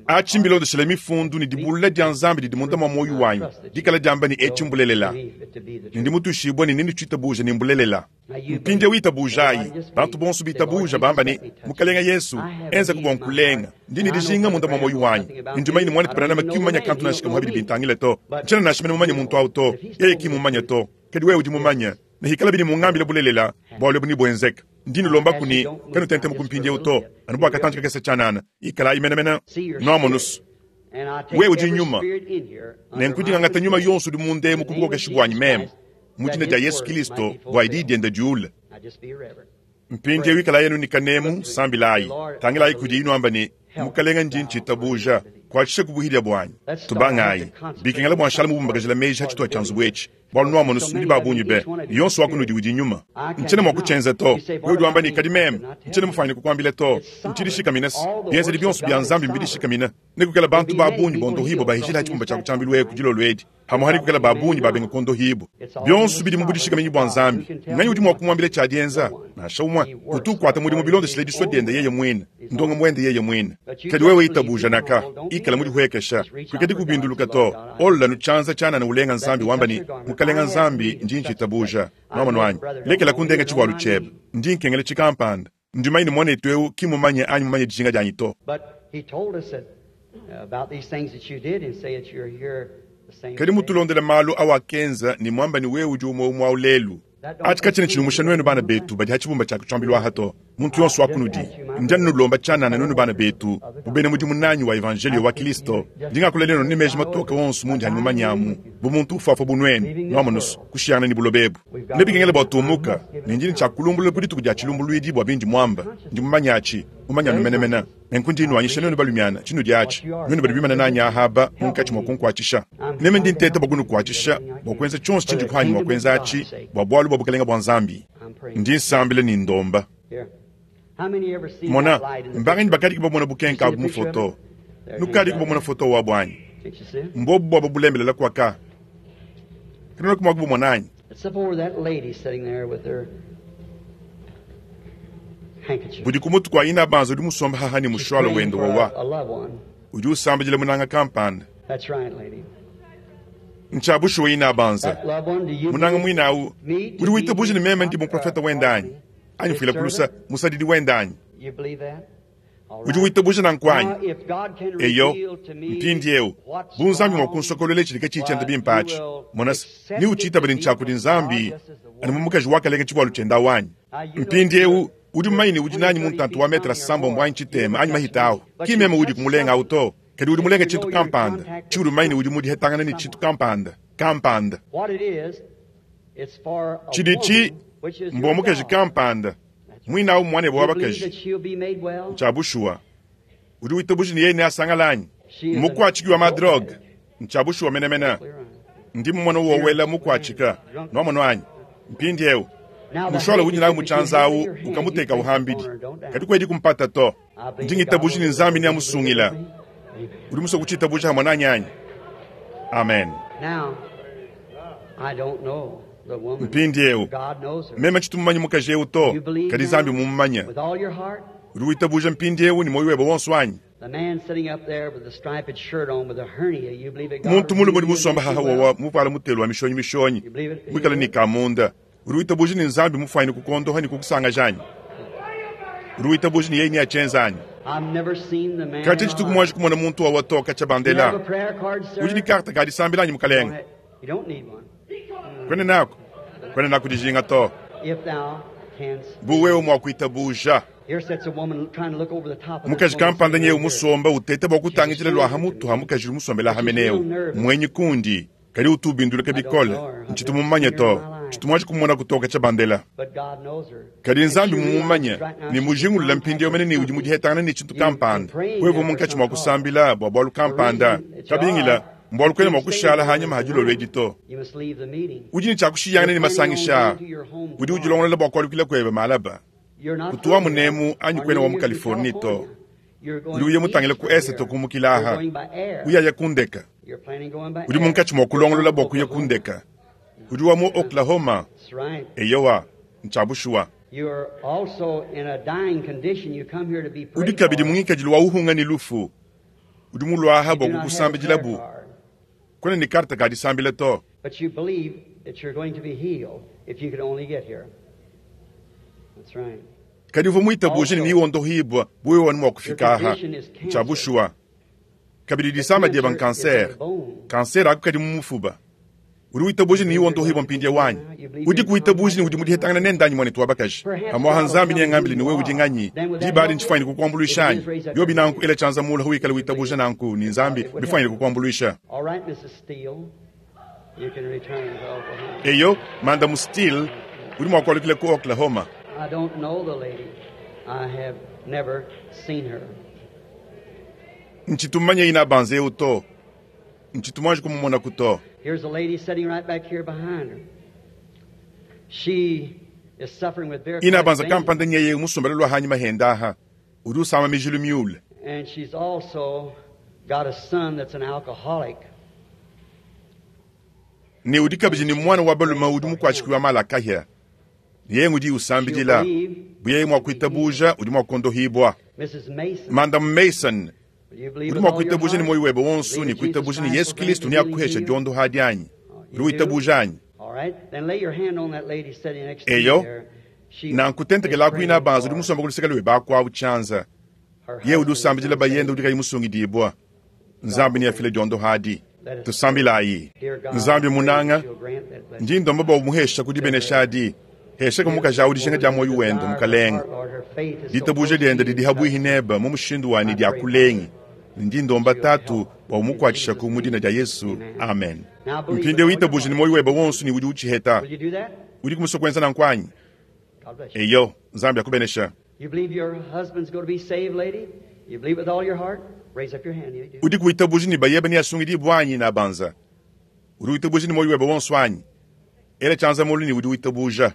[SPEAKER 1] Atshi mbilondeshile Mifundu ne dibulula dia Nzambi didi munda mua muoyo wanyi dikala diamba ne etshi mbulelela, ne ndi mutuishibue ne nenutshitabuje ne mbulelela. Mpindieu itabujayi, bantu bonso bitabuja, bamba ne, Mukalenge Yesu, enzaku bua nkulenga. Ndi ne dijinga munda mua muoyo wanyi. Ne ndi mumanye ne muanetu Branham ki mmumanye kantu nansha kamue pa bidi bintangila to. Ntshiena nansha mene mumanye muntu au to. Yeye ki mmummanye to. Kadi wewe udi mumanye. Ne hikalabi ne mungambile bulelela, bualu ebu nebuenzeke. Ndi nulombaku ne, kanutentemuku mpindieu to, anu bua katantshi kakese tshianana. Ikalayi menemene. Nuamonu's, wewe udi nyuma, nenku ndi ngangata nyuma yonso udi munda emu ku bukokeshi buanyi meme, mu dina dia Yesu Kilisto, bua diyi diende diule. Mpindieu ikalayi anu ne kanemu, sambilayi, tangilayi kudiyi nuamba ne, Mukalenga, ndi ntshitabuja, kuatshisha ku buhidia buanyi. Tubangayi. Bikengela bua nshala mubumbakajila meji ha tshituha tshia nzubu etshi. Bualu nuamonu, nudi ba bungi be, ne yonso wa kunudi udi nyuma. Ntshiena mua kutshienza to. Wewe udi wamba ne, Kadi meme, ntshiena mufuanyine kukuambila to. Ntshidishikamine-s. Bienzedi bionso bia Nzambi mbidishikamine. Nekuikale bantu ba bungi bondohibue bahishila ha tshibumba tshia ku tshiambilu eku dilolo edi, pamue nekuikale ba bungi babenga kuondohibua. Bionso bidi mu budishikaminyi bua Nzambi. Nganyi udi mua kumuambila tshia dienza? Nansha umue. Utu ukuata mudimu bilondeshile disua diende yeye muine, ndongamu wende yeye muine. Kadi wewe itabuja naka, ikala mudihuekesha, kuikadi kubinduluka to. Olola nu tshianza tshianana ulenga Nzambi wamba ne, Mukalenga Nzambi, ndi ntshitabuja. Nuamonu anyi? Lekela kundenga tshivualu tshiebe. Ndi nkengela tshikampanda. Ndi mumanye ne muanetu eu ki mmumanye anyi mumanye dijinga dianyi to. Kadi mutulondele malu awakenza ne muamba ne wewe udi umue umue au lelu. Atshi katshiena tshinumusha nuenu bana betu badi ha tshibumba tshia kutshiambilu aha to, muntu yonso wa kunudi. Ndi anu nulomba tshianana nuenu bana betu, bu bena mudimu nanyi wa evanjeliyo wa Kilisto, ndi ngakula nenu ne meji matoke onso mundi hanyi mumanye amu bu muntu ufuafua bu nuenu, nuamonusu, kushiyangana ne buloba ebu. Nebikengele bua tumuka, ne ndi ne tshia kulumbulula ku dituku dia tshilumbuluidi bua bindi muamba. Ndi mumanye atshi, mumanye anu menemene. Nenku ndi nnuanyisha nuenu balumiana, tshinudi atshi, nuenu badi bimane nanyi aha aba munkatshi mua kunkuatshisha. Meme ndi nteta bua kunukuatshisha, bua kuenza tshionso tshindi kuanyi mua kuenza atshi bua bualu bua bukalenge bua Nzambi. Ndi nsambila ne ndomba. Mona, mbanganyi bakadiku bamona bukenka abu mu foto? Nukadiku bamona foto wabu anyi? Mbobu buaba bulembelela kuaka. Kanuenaku mua kubumona anyi? Budi ku mutu kua inabanza udi musombe haha ne mushuala wende wawa. Udi usambidila munanga kampanda. Ntshia bushuwa inabanza. Munanga muine au udi witabuja ne meme ndi muprofete wende anyi? Anyi fuila kulusa musadidi wende anyi? Udi witabuja nanku anyi? Eyo. Mpindieu, bu Nzambi mua kunsokoluela tshidi katshiyi tshienda bimpe atshi, mona se, neutshiitabe ne ntshia kudi Nzambi, anu bu mukaji wakalenga tshivualu tshiende awu anyi? Mpindieu, Udi mumanye ne udi nanyi mu ntantu wa metre asambombo anyi tshitema anyi mahita awu. Ki meme udi kumulenga awu to, kadi udi mulenga tshintu kampanda tshiudi mumanye ne udi mudihetangana ne tshintu kampanda, kampanda. Tshiditshi mbua mukaji kampanda, muine awu mmuanebe wa bakaji. Ntshia bushuwa. Udi witabuja ne yeye neasangale anyi? Mmukuatshiki wa ma-drogue. Ntshia bushuwa menemene. Ndi mumone wowela mukuatshika. Nwamonu anyi? Mpindiewu, mushwala udi nawu mu tshianza awu, ukamuteka uhambidi. Kadi kuedi kumpata to. Ndi ngitabuja ne Nzambi neamusungila. Udi musue kutshiitabuja hamue nanyi anyi? Amen. Mpindiewu, meme tshitu mumanye mukaji ewu to, kadi Nzambi mmumumanye. Udi witabuja mpindiewu ne muoyo webe wonso anyi? Muntu mulume udi musomba haha wawa muvuala mutelu wa mishonyi mishonyi, muikale ne kamunda. Udi witabuja ne Nzambi mufwanyine kukuondoha ne kukusangaja anyi? Udi witabuja ne yeye neatshienza anyi? Katshia tshituku muanji kumona muntu wawa to katshia bandela. Udi ne karte ka disambila anyi mukalenge? Kwena naku, kwena naku dijinga to. Bu wewe mua kuitabuja. Mukaji kampanda nyewu musomba uteta bua kutangidila lua ha mutu ha mukaji udi musombela ha meneu. Muenyi kundi, kadi utu ubinduluka bikole. Ntshitu mumumanye to. Tshitu muanji kumumona kutoka tshia bandela. Kadi Nzambi mmumumanye ne mujingulula mpindieu mene ne udi mudihetangana ne tshintu kampanda. Wewe munkatshi mua kusambila bua bualu kampanda, kabingila, mbualu kuena mua kushala hanyima ha dilolo edi to. Udi ne tshia kushiyangana ne masangisha aa. Udi udilongolola bua kualukila kuebe malaba. Kutu wa munemu anyi kuena wa mu Californie to. Udi uya mutangile ku esete kumukila aha, uyaya ku ndeka. Udi munkatshi mua kulongolola bua kuya ku ndeka. Udi wa mu Oklahoma. Eyowa, ntshia bushuwa. Udi kabidi mu ngikadilu wa uhunga ne lufu. Udi muluaha bua kukusambidilabu. Kuena ne karte ka disambila to. Kadi uvua muitabuje ne newondohibua bu wewe anu mua kufika aha. Ntshia bushuwa. Kabidi disama dieba nkansere. Kansere aku kadi mu mufuba. Udi witabuja ne newondohibua mpindieu anyi? Udiku witabuja ne udi mudihetangana nende anyi, muanetu wa bakaji? Pamuaha Nzambi neangambile ne wewe udi nganyi. Diba adi ntshifuanyine kukuambuluisha anyi? Biobi nanku, ela tshianza mulu hawikala witabuja nanku ne Nzambi bifuanyine kukuambuluisha. Eyo, Mandamu Steele, udi mua kualukila ku Oklahoma. Ntshitu mumanye inabanza eu to. Ntshitu muanji kumumonaku to. Inabanza kampanda nyeye musombele lua hanyima henda aha. Udi usama mijilu miule. Ne udi kabidi ne muana wa balume udi mukuatshiki wa mala a kahia. Yeye ngudi usambidila. Bu yeye mua kuitabuja, udi mua kuondohibua. Madame Mason, udi mua kuitabuja ne muoyo webe wonso ne kuitabuja ne Yesu Kilisto neakuhesha diondoha adi anyi? Udi witabuja anyi? Eyo, nanku tentekelaku inabanza udi musomba ku luseke luebe aku awu tshianza. Yeye udi usambidila bayende udi kayi musungidibua. Nzambi neafile diondoha adi. Tusambilayi. Nzambi munanga, ndi ndomba bua umuhesha ku dibenesha adi. Heshaka mukaji awu dijinga dia muoyo wende, Mukalenge. Ditabuja diende didi habuihi nebe mu mushindu wa ne dia kulengi. Ndi ndomba Tatu bua umukuatshishaku mu dina dia Yesu. Amen. Mpindieu itabuje ne muoyo webe wonso ne udi utshiheta. Udiku musue kuenza nanku anyi? Eyo, Nzambi akubenesha. Udiku witabuja ne bayebe neasungidibue anyi? Nabanza. Udi witabuja ne muoyo webe wonso anyi? Ela tshianza mulu ne udi witabuja.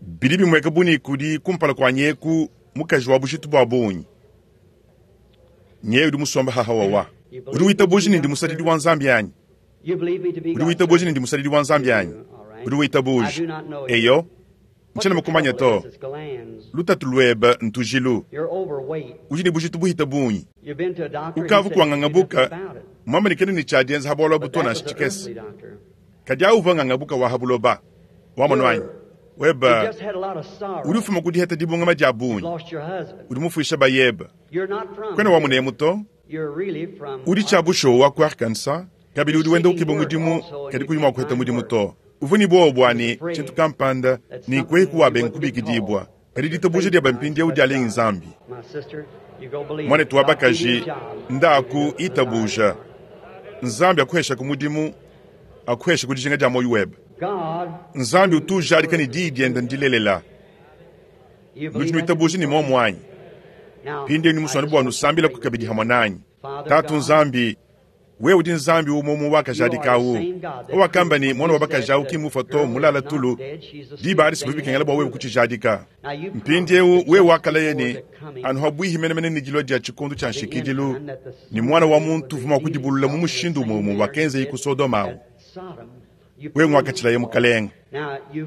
[SPEAKER 1] Bidi bimueka bu ne kudi kumpala kuanyi eku mukaji wa bujitu bua bungi. Nyeye udi musombe haha wawa. Udi witabuja ne ndi musadidi wa Nzambi anyi? Udi witabuja ne ndi musadidi wa Nzambi anyi? Udi witabuja. Eyo, ntshiena mukumanya to. Lutatu luebe ntujilu. Udi ne bujitu buhita bungi. Ukavu kuangangabuka, muamba ne kena ne tshiadienza ha bualu abu to nansha tshikese. Kadi awu uvua ngangabuka wa ha buloba. Wamonu anyi? Webe udi ufuma ku diheta dibungama dia bungi. Udi mufuisha bayebe. Kuena wa munemu to. Udi tshia bushuwa wa ku Arkansas, kabidi udi wenda ukeba mudimu, kadi kuyi mua kuheta mudimu to. Uvua ne buowa bua ne, tshintu kampanda, ne nkueku wabenga kubikidibua. Kadi ditabuja diebe mpindieu dialengi Nzambi. Muanetu wa bakaji, ndaku itabuja. Nzambi akuheshaku mudimu, akuheshaku dijinga dia muoyo webe. Nzambi utu ujadika ne diyi diende ndilelela. Nudi nuitabuja ne muomu anyi? Mpindieu ndi musue anu bua nusambilaku kabidi hamue nanyi. Tatu Nzambi, wewe udi Nzambi umue umue wakajadika awu. Wakamba ne muana wa bakaji awu ki mmufua to, mmulala tulu. Diba adi sivua bikengela bua wewe kutshijadika. Mpindieu wewe wakalaya ne, anu habuihi menemene ne dilua dia tshikondo tshia nshikidilu, ne muana wa muntu uvua mua kudibulula mu mushindu umue umue wakenzeyi ku Sodoma awu. Wewe nguakatshilaya Mukalenge.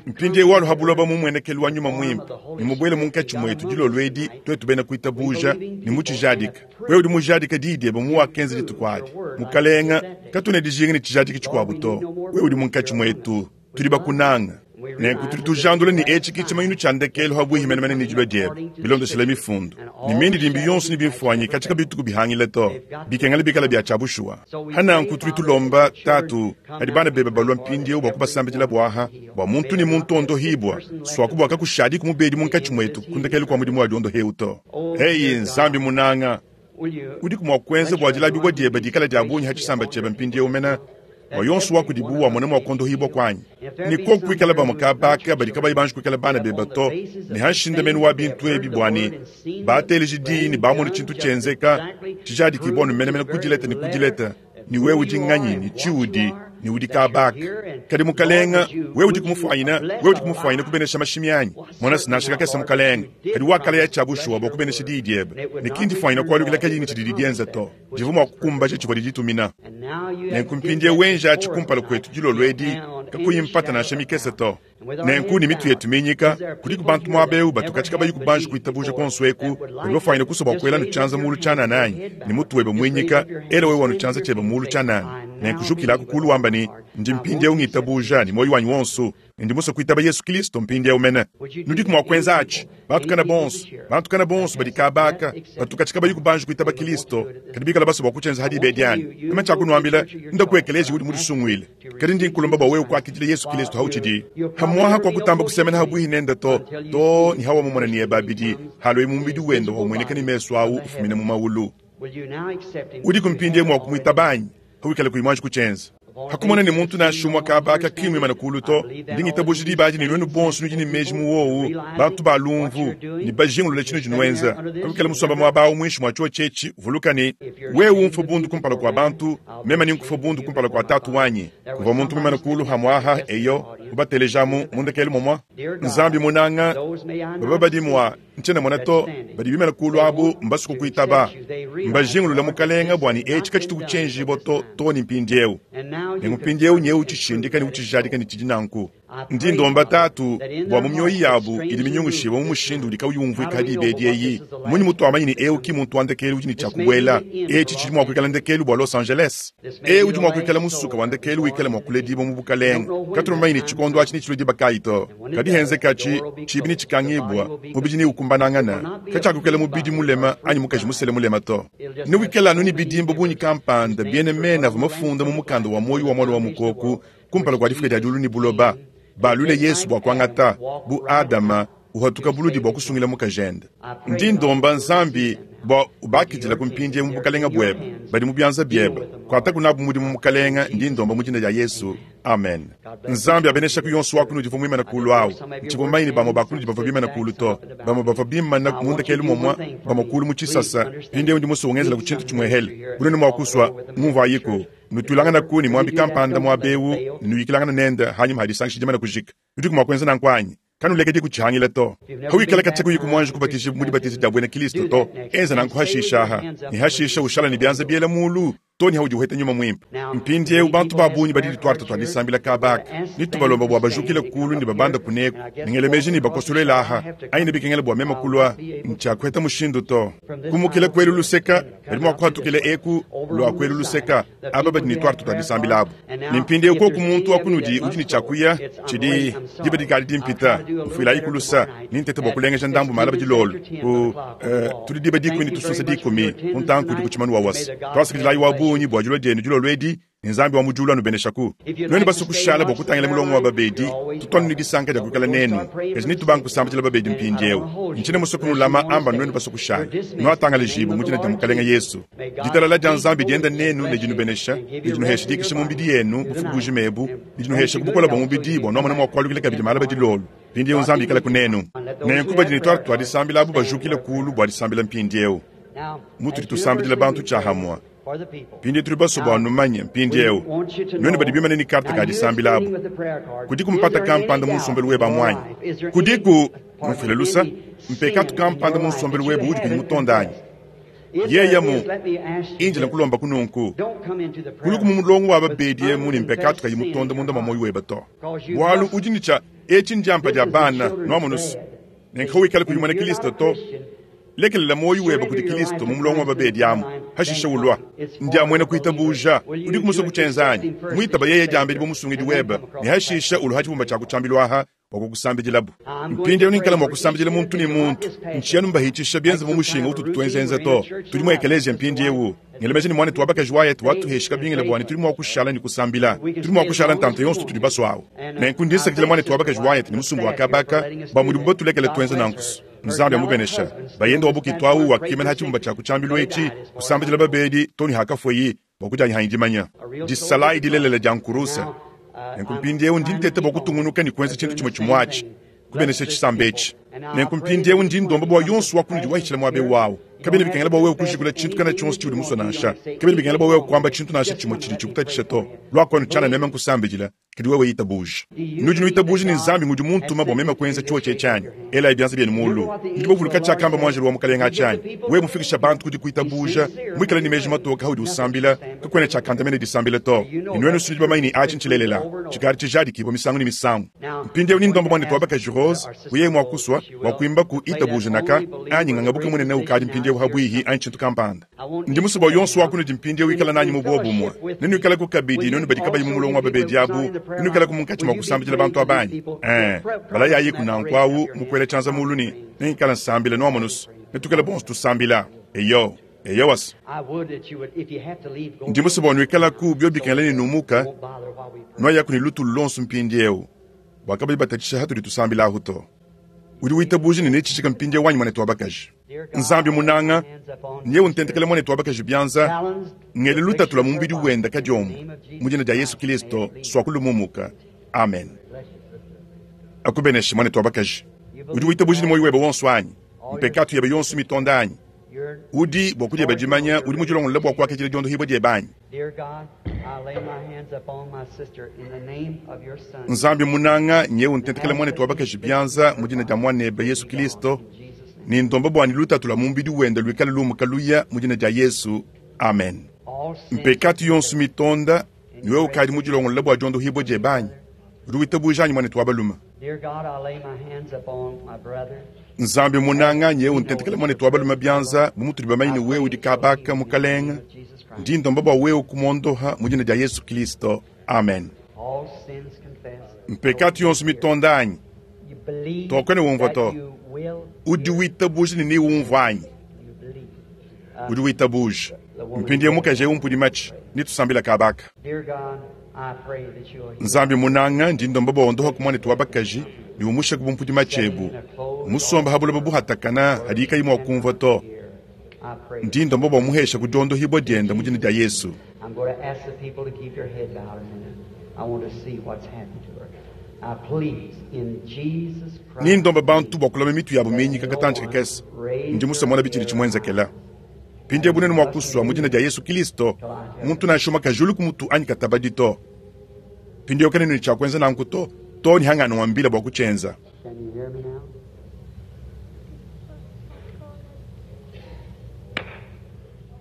[SPEAKER 1] Mpindieu walu ha buloba mu muenekelu wa Nyuma Muimpe ne mubuele munkatshi muetu dilolo edi, tuetu bena kuitabuja ne mutshijadika. Wewe udi mujadika diyi diebe mu wakenza dituku adi. Mukalenge, katuena dijinga ne tshijadiki tshikuabu to. Wewe udi munkatshi muetu, tudi bakunanga. Nenku tudi tujandula ne etshi ke tshimanyinu tshia ndekelu ha buihi menemene ne dilua diebe, bilondeshile mifundu ne mindidimbi yonso ne bimfuanyi katshia kabituku bihangile to, bikengela bikala bia tshia bushuwa. Hananku tudi tulomba, Tatu, hadi bana bebe balua mpindieu bua kubasambidila buaha, bua muntu ne muntu ondohibua, suaku bua kakushadiku mubedi munkatshi muetu ku ndekelu kua mudimu wa diondoheu to. Eyi Nzambi munanga, udiku mua kuenza bua dilabibua diebe dikala dia bungi ha tshisamba tshiebe mpindieu mena, bua yonso wa kudibu wamona mua kuondohibua kuanyi? Ne koku kuikala bamue kabaka badi kabayi banji kuikala bana bebe to, ne ha nshindamenu wa bintu ebi, bua ne bateleji diyi ne bamone tshintu tshienzeka tshijadikibua anu menemene ku dileta ne ku dileta, ne wewe udi nganyi ne tshiudi ne udi kabaka. Kadi Mukalenga, wewe udi kumufuanyina, wewe udi kumufuanyina kubenesha mashimi anyi? Mona nansha kakese Mukalenga, kadi wakalaya tshia bushuwa bua kubenesha diyi diebe, ne ki ndifuanyina kualukila kadiyi ne tshididi dienza to, divua mua kukumbaja tshivua diditumina. Nenku mpindieu wenjatshi kumpala kuetu dilolo edi kakuyi mpata nansha mikese to. Nenku ne mitu yetu minyika, kudiku bantu muaba eu batu katshi kabayi kubanji kuitabuja kuonso eku, badi bafuanyine kusua bua kuela nu tshianza mulu tshianana anyi? Ne mutu webe muinyika, ela wewe wanu tshianza tshiebe mulu tshianana. Nenku jukilaku kulu wamba ne, Ndi mpindieu ngitabuja ne muoyo wanyi wonso, ne ndi musue kuitaba Yesu Kristo mpindieu mene. Nudiku mua kuenza atshi? Bantu kana bonso, bantu kana bonso badi kabaka, batu katshi kabayi kubanji kuitaba Kristo, kadi bikala basue bua kutshienza ha diba edi anyi? Meme tshiakunuambila, nda ku ekeleziya udi mudisunguile. Kadi ndi nkulomba bua wewe kuakidila Yesu Kristo hautshidi hamuaha kwa kutamba kusemena habuihi nende to, to ne hawamumona ne ebe abidi haluaye mu mubidi wende waumueneka ne mesu awu ufumina mu maulu. Udiku mpindieu mua kumuitaba anyi? Hawikala kuyi muanji kutshienza, hakumona ne muntu nansha umue kaba aka ki muimane kulu to, ndi ngitabuja diba adi ne nuenu bonso nudi ne meji mu wowu, bantu ba lumvu, ne bajingulule tshinudi nuenza. Hawikala musomba muaba awu muinshi mua tshiotshi etshi, vuluka ne, wewe umfue bundu kumpala kua bantu, meme nenkufue bundu kumpala kua Tatu wanyi. Kuvua muntu muimane kulu hamue aha, eyo, mubatelejamu mu ndekelu momua. Nzambi munanga, baba badi mua Ntshiena mona to, badi bimana kulu abu mbasue kukuitaba, mbajingulule Mukalenga bua ne etshi katshituku tshienjibua to, to ne mpindieu. Nenku mpindieu nyewu utshishindika ne utshijadika ne tshidi nanku. Ndi ndomba Tatu bua mu mioyo yabu idi minyungushibue mu mushindu udi kauyi umvuika ha diba edi eyi, munyi mutuamanyi ne eu ki muntu wa ndekelu udi ne tshia kubuela? Etshi tshidi mua kuikala ndekelu bua Los Angeles. Eu udi mua kuikala musuka wa ndekelu wikala mua kuledibua mu bukalenge. Katuena bamanye ne tshikondo atshi netshilue diba kayi to. Kadi henzekatshi, tshibi netshikangibua, mubidi neukumbanangana. Katshiakuikala mubidi mulema anyi mukaji musele mulema to. Newikale anu ne bidimba bungi kampanda biena mena avua mafunda mu mukanda wa muoyo wa Muana wa Mukoko kumpala kua difuka dia diulu ne buloba. Baluile Yesu bua kuangata, bu Adama, uhatuka buludi bua kusungila mukajende. Ndi ndomba Nzambi bua ubakidila ku mpindieu mu bukalenga buebe, badi mu bianza biebe. Kuataku nabu mudimu Mukalenga, ndi ndomba mu dina dia Yesu. Amen. Nzambi abeneshaku yonso wa kunudi uvua muimane kulu awu. Ntshivua mumanye ne bamue ba kunudi bavua bimane kulu to. Bamue bavua bimane mu ndekelu momua, bamue kulu mu tshisasa. Mpindieu ndi musue ungenzelaku tshintu tshimuehele. Bu nuenu mua kusua, ngumvuayiku. Nutuilanganaku ne muambi kampanda muaba eu ne nuyikilangana nende hanyima ha disangisha dimane kujika. Nudiku mua kuenza nanku anyi? Kanulekedi kutshihangila to. Hawikala katshia kuyi kumuanji kubatijibua mu dibatiza dia buena Kilisto to, enza nanku hashisha aha, ne hashisha ushala ne bianza biela mulu. too ne haudi uheta Nyuma Muimpe. Mpindiewu bantu ba bungi badi ne tuarta tua disambila kaba aka, ne tubalomba bua bajukile kulu ne babanda kuneku, ne ngela meji ne bakosolele aha, anyi nebikengele bua meme kulua, ntshiakuheta mushindu to. Kumukila ku elu luseka, badi mua kuhatukila eku lua ku elu luseka, aba badi ne tuarta tua disambila abu. Ne mpindiewu koku muntu wa kunudi udi ne tshia kuya, tshidi diba dikadi dimpita, mfuilayi ku lusa, ne ntete bua kulengeja ndambu malaba dilolo ku tudi diba dikumi ne tusunsa dikumi ku ntanku udi ku tshimanu wa wasa. Tuasakidilayi wa bungi bua dilua dienu dilolo edi, ne Nzambi wa mu diulu anubeneshaku. Nuenu basue kushala bua kutangila mulongo wa babedi, tutu anu ne disanka dia kuikala nenu, kadi netubange kusambidila babedi mpindieu. Ntshiena musue kunulama amba nuenu basue kushala. Nuatangalajibue mu dina dia Mukalenge Yesu. Ditalala dia Nzambi dienda nenu ne dinubenesha, ne dinuhesha dikisha mu mbidi yenu bufuku bujima ebu, ne dinuhesha ku bukole bua mubidi bua nuamona mua kualukila kabidi malaba dilolo. Mpindieu Nzambi ikalaku nenu. Nenku badi ne tuarte tua disambila abu bajukile kulu bua disambila mpindieu. Mutudi tusambidila bantu tshiahamua. Mpindieu tudi basue bua numanye, mpindieu, nuenu badi bimane ne karte ka disambila abu, kudiku mpata kampanda mu nsombelu webe amu anyi? Kudiku, mfuile lusa, mpekatu kampanda mu nsombelu webe uudi kuyi mutonde anyi? Yeye mu, indila nkulombaku nunku, kuluku mu mulongo wa babedi emu ne mpekatu kayi mutonda munda mua muoyo webe to, bualu udi ne tshia etshi ndiampa dia bana, nuamonu's, nenku wikale kuyi muena Kilisto to. Lekelela muoyo webe kudi Kilisto mu mulongo wa babedi amu, hashishe ulua. Ndia muena kuitabuja. Udiku musue kutshienza anyi? Muitaba yeye diambedi bu Musungidi webe, ne hashishe ulua ha tshibumba tshia ku tshiambilu aha bua kukusambidilabu. Mpindieu nenkale mua kusambidila muntu ne muntu. Ntshiya numbahitshisha bienze mu mushinga ututu tuenzenza to. Tudi mu ekeleziya mpindieu. Ngela meji ne muanetu wa bakaji Wyatt watuheshi kabingila bua ne tudi mua kushala ne kusambila. Tudi mua kushala ntanta yonso tutudi basue awu. Nenku ndi nsakidila muanetu wa bakaji Wyatt ne musumba wa kaba aka bua mudibu batulekele tuenza nanku. Nzambi amubenesha. Bayende wa bukitu awu wakimana ha tshibumba tshia ku tshiambilu etshi kusambidila babedi too ne hakafueyi bua kudianyi dimanya disalayi dilelela dia nkuruse. Nenku mpindieu ndi nteta bua kutungunuka ne kuenza tshintu tshimue tshimue atshi, kubenesha tshisamba etshi. Nenku mpindieu ndi ndomba bua yonso wa kunudi wahitshila muaba eu awu. Kabiena bikengela bua wewe kujikula tshintu kana tshionso tshiudi musue nansha. Kabiena bikengela bua wewe kuamba tshintu nansha tshimue tshidi tshikutatshisha to. Lua kuenu tshianana meme nkusambidila. Kadi wewe itabuja. Nudi nuitabuja ne Nzambi ngudi muntuma bua meme kuenza tshiotshi etshi anyi? Elayi bianza bienu mulu. Nudi bavuluka tshiakamba muanjelu wa Mukalenge atshi anyi? Wewe mufikisha bantu ku dikuitabuja, muikale ne meji matoke audi usambila, kakuena tshiakandamena disambila to. Ne nuenu nudi bamanye ne atshi ntshilelela. Tshikadi tshijadikibua misangu ne misangu. Mpindieu ni ndomba muanetu wa bakaji Rose, bu yeye mua kusua, bua kuimba ku Itabuja Naka, anyi Ngangabuke Munene ukadi mpindieu habuihi, anyi tshintu kampanda. Ndi musue bua yonso wa kunudi mpindieu ikala nanyi mu buobumue. Nenuikaleku kabidi, nuenu badi kabayi mu mulongo wa babedi abu, nenuikaleku munkatshi mua kusambidila bantu aba anyi? Ee, balayayiku nanku awu mu kuela tshianza mulu ne, Nengikale nsambila, nuamonu's, netuikale bonso tusambila. Eyo. Eyowa's. Ndi musue bua nuikalaku, biobi bikengela ne numuka, nuayaku ne lutulu luonso mpindieu, bua kabayi batatshisha hatudi tusambila ahu to. Udi witabuja ne netshijika mpindieu wanyi muanetu wa bakaji? Nzambi munanga, nyewu ntentekela muanetu wa bakaji bianza, ngele lutatu lua mu mubidi wenda kadiombo, mu dina dia Yesu Kilisto, suaku lumumuka. Amen. Akubeneshe muanetu wa bakaji. Udi witabuja ne muoyo webe wonso anyi? Mpekatu yebe yonso mitonda anyi? Udi, bua kudieba dimanya, udi mudilongolole bua kuakidila diondohibua diebe anyi? Nzambi munanga, nyewu ntentekela muanetu wa bakaji bianza mu dina dia Muanebe Yesu Kilisto, ne ndomba bua ne lutatu lua mu mubidi wende luikale lumuka luya mu dina dia Yesu. Amen. Mpekatu yonso mitonda, ne wewe ukadi mudilongolole bua diondohibua diebe anyi? Udi witabuja anyi, muanetu wa balume? Nzambi munanga, nyewu ntentekela muanetu wa balume bianza, bu mutudi bamanye ne wewe udi kabaka, Mukalenge. Ndi ndomba bua wewe kumuondoha mu dina dia Yesu Kilisto. Amen. Mpekatu yonso mitonda anyi? To, kuena umvua to. Udi witabuja ne neumvua anyi? Udi witabuja. Mpindieu mukaji eu mpudi matshi, netusambila kabaka. Nzambi munanga, ndi ndomba bua ondohaku muanetu wa bakaji ne umushaku bumpudi matshi ebu. Musomba ha buloba buhatakana hadiyi kayi mua kumvua to. Ndi ndomba bua muhesha ku diondohibua dienda mu dina dia Yesu. Ni ndomba bantu bua kulama mitu yabu minyika katantshi kakese. Ndi musue mona bitshidi tshimuenzekela. Mpindieu bunene mua kusua mu dina dia Yesu Kilisto, muntu nansha umue kajulu ku mutu anyi katabadi to. Mpindieu kena ne tshia kuenza nanku to, too ne hanganuambila bua kutshienza.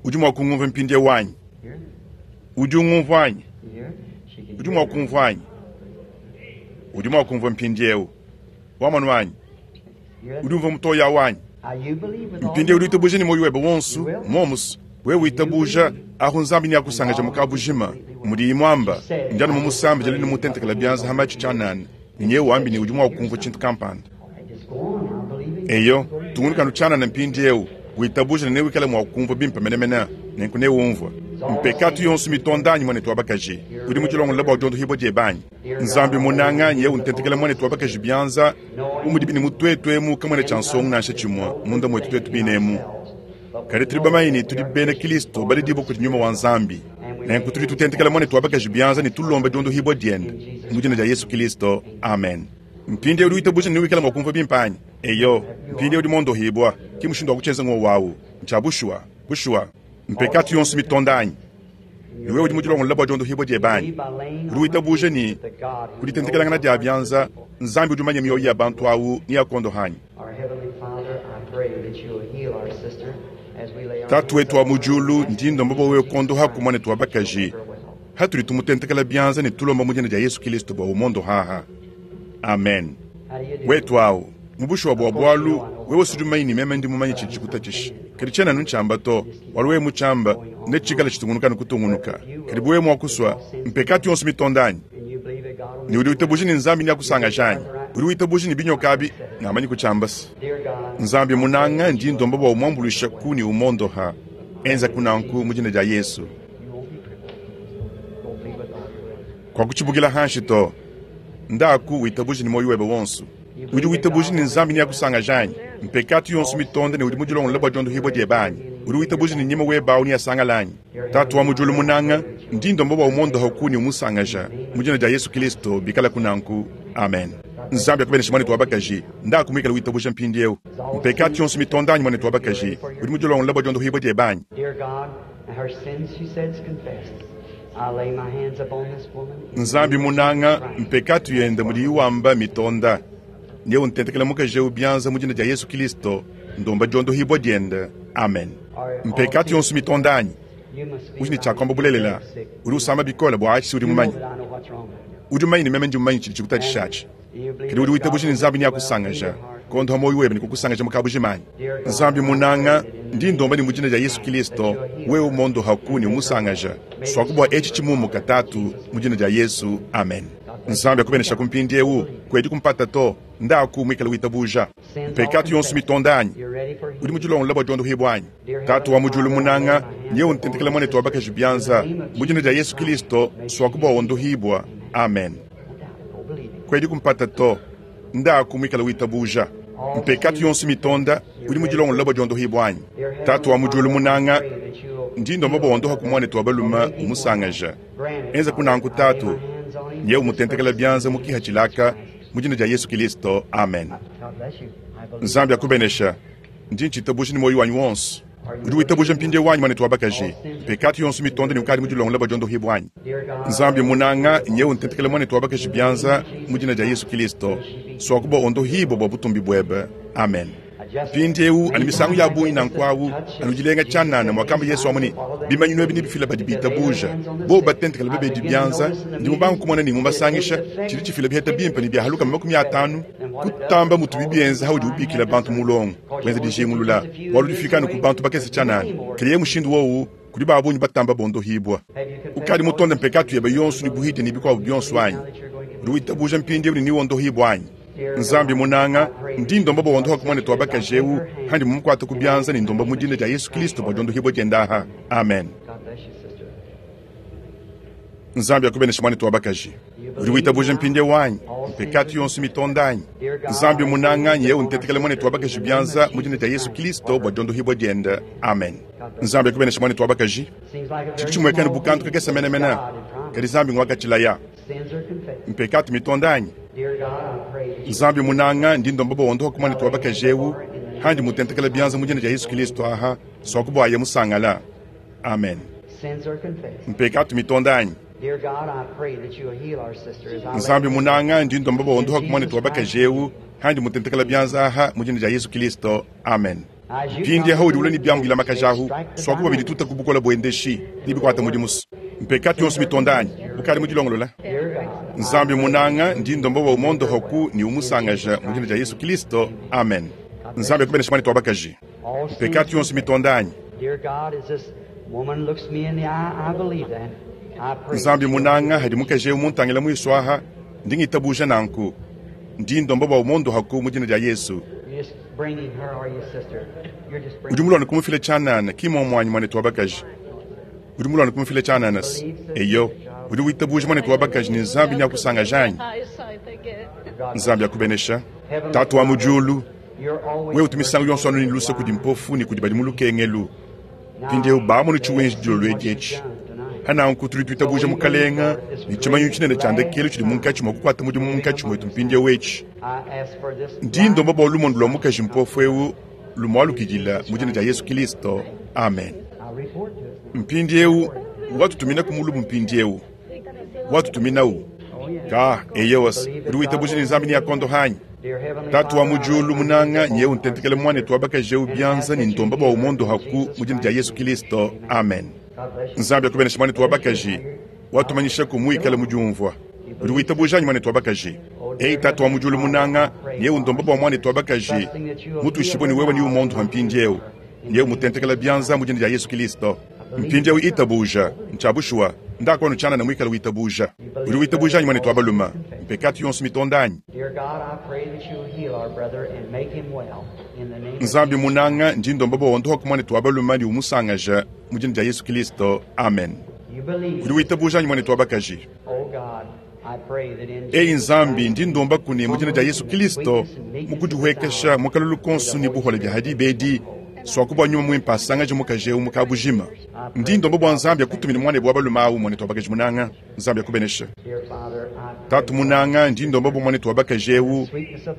[SPEAKER 1] Udi mua kungumvua mpindieu anyi? Udi ungumvua anyi? Udi mua kumvua anyi? Udi mua kumvua mpindieu. Wamonu anyi? Udi umvua mutoyi awu anyi? Mpindieu udi witabuja ne muoyo webe wonso, muomu's. Wewe witabuja, ahu Nzambi neakusangaja mu kabujima. Mudiyi muamba, ndi anu mumusambe jali ne mutentekela bianza ha matshi tshianana, ne nyewe wambi ne udi mua kumvua tshintu kampanda. Eyo, tungunuka anu tshianana mpindieu, witabuja ne newikale mua kumvua bimpe menemene, nenku neumvue. Mpekatu yonso mitonda anyi, muanetu wa bakaji? Udi mudilongolole bua diondohibua diebe anyi? Nzambi munanga, nyewe untentekela muanetu wa bakaji bianza, bu mudibi ne mu tuetu emu kamuena tshia nsongo nansha tshimue munda muetu tuetu bine emu. Kadi tudi bamanye ne tudi bena Kristo baledibue kudi Nyuma wa Nzambi. Nenku tudi tutentekela muanetu wa bakaji bianza ne tulomba diondohibua diende mu dina dia Yesu Kristo. Amen. Mpindieu udi witabuja ne newikale mua kumvua bimpe anyi? Eyo. Mpindieu udi muondohibua. Ki mushindu wa kutshienza ngowu au. Ntshia bushuwa. Bushuwa. Mpekatu yonso mitonda anyi? Ne wewe udi mudilongolole bua diondohibua diebe anyi? Udi witabuja ne ku ditentekelangana dia bianza, Nzambi udi umanye mioyo ya bantu au neakuondohe anyi? Tatu wetu wa mu diulu, ndi ndomba bua wewe kuondohaku muanetu wa bakaji hatudi tumutentekela bianza ne tulomba mu dina dia Yesu Kilisto bua umondohaha. Amen. Wetu au mu bushuwa bua bualu wewe sudi mumanye ne meme ndi mumanye tshidi tshikutatshisha, kadi tshiena anu ntshiamba to, bualu wewe mutshiamba netshikale tshitungunuka ne kutungunuka. Kadi bu wewe mua kusua, mpekatu yonso mitonda anyi? Ne udi witabuja ne Nzambi neakusangaja anyi? Udi witabuja ne binyoka abi ngamanyi kutshiamba se Nzambi munanga ndi ndomba bua umuambuluisha ku ne umondoha. Enza ku nanku mu dina dia Yesu. Kuakutshibukila hanshi to. Ndaku witabuje ne muoyo webe wonso. Udi witabuja ne Nzambi neakusangaja anyi? Mpekatu yonso mitonde ne udi mudilongolole bua diondohibua diebe anyi? Udi witabuja ne nyima webe au neasangale anyi? Tatu wa mu diulu munanga, ndi ndomba bua umondohaku ne umusangaja mu dina dia Yesu Kilisto, bikalaku nanku. Amen. Nzambi akubeneshe muanetu wa bakaji. Ndaku muikale witabuja mpindieu. Mpekatu yonso mitonde anyi, muanetu wa bakaji? Udi mudilongolole bua diondohibua diebe anyi? Nzambi munanga, mpekatu yende mudiyi wamba mitonda, ne untentekela mukaji eu bianza mu dina dia Yesu Kilisto, ndomba diondohibua diende. Amen. Mpekatu yonso mitonda anyi? Udi ne tshia kuamba bulelela. Udi usama bikole bua atshi si udi mumanye. Udi mumanye ne meme ndi mumanye tshidi tshikutatshisha atshi. Kadi udi witabuja ne Nzambi neakusangaja kondoha muoyo webe ne kukusangaja mu kabujima anyi? Nzambi munanga, ndi ndomba ne mu dina dia Yesu Kilisto, wewe umondohaku ne umusangaja. Suaku bua etshi tshimumuka, Tatu, mu dina dia Yesu. Amen. Nzambi akubeneshaku mpindieu. Kuedi kumpata to. Ndaku muikale witabuja. Mpekatu yonso mitonda anyi? Udi mudilongolole bua diondohibua anyi? Tatu wa mu diulu munanga, nyewe untentekela muanetu wa bakaji bianza mu dina dia Yesu Kilisto, suaku bua wondohibua. Amen. Kuedi kumpata to. Ndaku muikale witabuja. Mpekatu yonso mitonda, udi mudilongolole bua diondohibua anyi? Tatu wa mu diulu munanga, ndi ndomba bua wondohaku muanetu wa balume umusangaja. Enza ku nanku Tatu, nyewe umutentekela bianza mu kiha tshilaka mu dina dia Yesu Kilisto. Amen. Nzambi akubenesha. Ndi ntshitabuja ne muoyo wanyi wonso. Udi witabuja mpindieu wanyi, muanetu wa bakaji? Mpekatu yonso mitonde ne ukadi mudilongolole bua diondohibua anyi? Nzambi munanga, nyewe untentekele muanetu wa bakaji bianza mu dina dia Yesu Kilisto, suaku bua ondohibua bua butumbi buebe. Amen. Mpindieu anu misangu ya bungi nanku awu, anu dilenga tshianana, muakamba Yesu amu ne, Bimanyinu ebi nebifila badi bitabuja. Bobu batentekele babedi bianza, ndi mubanga kumona ne mubasangisha, tshidi tshifila biheta bimpe ne biahaluka 50 kutamba mutubi bienza haudi ubikila bantu mulongo, wenza dijingulula, bualu difika anu ku bantu bakese tshianana. Kadi mushindu wowu kudi ba bungi batamba bondohibua. Ukadi mutonde mpekatu yebe yonso ne buhidia ne bikuabu bionso anyi? Udi witabuja mpindieu ne newondohibua anyi? Nzambi munanga, ndi ndomba bua wondohaku muanetu wa bakaji eu handi mumukuate ku bianza ne ndomba mu dina dia Yesu Kilisto bua diondohibua diende aha. Amen. Nzambi akubeneshe muanetu wa bakaji. Udi witabuja mpindieu anyi? Mpekatu yonso mitonda anyi? Nzambi munanga, nyewe ntetekele muanetu wa bakaji bianza mu dina dia Yesu Kilisto bua diondohibua diende. Amen. Nzambi akubeneshe muanetu wa bakaji. Tshidi tshimueka bu kantu kakese menemene, kadi Nzambi nguakatshilaya. Mpekatu mitonda anyi? Nzambi munanga, ndi ndomba bua wondohaku muanetu wa bakaji eu handi mutentekele bianza mu dina dia Yesu Kilisto aha, suaku bua aye musangala. Amen. Mpekatu mitonda anyi? Nzambi munanga, ndi ndomba bua wondohaku muanetu wa bakaji eu handi mutentekele bianza aha mu dina dia Yesu Kilisto. Amen. Mpindieu haudi ulua ne biamu bilamakaja ahu, suaku bua bidituta ku bukole buendeshi ne bikuata mudimu. Mpekatu yonso mitonda anyi? Ukadi mudilongolola? Nzambi munanga, ndi ndomba bua umondohoku ne umusangaja mu dina dia Yesu Kilisto. Amen. Nzambi akubenesha muanetu wa bakaji. Mpekatu yonso mitonda anyi? Nzambi munanga, hadi mukaji eu muntangila muisu aha, ndi ngitabuja nanku. Ndi ndomba bua umondohaku mu dina dia Yesu. Udi muluane kumufila tshianana, ki muomuanyi muanetu wa bakaji? Udi muluane kumufila tshianana se? Eyo. Udi witabuja muanetu wa bakaji ne Nzambi neakusangaja anyi? Nzambi akubenesha. Tatu wa mu diulu, wewe utu misangu yonso anu ne luse kudi mpofu ne kudi badi mu lukengelu. Mpindieu bamonu tshiwenji dilolo edi etshi. Pananku tudi tuitabuja Mukalenga ne tshimanyinu tshinene tshia ndekelu tshidi munkatshi mua kukuata mudimu munkatshi muetu mpindieu etshi. Ndi ndomba bua lumonu lua mukaji mpofu eu lumualukidila mu dina dia Yesu Kilisto. Amen. Mpindieu watutuminaku mulubu mpindieu. Watutuminawu. Ka, eyowas, udi witabuja ne Nzambi neakondoha anyi? Tatu wa mu diulu munanga, nyewu ntentekele muanetu wa bakaji eu bianza ne ndomba bua umondohaku mu dina dia Yesu Kilisto. Amen. Nzambi akubenesha muanetu wa bakaji. Watumanyishaku muikale mudiumvua. Udi witabuja anyi muanetu wa bakaji? Eyi Tatu wa mu diulu munanga, nyewu ndomba bua muanetu wa bakaji mutuishibue ne wewe neumondoha mpindieu. Nyewu mutentekela bianza mu dina dia Yesu Kilisto. Mpindieu itabuja. Ntshia bushuwa. Ndaku anu tshianana muikale witabuja. Udi witabuja anyi muanetu wa balume? Mpekatu yonso mitonda anyi? Nzambi munanga, ndi ndomba bua wondohaku muanetu wa balume ne umusangaja mu dina dia Yesu Kilisto. Amen. Udi witabuja anyi muanetu wa bakaji? Eyi Nzambi, ndi ndombaku ne mu dina dia Yesu Kilisto, mu kudihuekesha mu kalulu konso ne buhole bia hadiba edi, suaku bua Nyuma Muimpe asangaje mukaji eu mu kabujima. Ndi ndomba bua Nzambi akutumine muanebe wa balume au, muanetu wa bakaji munanga. Nzambi akubeneshe. Tatu munanga, ndi ndomba bua muanetu wa bakaji eu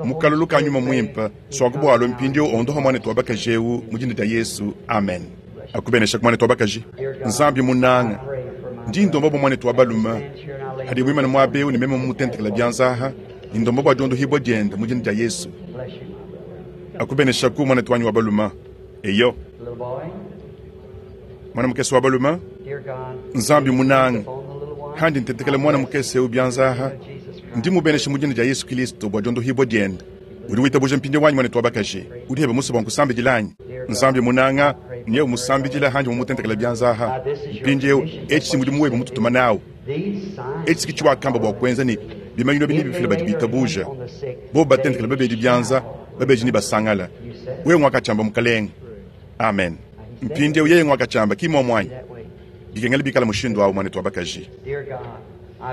[SPEAKER 1] mu kalulu ka Nyuma Muimpe, suaku bua alue mpindieu ondoha muanetu wa bakaji eu mu dina dia Yesu. Amen. Akubenesha ku muanetu wa bakaji. Nzambi munanga, ndi ndomba bua muanetu wa balume hadi muimane muaba eu ne meme mumutentekela bianza aha, ndi ndomba bua diondohibua diende mu dina dia Yesu. Akubenesha ku muanetu wanyi wa balume. Eyo. Mwana mukese wa balume, Nzambi munanga, handi ntentekela mwana mukese eu bianza aha, ndi mubenesha mu dina dia Yesu Kilisto bua diondohibua diende. Udi witabuja mpindieu wanyi muanetu wa bakaji, udi hebe musue bua nkusambidila anyi? Nzambi munanga, nyewu musambidila handi mumutentekela bianza aha. Mpindieu etshi si mudimu webe mututuma nawu. Etshi ki tshiwakamba bua kuenza ne bimanyinu ebi nebifile badi bitabuja. Bobu batentekela babedi bianza, babedi nebasangale. Wewe nguakatshiamba Mukalenge. Amen. Mpindieu yeye nguakatshiamba, ki muomu anyi? Bikengela bikala mushindu au, muanetu wa bakaji.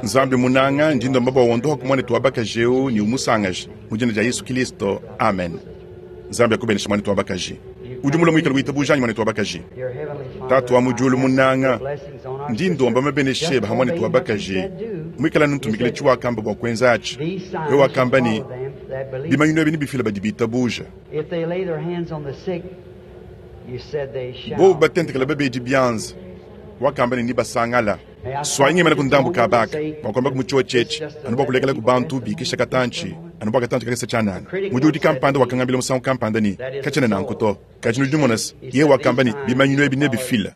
[SPEAKER 1] Nzambi munanga, ndi ndomba bua wondohaku muanetu wa bakaji eu ne umusangaje mu dina dia Yesu Kilisto. Amen. Nzambi akubeneshe muanetu wa bakaji. Udi mulue muikale witabuja anyi muanetu wa bakaji? Tatu wa mu diulu munanga, ndi ndomba mabenesha ebe ha muanetu wa bakaji muikale anu ntumikila tshiwakamba bua kuenza atshi. Wewe wakamba ne, Bimanyinu ebi nebifile badi bitabuja. Bobu batentekela babedi bianza, wakamba ne, Nebasangala. Suayi ngemena ku ndambu kaba aka bua kuamba ku mutshiotshi etshi, anu bua kulekela ku bantu bikisha katantshi, anu bua katantshi kakese tshianana. Mudiudi kampanda wakangambila musangu kampanda ne, Katshiena nanku to. Kadi nudi numona se, yeye wakamba ne, bimanyinu ebi nebifile.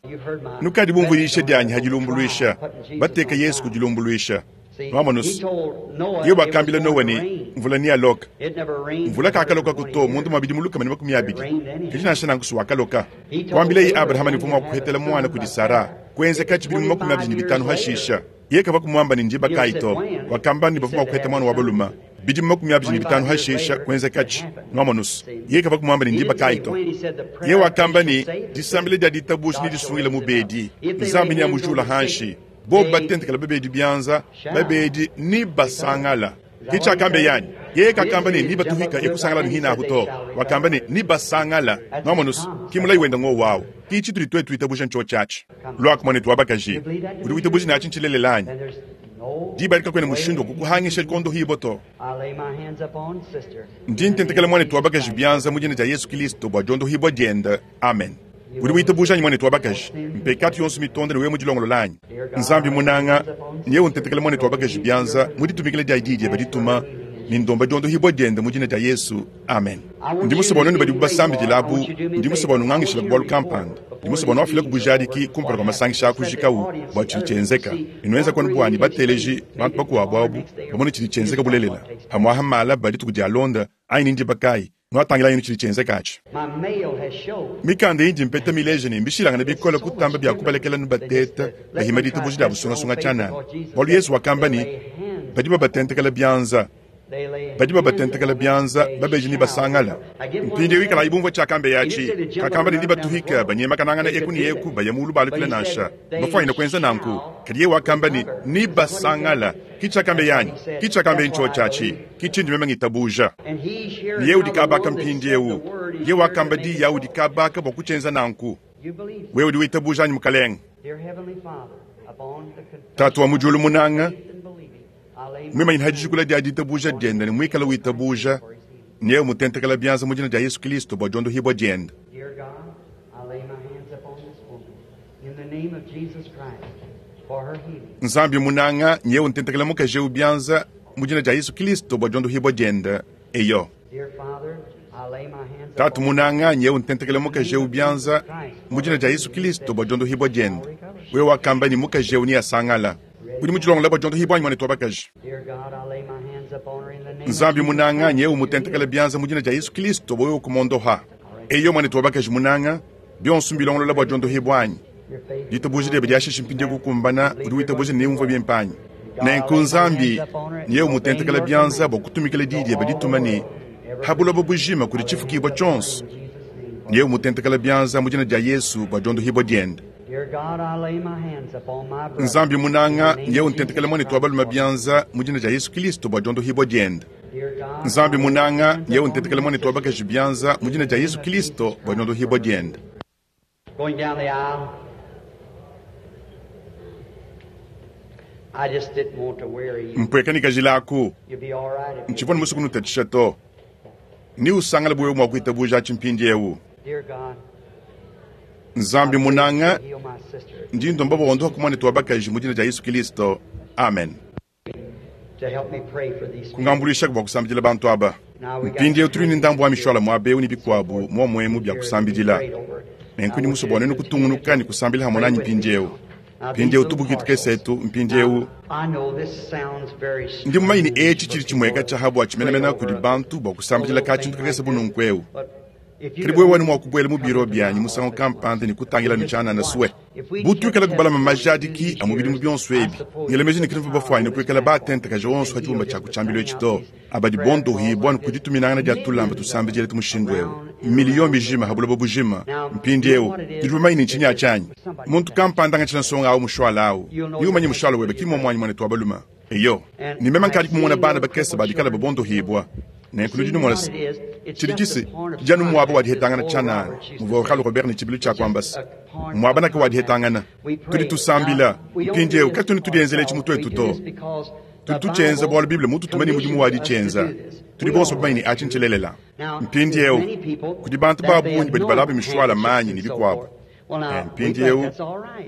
[SPEAKER 1] Nukadi bumvue diyisha dianyi ha dilumbuluisha, bateka Yesu ku dilumbuluisha. Nuamonus, yeye wakambila Noa ne, mvula nealoke. Mvula kakalokaku to munda mua bidimu 120, kadi nansha nanku si wakaloka. Kuambilaye Abrahama ne uvua mua kuhetela muana kudi Sara. Kuenzekatshi bidimu 25 hashisha, yeye kavua kumuamba ne ndiba kayi to. Wakamba ne bavua mua kuheta muana wa balume. Bidimu 25 hashisha, kuenzekatshi. Nuamonus, yeye kavua kumuamba ne ndiba kayi to. Yeye wakamba ne disambila dia ditabuja nedisungile mubedi, Nzambi neamujula hanshi. Bobu batentekela babedi bianza, babedi ne basangala. Ke tshiakambeye anyi? Yeye kakamba ne, Nibatuhika ekusangala anu hine ahu to. Wakamba ne, Nibasangala. Nuamonus, ki mulayi wende ngowu awu. Ki tshitudi tuetu tuitabuja ntshiotshi atshi. Luaku, muanetu wa bakaji. Udi witabuja ne atshi ntshilelela anyi? Diba adi kakuena mushindu wa kukuhangisha kondohibua to. Ndi ntentekela muanetu wa bakaji bianza mu dina dia Yesu Kilisto bua diondohibua diende. Amen. Udi witabuja anyi, muanetu wa bakaji? Mpekatu yonso mitonda ne wewe mudilongolola anyi? Nzambi munanga, nyewe untentekela muanetu wa bakaji bianza mu ditumikila dia diyi diebe dituma. Ne ndomba diondohibua diende mu dina dia Yesu. Amen. Ndi musue bua nuenu badibu basambidila abu, ndi musue bua nungangishile bualu kampanda. Ndi musue bua nuafileku bujadiki kumpala kua masangisha a kujikawu bua tshidi tshienzeka. Ne nuenzaku anu bua ne bateleji, bantu bakuabu abu, bamone tshidi tshienzeka bulelela. Pamu'apa malaba dituku dialonda, anyi ni ndiba kayi, nuatangila anu tshidi tshienzeka atshi. Mikanda indi mpeta mileje ne, mbishilangane bikole kutamba bia kubalekela nubateta bahima ditabuja dia busungasunga tshianana. Bualu Yezu wakamba ne, Badi babatentekela bianza, badi babatentekela bianza, babeji ne basangala. Mpindieu ikalayi bumvua tshiakambeye atshi. Kakamba ne, Nebatuhike, banyemakanangana eku ne eku, baya mulu balukila nansha. Mbafuanyine kuenza nanku. Kadi yeye wakamba ne, Nebasangala. Ki tshiakambeye anyi? Ki tshiakambeye ntshiotshi atshi. Ki tshindi meme ngitabuja. Ne yeye udi kabaka mpindiewu. Yeye wakamba diyi awu udi kabaka bua kutshienza nanku. Wewe udi witabuja anyi, Mukalenge? Tatu wa mu diulu munanga, muimanyine ha dijikula dia ditabuja diende ne muikale witabuja, ne yeye umutentekela bianza mu dina dia Yesu Kilisto bua diondohibua diende. Nzambi munanga, nyeye untentekela mukaji eu bianza mu dina dia Yesu Kilisto bua diondohibua diende. Eyo. Tatu munanga, nyeye untentekela mukaji eu bianza mu dina dia Yesu Kilisto bua diondohibua diende. Wewe wakamba ne mukaji eu neasangala. Udi mudilongolola bua diondohibua anyi, muanetu wa bakaji? Nzambi munanga, nyeye umutentekela bianza mu dina dia Yesu Kilisto bua wewe kumondoha. Eyo, muanetu wa bakaji munanga, bionso mbilongolola bua diondohibua anyi? Ditabuja diebe diashishi mpindieu kukumbana. Udi witabuja ne neumvue bimpe anyi? Nenku Nzambi, nyeye umutentekela bianza bua kutumikila diyi diebe dituma ne, Ha buloba bujima kudi tshifukibua tshionso, nyeye umutentekela bianza mu dina dia Yesu bua diondohibua diende. Nzambi munanga, nyeye untentekela muanetu wa balume bianza mu dina dia Yesu Kilisto bua diondohibua diende. Nzambi munanga, nyeye untentekela muanetu wa bakaji bianza mu dina dia Yesu Kilisto bua diondohibua diende.
[SPEAKER 2] Going down the aisle, I just didn't want to weary you.
[SPEAKER 1] Mpueka ne kajila aku.
[SPEAKER 2] You'll be all right if you
[SPEAKER 1] Ntshivua ne musue kunutatshisha to. Neusangale bu wewe mua kuitabuja atshi mpindieu.
[SPEAKER 2] Dear God,
[SPEAKER 1] Nzambi munanga,
[SPEAKER 2] heal my sister
[SPEAKER 1] ndi ndomba bua wondoha ku muanetu wa bakaji mu dina dia Yesu Kilisto. Amen.
[SPEAKER 2] to help me pray for these people.
[SPEAKER 1] Kungambuluishaku bua kusambidila bantu aba. Mpindieu tudi ne ndambu wa mishuala muaba eu ne bikuabu muomuemu bia kusambidila. Nenku ndi musue bua nuenu kutungunuka ne kusambila hamue nanyi mpindieu. Mpindieu tubuki tukese etu mpindieu.
[SPEAKER 2] I know this sounds very
[SPEAKER 1] Ndi mumanye ne
[SPEAKER 2] strange
[SPEAKER 1] etshi tshidi tshimueka tshia ha bua tshimenemene kudi bantu bua kusambidila ka tshintu kakese bu nunku eu.
[SPEAKER 2] but if you
[SPEAKER 1] Kadi wewe wanu mua kubuela mu biro bianyi musangu kampanda ne kutangila nu tshianana sue. Bu tuikala kubalama majadiki a mu bidimu bionso ebi, ngela meji ne katuvua bafuanyine kuikala batentakaja onso pa tshibumba tshia ku tshiambilu etshi to. Aba dibondohibua ne ku dituminangana dia tulamba tusambidila tu mushindu eu, miliyo mijima ha buloba bujima. Mpindieu, nudi bamanye ne ntshinyi atshi anyi? Muntu kampanda angatshila nsonga au mushuala au, ne umanye mushuala webe ki mmuomu anyi, muanetu wa balume? Eyo, ne meme nkadi kumona bana bakese ba dikala babondohibua. Nenku nudi numona se, tshidi tshise tshidi anu muaba wa dihetangana tshianana, muvua Oral Robert ne tshibilu tshia kuamba se, Muaba naka wa dihetangana. Tudi tusambila. Mpindieu, katuena tudienzela etshi mu tuetu to. Tudi tutshienza bualu Bible mmututume ne mudimu wa ditshienza. Tudi bonso bamanye ne atshi ntshilelela. Mpindieu, kudi bantu ba bungi badi balaba mishuala manyi ne bikuabu. Mpindieu,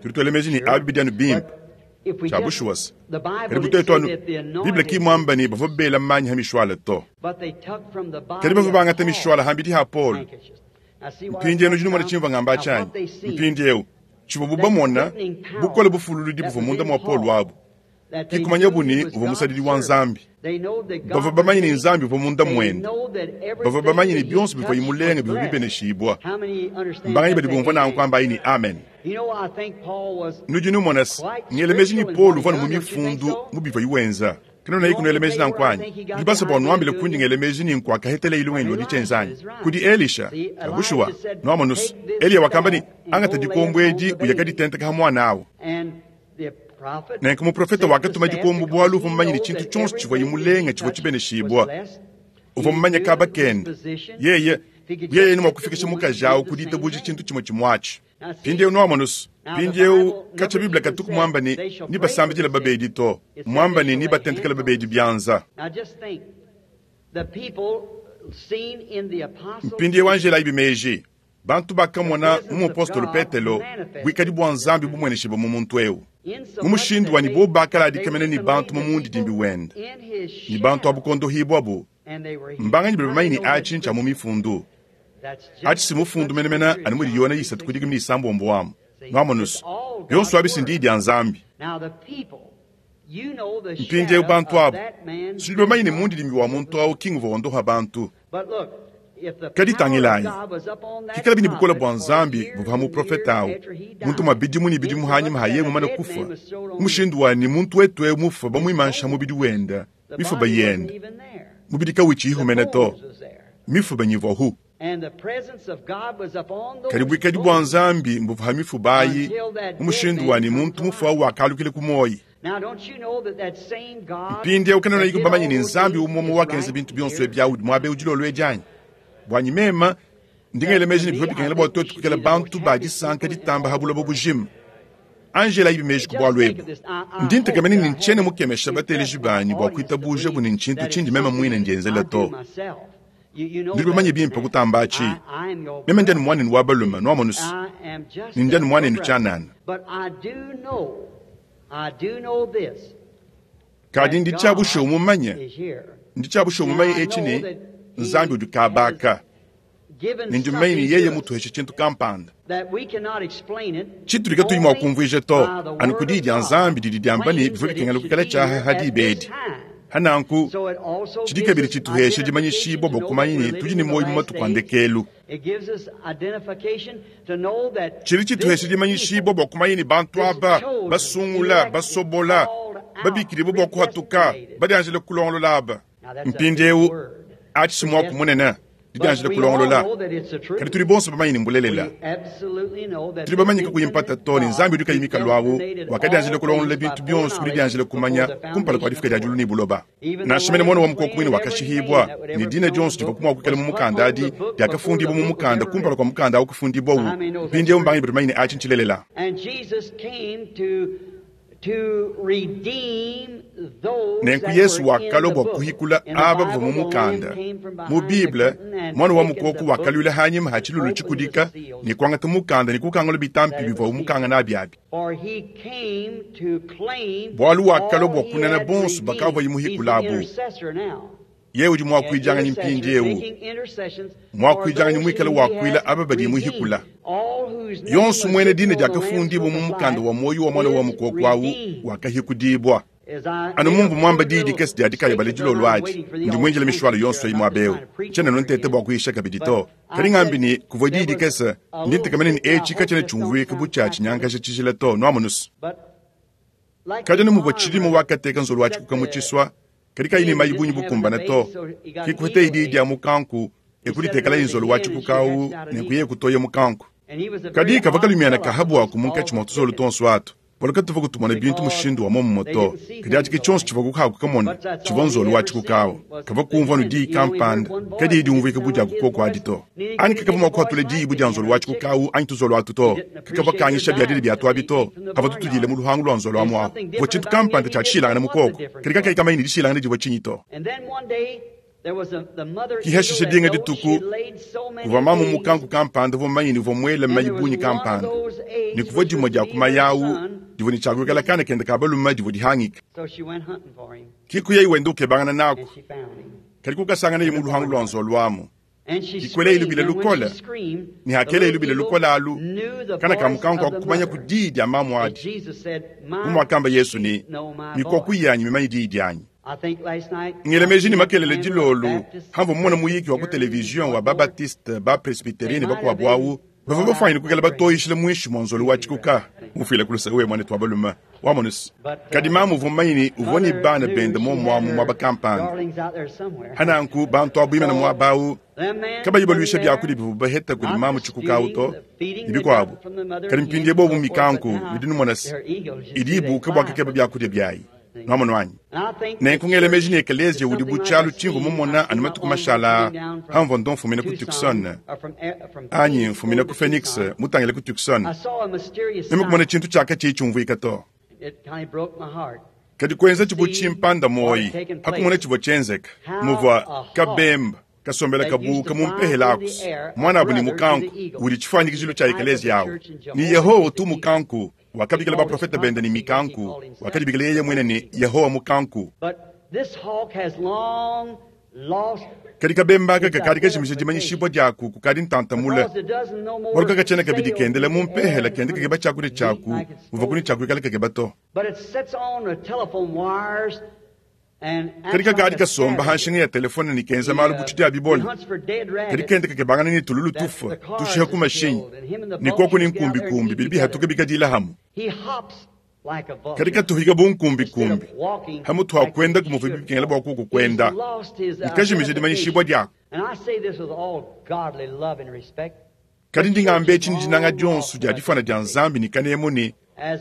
[SPEAKER 1] tudi tuela meji ne abi bidi anu bimpe. Tshia bushuwa se, kadi bu tuetu anu, Bible ki mmuambe ne, bavua bela manyi ha mishuala to. Kadi bavua bangata mishuala hambidi ha Paulo. Mpindieu nudi numona tshimvua ngamba atshi anyi? Mpindieu, tshivuabu bamona, bukole bufululudi buvua munda mua Paulo abu, ki kumanyabu ne, uvua musadidi wa Nzambi. Bavua bamanye ne, Nzambi uvua munda muende. Bavua bamanye ne, bionso bivuaye mulenga bivua bibeneshibua. Mbanganyi badi bumvua nanku? Ambayi ne, Amen. Nudi numona se, ngela meji ne Paulo uvua anu mu Mifundu mu bivuaye wenza. Kanuena kunuela meji nanku anyi? Nudi basue bua nuambile kundi ngela meji ne nkuakahetela lungenyi lua ditshienza anyi? Kudi Elisha. Tshia bushuwa, nuamonu se, Eliya wakamba ne, Angata dikombo edi uye kaditenteka ha muana au. Nenku muprofete wakatuma dikombo bualu uvua mumanye ne tshintu tshionso tshivuaye mulenga tshivua tshibeneshibua. Uvua mumanye kaba kende. Yeye, yeye ne mua kufikisha mukaji au ku ditabuja tshintu tshimue tshimue atshi. Mpindieu nuamonu se, mpindieu katshia Bible katuku muamba ne, nebasambidile babedi to, muamba ne, nebatentekele babedi bianza. Mpindieu anjelayibi meji. Bantu bakamona mu mupostolo Petelo buikadi bua Nzambi bumueneshibua mu muntu eu, mu mushindu wa ne bobu bakaladika mene ne bantu mu mundidimbi wende, ne bantu abu kuondohibuabu. Mbanganyi badi bamanye ne atshi ntshia mu Mifundu? Atshi si mufundu menemene anu mudi Yone 3:16 amu. Nwamonu's, bionso abi si ndiyi dia Nzambi. Mpindieu bantu abu, tudi bamanye ne mundidimbi wa muntu au ki nguvua wondoha bantu. Kadi tangilayi, pikalabi ne bukole bua Nzambi buvua ha muprofete au, muntu mua bidimu ne bidimu hanyima ha yeye mumane kufua, mu mushindu wa ne muntu wetu eu mufue bamuimansha mubidi wende, mifuba yende, mubidi kawutshiyihu mene to, mifuba nyivuahu. Kadi buikadi bua Nzambi mbuvua ha mifuba ayi, mu mushindu wa ne muntu mufue au wakalukila ku muoyi. Mpindieu kanuenayiku bamanye ne Nzambi umue umue wakenza bintu bionso ebi udi muaba eu dilolo edi anyi? Buanyi meme, ndi ngela meji ne bivua bikengela bua tuetu kuikala bantu ba disanka ditamba ha buloba bujima. Anji elayibi meji ku bualu ebu. Ndi ntekemena ne ntshiena mukemesha bateleji banyi bua kuitabujabu ne ntshintu tshindi meme muine ndienzela to. Nudi bamanye bimpe kutamba atshi. Meme ndi anu muanenu wa balume, nuamonu's, ne ndi anu muanenu tshianana. Kadi ndi tshia bushuwa mumanye, ndi tshia bushuwa mumanye etshi ne, Nzambi udi kabaka, ne ndi mumanye ne yeye mutuheshe tshintu kampanda tshitudi katuyi mua kumvuija to, anu ku diyi dia Nzambi didi diamba ne bivua bikengela kuikala tshiaha ha diba edi. Hananku tshidi kabidi tshituhesha dimanyishibua bua kumanya ne tudi ne muoyo mu matuku a ndekelu. Tshidi tshituhesha dimanyishibua bua kumanya ne bantu aba basungula, basobola, babikidibue bua kuhatuka, badianjile kulongolola aba. Mpindieu atshi si muaku munene, didianjila kulongolola, kadi tudi bonso bamanye ne mbulelela. Tudi bamanye kakuyi mpata to ne Nzambi udi kayi mikalu awu wakadianjila kulongolola bintu bionso ku didianjila kumanya kumpala kua difuka dia diulu ne buloba. Nansha mene Muana wa mukoko muine wakashihibua, ne dina dionso divua mua kuikala mu mukanda adi diakafundibua mu mukanda kumpala kua mukanda awu kufundibuawu. Mpindieu mbanganyi badi bamanye ne atshi ntshilelela? Nenku Yesu wakalua bua kuhikula aba bavua mu mukanda. Mu Bible, Muana wa mukoko wakaluila hanyima ha tshilulu tshikudika ne kuangata mukanda ne kukangula bitampi bivuawu mukanga nabi abi. Bualu wakalua bua kunana bonso bakavuaye muhikula abu. Yeye udi muakuidianganyi mpindieu, muakuidianganyi muikale wakuila aba badi muhikula. Yonso muena dina diakafundibua mu mukanda wa muoyo wa Muana wa mukoko au wakahikudibua. Anu mumvua muamba diyi dikese dia dikayabala dilolo adi, ndi muindile mishwala yonso eyi muaba eu. Tshiena anu nteta bua kuyisha kabidi to. Kadi ngambi ne, kuvua diyi dikese, ndi ntekemena ne etshi katshiena tshiumvuika bu tshia tshinyangaja tshijila to. Nuamonu's? Kadi anu muvua tshilima wakateka nzolo wa tshikuka mu tshisua, kadi kayi ne mayi bungi bukumbane to, ke kuhetaye diyi dia mukanku e kuditekelaye nzolo wa tshikuka au ne kuyaye kutoya mukanku. Kadi kavua kalumiana ka habuaku munkatshi mua tuzolo tuonso atu, bualu katuvua kutumona bintu mushindu wa muomumue to. Kadi atshi ke tshionso tshivua kukaku kamona, tshivua nzolo wa tshikuka au. Kavua kumvua anu diyi kampanda, kadiyi diumvuika bu dia kukoko adi to. Anyi kakavua mua kuhatula diyi bu dia nzolo wa tshikuka au anyi tuzolo atu to. Kakavua kangisha biadile biatu abi to. Kavua tutudile mu luhangu lua nzolo amu ahu. Kuvua tshintu kampanda tshia tshishilangane mu koko, kadi kakayi kamanye ne dishilangane divua tshinyi to. Ki hashishe dinga dituku, kuvua mamu mukanku kampanda uvua mumanye ne uvua muele mayi bungi kampanda, ne kuvua dimue dia ku mayi au divua ne tshia kuikala kana kende ka balume divua dihangika. Ki kuyayi wenda ukebangana naku, kadi kukasanganaye mu luhangu lua nzolo amu. Kikuelayi lubila lukole, ne hakelayi lubila lukole alu, kana ka mukanku kakumanya ku diyi dia mamu adi. Bu muakamba Yesu ne, Mikoko yanyi mimanye diyi dianyi. Ngela meji ne makelela dilolo hamvua mumona muyiki wa ku televizion wa ba-Baptiste, ba-Presbyterien ne bakuabu au bavua bafuanyine kuikala batoyishila muinshi mua nzolo wa tshikuka. Mufuile ku luse wewe muanetu wa balume, wamonu se, kadi mamu uvua mumanye ne uvua ne bana bende muomuamu muaba kampanda. Hananku bantu abu bimana muaba au kabayi baluisha biakudia bivua baheta kudi mamu tshikuka au to, ne bikuabu. Kadi mpindieu bobu mikanku nudi numona se, idi ibuka bua kukeba biakudia biayi. Nuamonu anyi? Nenku ngela meji ne ekeleziya udi bu tshialu tshimvua mumona anu matuku mashala aa pamvua ndo mfumina ku Tucson, anyi mfumina ku Phoenix mutangile ku Tucson. Meme kumona tshintu tshia katshiyi tshiumvuika to. Kadi kuenzatshi bu tshimpanda muoyi pa kumona tshivua tshienzeka, muvua kabemba. Kasombela kabuuka mu mpehela aku, mwanabu ne mukanku, udi tshifuanyikijilu tshia ekeleziya awu. Ne Yehowa utu mukanku. Wakabikila baprofete bende ne mikanku. Wakadibikila yeye muine ne, Yehowa Mukanku. Kadi kabemba aka kakadi kajimija dimanyishibua diaku kukadi ntanta mule, bualu kakatshiena kabidi kendela mu mpehela kenda kakeba tshiakudia tshiaku muvua kuni tshia kuikala kakeba to. Kadi kakadi kasomba ha nshinga ya telefone ne kenza malu bu tshidia bibole. Kadi kenda kakebangana ne tululu tufua tushiha ku mashinyi ne koku ne nkumbikumbi bidi bihatuka bikadila hamue. Kadi katuhika bu nkumbikumbi ha mutu ha kuenda kumuvua bikengela bua kuoku kuenda, ne kajimija dimanyishibua diaku. Kadi ndi ngamba etshi ne dinanga dionso dia difuana dia Nzambi ne kanemu ne,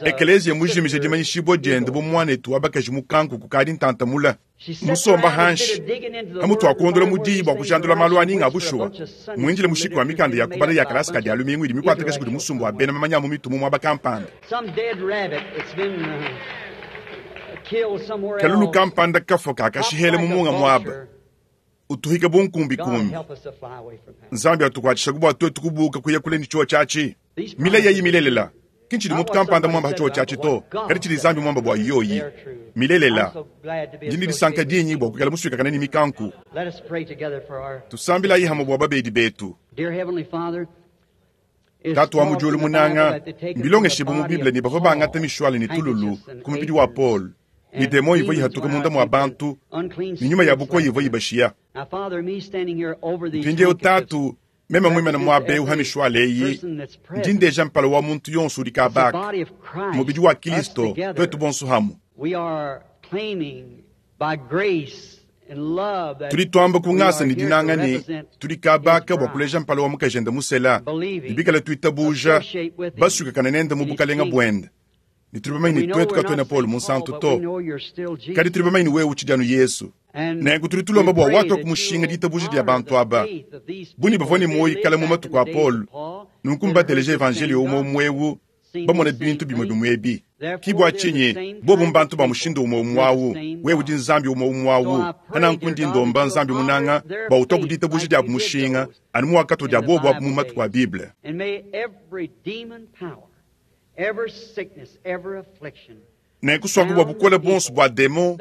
[SPEAKER 1] Ekeleziya mujimije dimanyishibua diende bu muanetu wa bakaji mukanku kukadi ntanta mule, musomba hanshi pamutu wa kuondola mu diyi bua kujandula malu a ninga a bushuwa, muindile mushiki wa mikanda ya kubala ya kalasa ka Dia lumingu idi mikuatakaja kudi musumba wa bena mamanya a mu mitu mu muaba kampanda. Kalulu kampanda kafua kakashihela mu munga muaba. Utuhike bu nkumbikumbi. Nzambi atukuatshishaku bua tuetu kubuka kuya kule ne tshiowa tshiatshi. Milayi eyi milelela. Ki ntshidi muntu kampanda muamba ha tshiowa tshiatshi to, kadi tshidi Nzambi muamba bua yoyi. Milelela. Ndi ne disanka dingi bua kuikala musuikakane ne mikanku. Tusambilayi hamue bua babedi betu. Tatu wa mu diulu munanga, mbilongeshibue mu Bible ne bavua bangata mishuale ne tululu ku mubidi wa Paulo, ne demon ivua ihatuka munda mua bantu, ne nyuma ya bukoya ivua ibashiya. Mpindieu Tatu, meme muimane muaba eu ha mishuale eyi, ndi ndeja mpala wa muntu yonso udi kabaka, mubidi wa Kilisto, tuetu bonso hamue. Tudi tuamba ku ngasa ne dinanga ne, tudi kabaka bua kuleja mpala wa mukajende musela, ne bikale tuitabuja, basuikakane nende mu bukalenga buende. Ne tudi bamanye ne tuetu katuena Paulo Munsantu to, kadi tudi bamanye ne wewe utshidi anu Yesu. Nenku tudi tulomba bua watua ku mushinga ditabuja dia bantu aba, bu ne bavua ne muoyo kale mu matuku a Paulo, nunku mbateleje evanjeliyo umue umue eu, bamone bintu bimue bimue ebi. Ki bua tshinyi bobu mbantu ba mushindu umue umue awu, wewe udi Nzambi umue umue awu. Pa nanku ndi ndomba, Nzambi munanga, bua utua ku ditabuja diabu mushinga, anu muwakatua dia bobu abu mu matuku a Bible. Nenku suaku bua bukole buonso bua demon,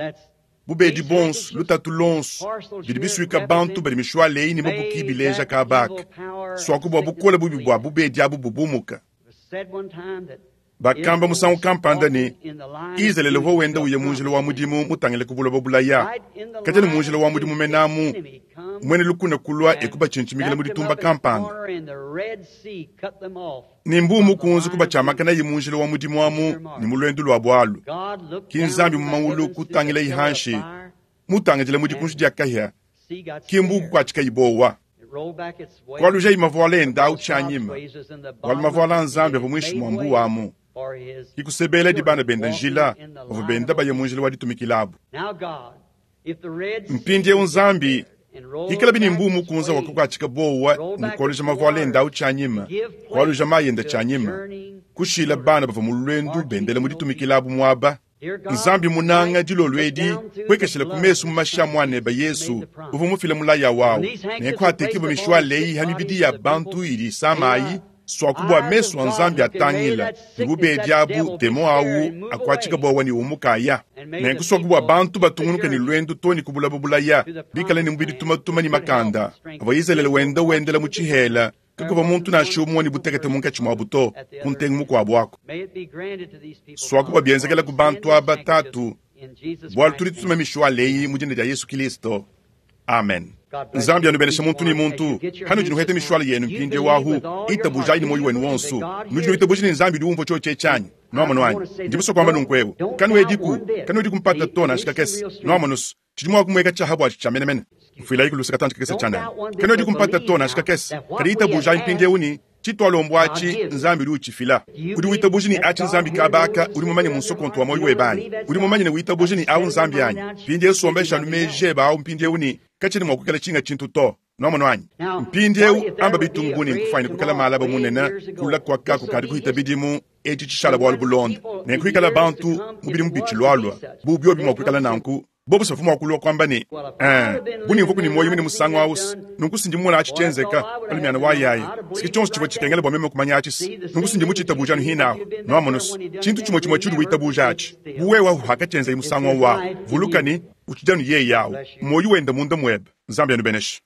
[SPEAKER 1] bubedi buonso, lutatu luonso bidi bisuika bantu badi mishuale eyi ne mabuki bileja kaba aka, suaku bua bukole bubi bua bubedi abu bubumuka. Bakamba musangu kampanda ne, Izalele uvua wenda uya mu njila wa mudimu mutangile ku buloba bulaya. Kadi anu mu njila wa mudimu menamu, muena lukuna kulua e kubatshintshimikila mu ditumba kampanda. Ne mbuu mukunze kubatshiamakanaye mu njila wa mudimu amu ne mu luendu luabu alu. Ki Nzambi mu mawulu kutangilaye hanshi, mutangidile mu dikunji dia kahia, ki mbuu kukuatshikayi buowa. Kualujayi mavuala ende au tshianyima, bualu mavuala a Nzambi avua muinshi mua mbuu amu. Ki kusebeladi bana bende njila, bavua benda baya mu njila wa ditumikila abu. Mpindieu Nzambi, ikalabi ne mbuu mukunza wakakuatshika buowa ne kualuja mavuala ende au tshianyima, kualuja mayi ende tshianyima, kushila bana bavua mu luendu bendela mu ditumikila abu muaba. Nzambi munanga, dilolo edi, puekeshila ku mesu mu mashi a Muanebe Yesu, uvua mufile mulayi awu, nenku atekibue mishuale eyi ha mibidi ya bantu idi isama ayi, suaku bua mesu a Nzambi atangila, ne bubedi abu, demon awu, akuatshika buowa ne umuka aya. Nenku suaku bua bantu batungunuke ne luendu too ne ku bulaba bulaya, bikale ne mubidi tumatuma ne makanda, avua Izalele wenda wendela mu tshihela, Kakuvua muntu nansha umue ne butekete munkatshi muabu to, ku ntengu mukuabu aku. Suaku bua bienzekela ku bantu aba, Tatu, bualu tudi tutuma mishuale eyi mu dina dia Yesu Kilisto. Amen. Nzambi anubenesha muntu ne muntu. Hanudi nuheta mishuale yenu mpindieu ahu, itabujayi ne muoyo wenu wonso. Nudi nuitabuja ne Nzambi udi umvua tshiotshi etshi anyi? Nuamonu anyi? Ndi musue kuamba nunku eu. Kanuediku, kanuediku mpata to nansha kakese. Nuamonu's, Tshidi mua kumueka tshiaha buatshi tshia menemene. Mfuilayi ku luse katantshi kakese tshianana. Kanuedi kumpata to nansha kakese. Kadi itabujayi mpindieu ne, tshitualombu atshi, Nzambi udi utshifila. Udi witabuja ne atshi Nzambi kaba aka udi mumanye mu nsokontu wa muoyo webe anyi? Udi mumanye ne witabuja ne awu Nzambi anyi? Mpindieu sombesha anu meji ebe awu mpindieu ne katshiena mua kuikala tshinga tshintu to. Nwamonu anyi? Mpindiewu, amba bitungu bu ne nkufwanyine kwikala maalaba munene, kula kwaka kukadi kuhita bidimu, eci cishala bwalu bulonda. Nenku hikala bantu, mu bidimu bicilwalwa, bu byobi mwa kwikala nanku, Bobo s'bavwa mwa kulwa kwamba ne, Ee, bu ne mvwaku ne mwoyi mwine musangu awu's, nunku s'ndi mumone aci cyenzeka pa lumyana wa yaaya. S'ki cyonso civwa cikengela bwa meme kumanya aci's. Nunku s'ndi muciitabuuje anu hiine ahu. Nwamonu's, cintu cimwecimwe cyudi witabuuja aci, bu wewe ahu paakacyenzaye musangu awu awu. Vuluka ne, ucidi anu yeye awu, mwoyi wende munda mwebe. Nzambi anubeneshe.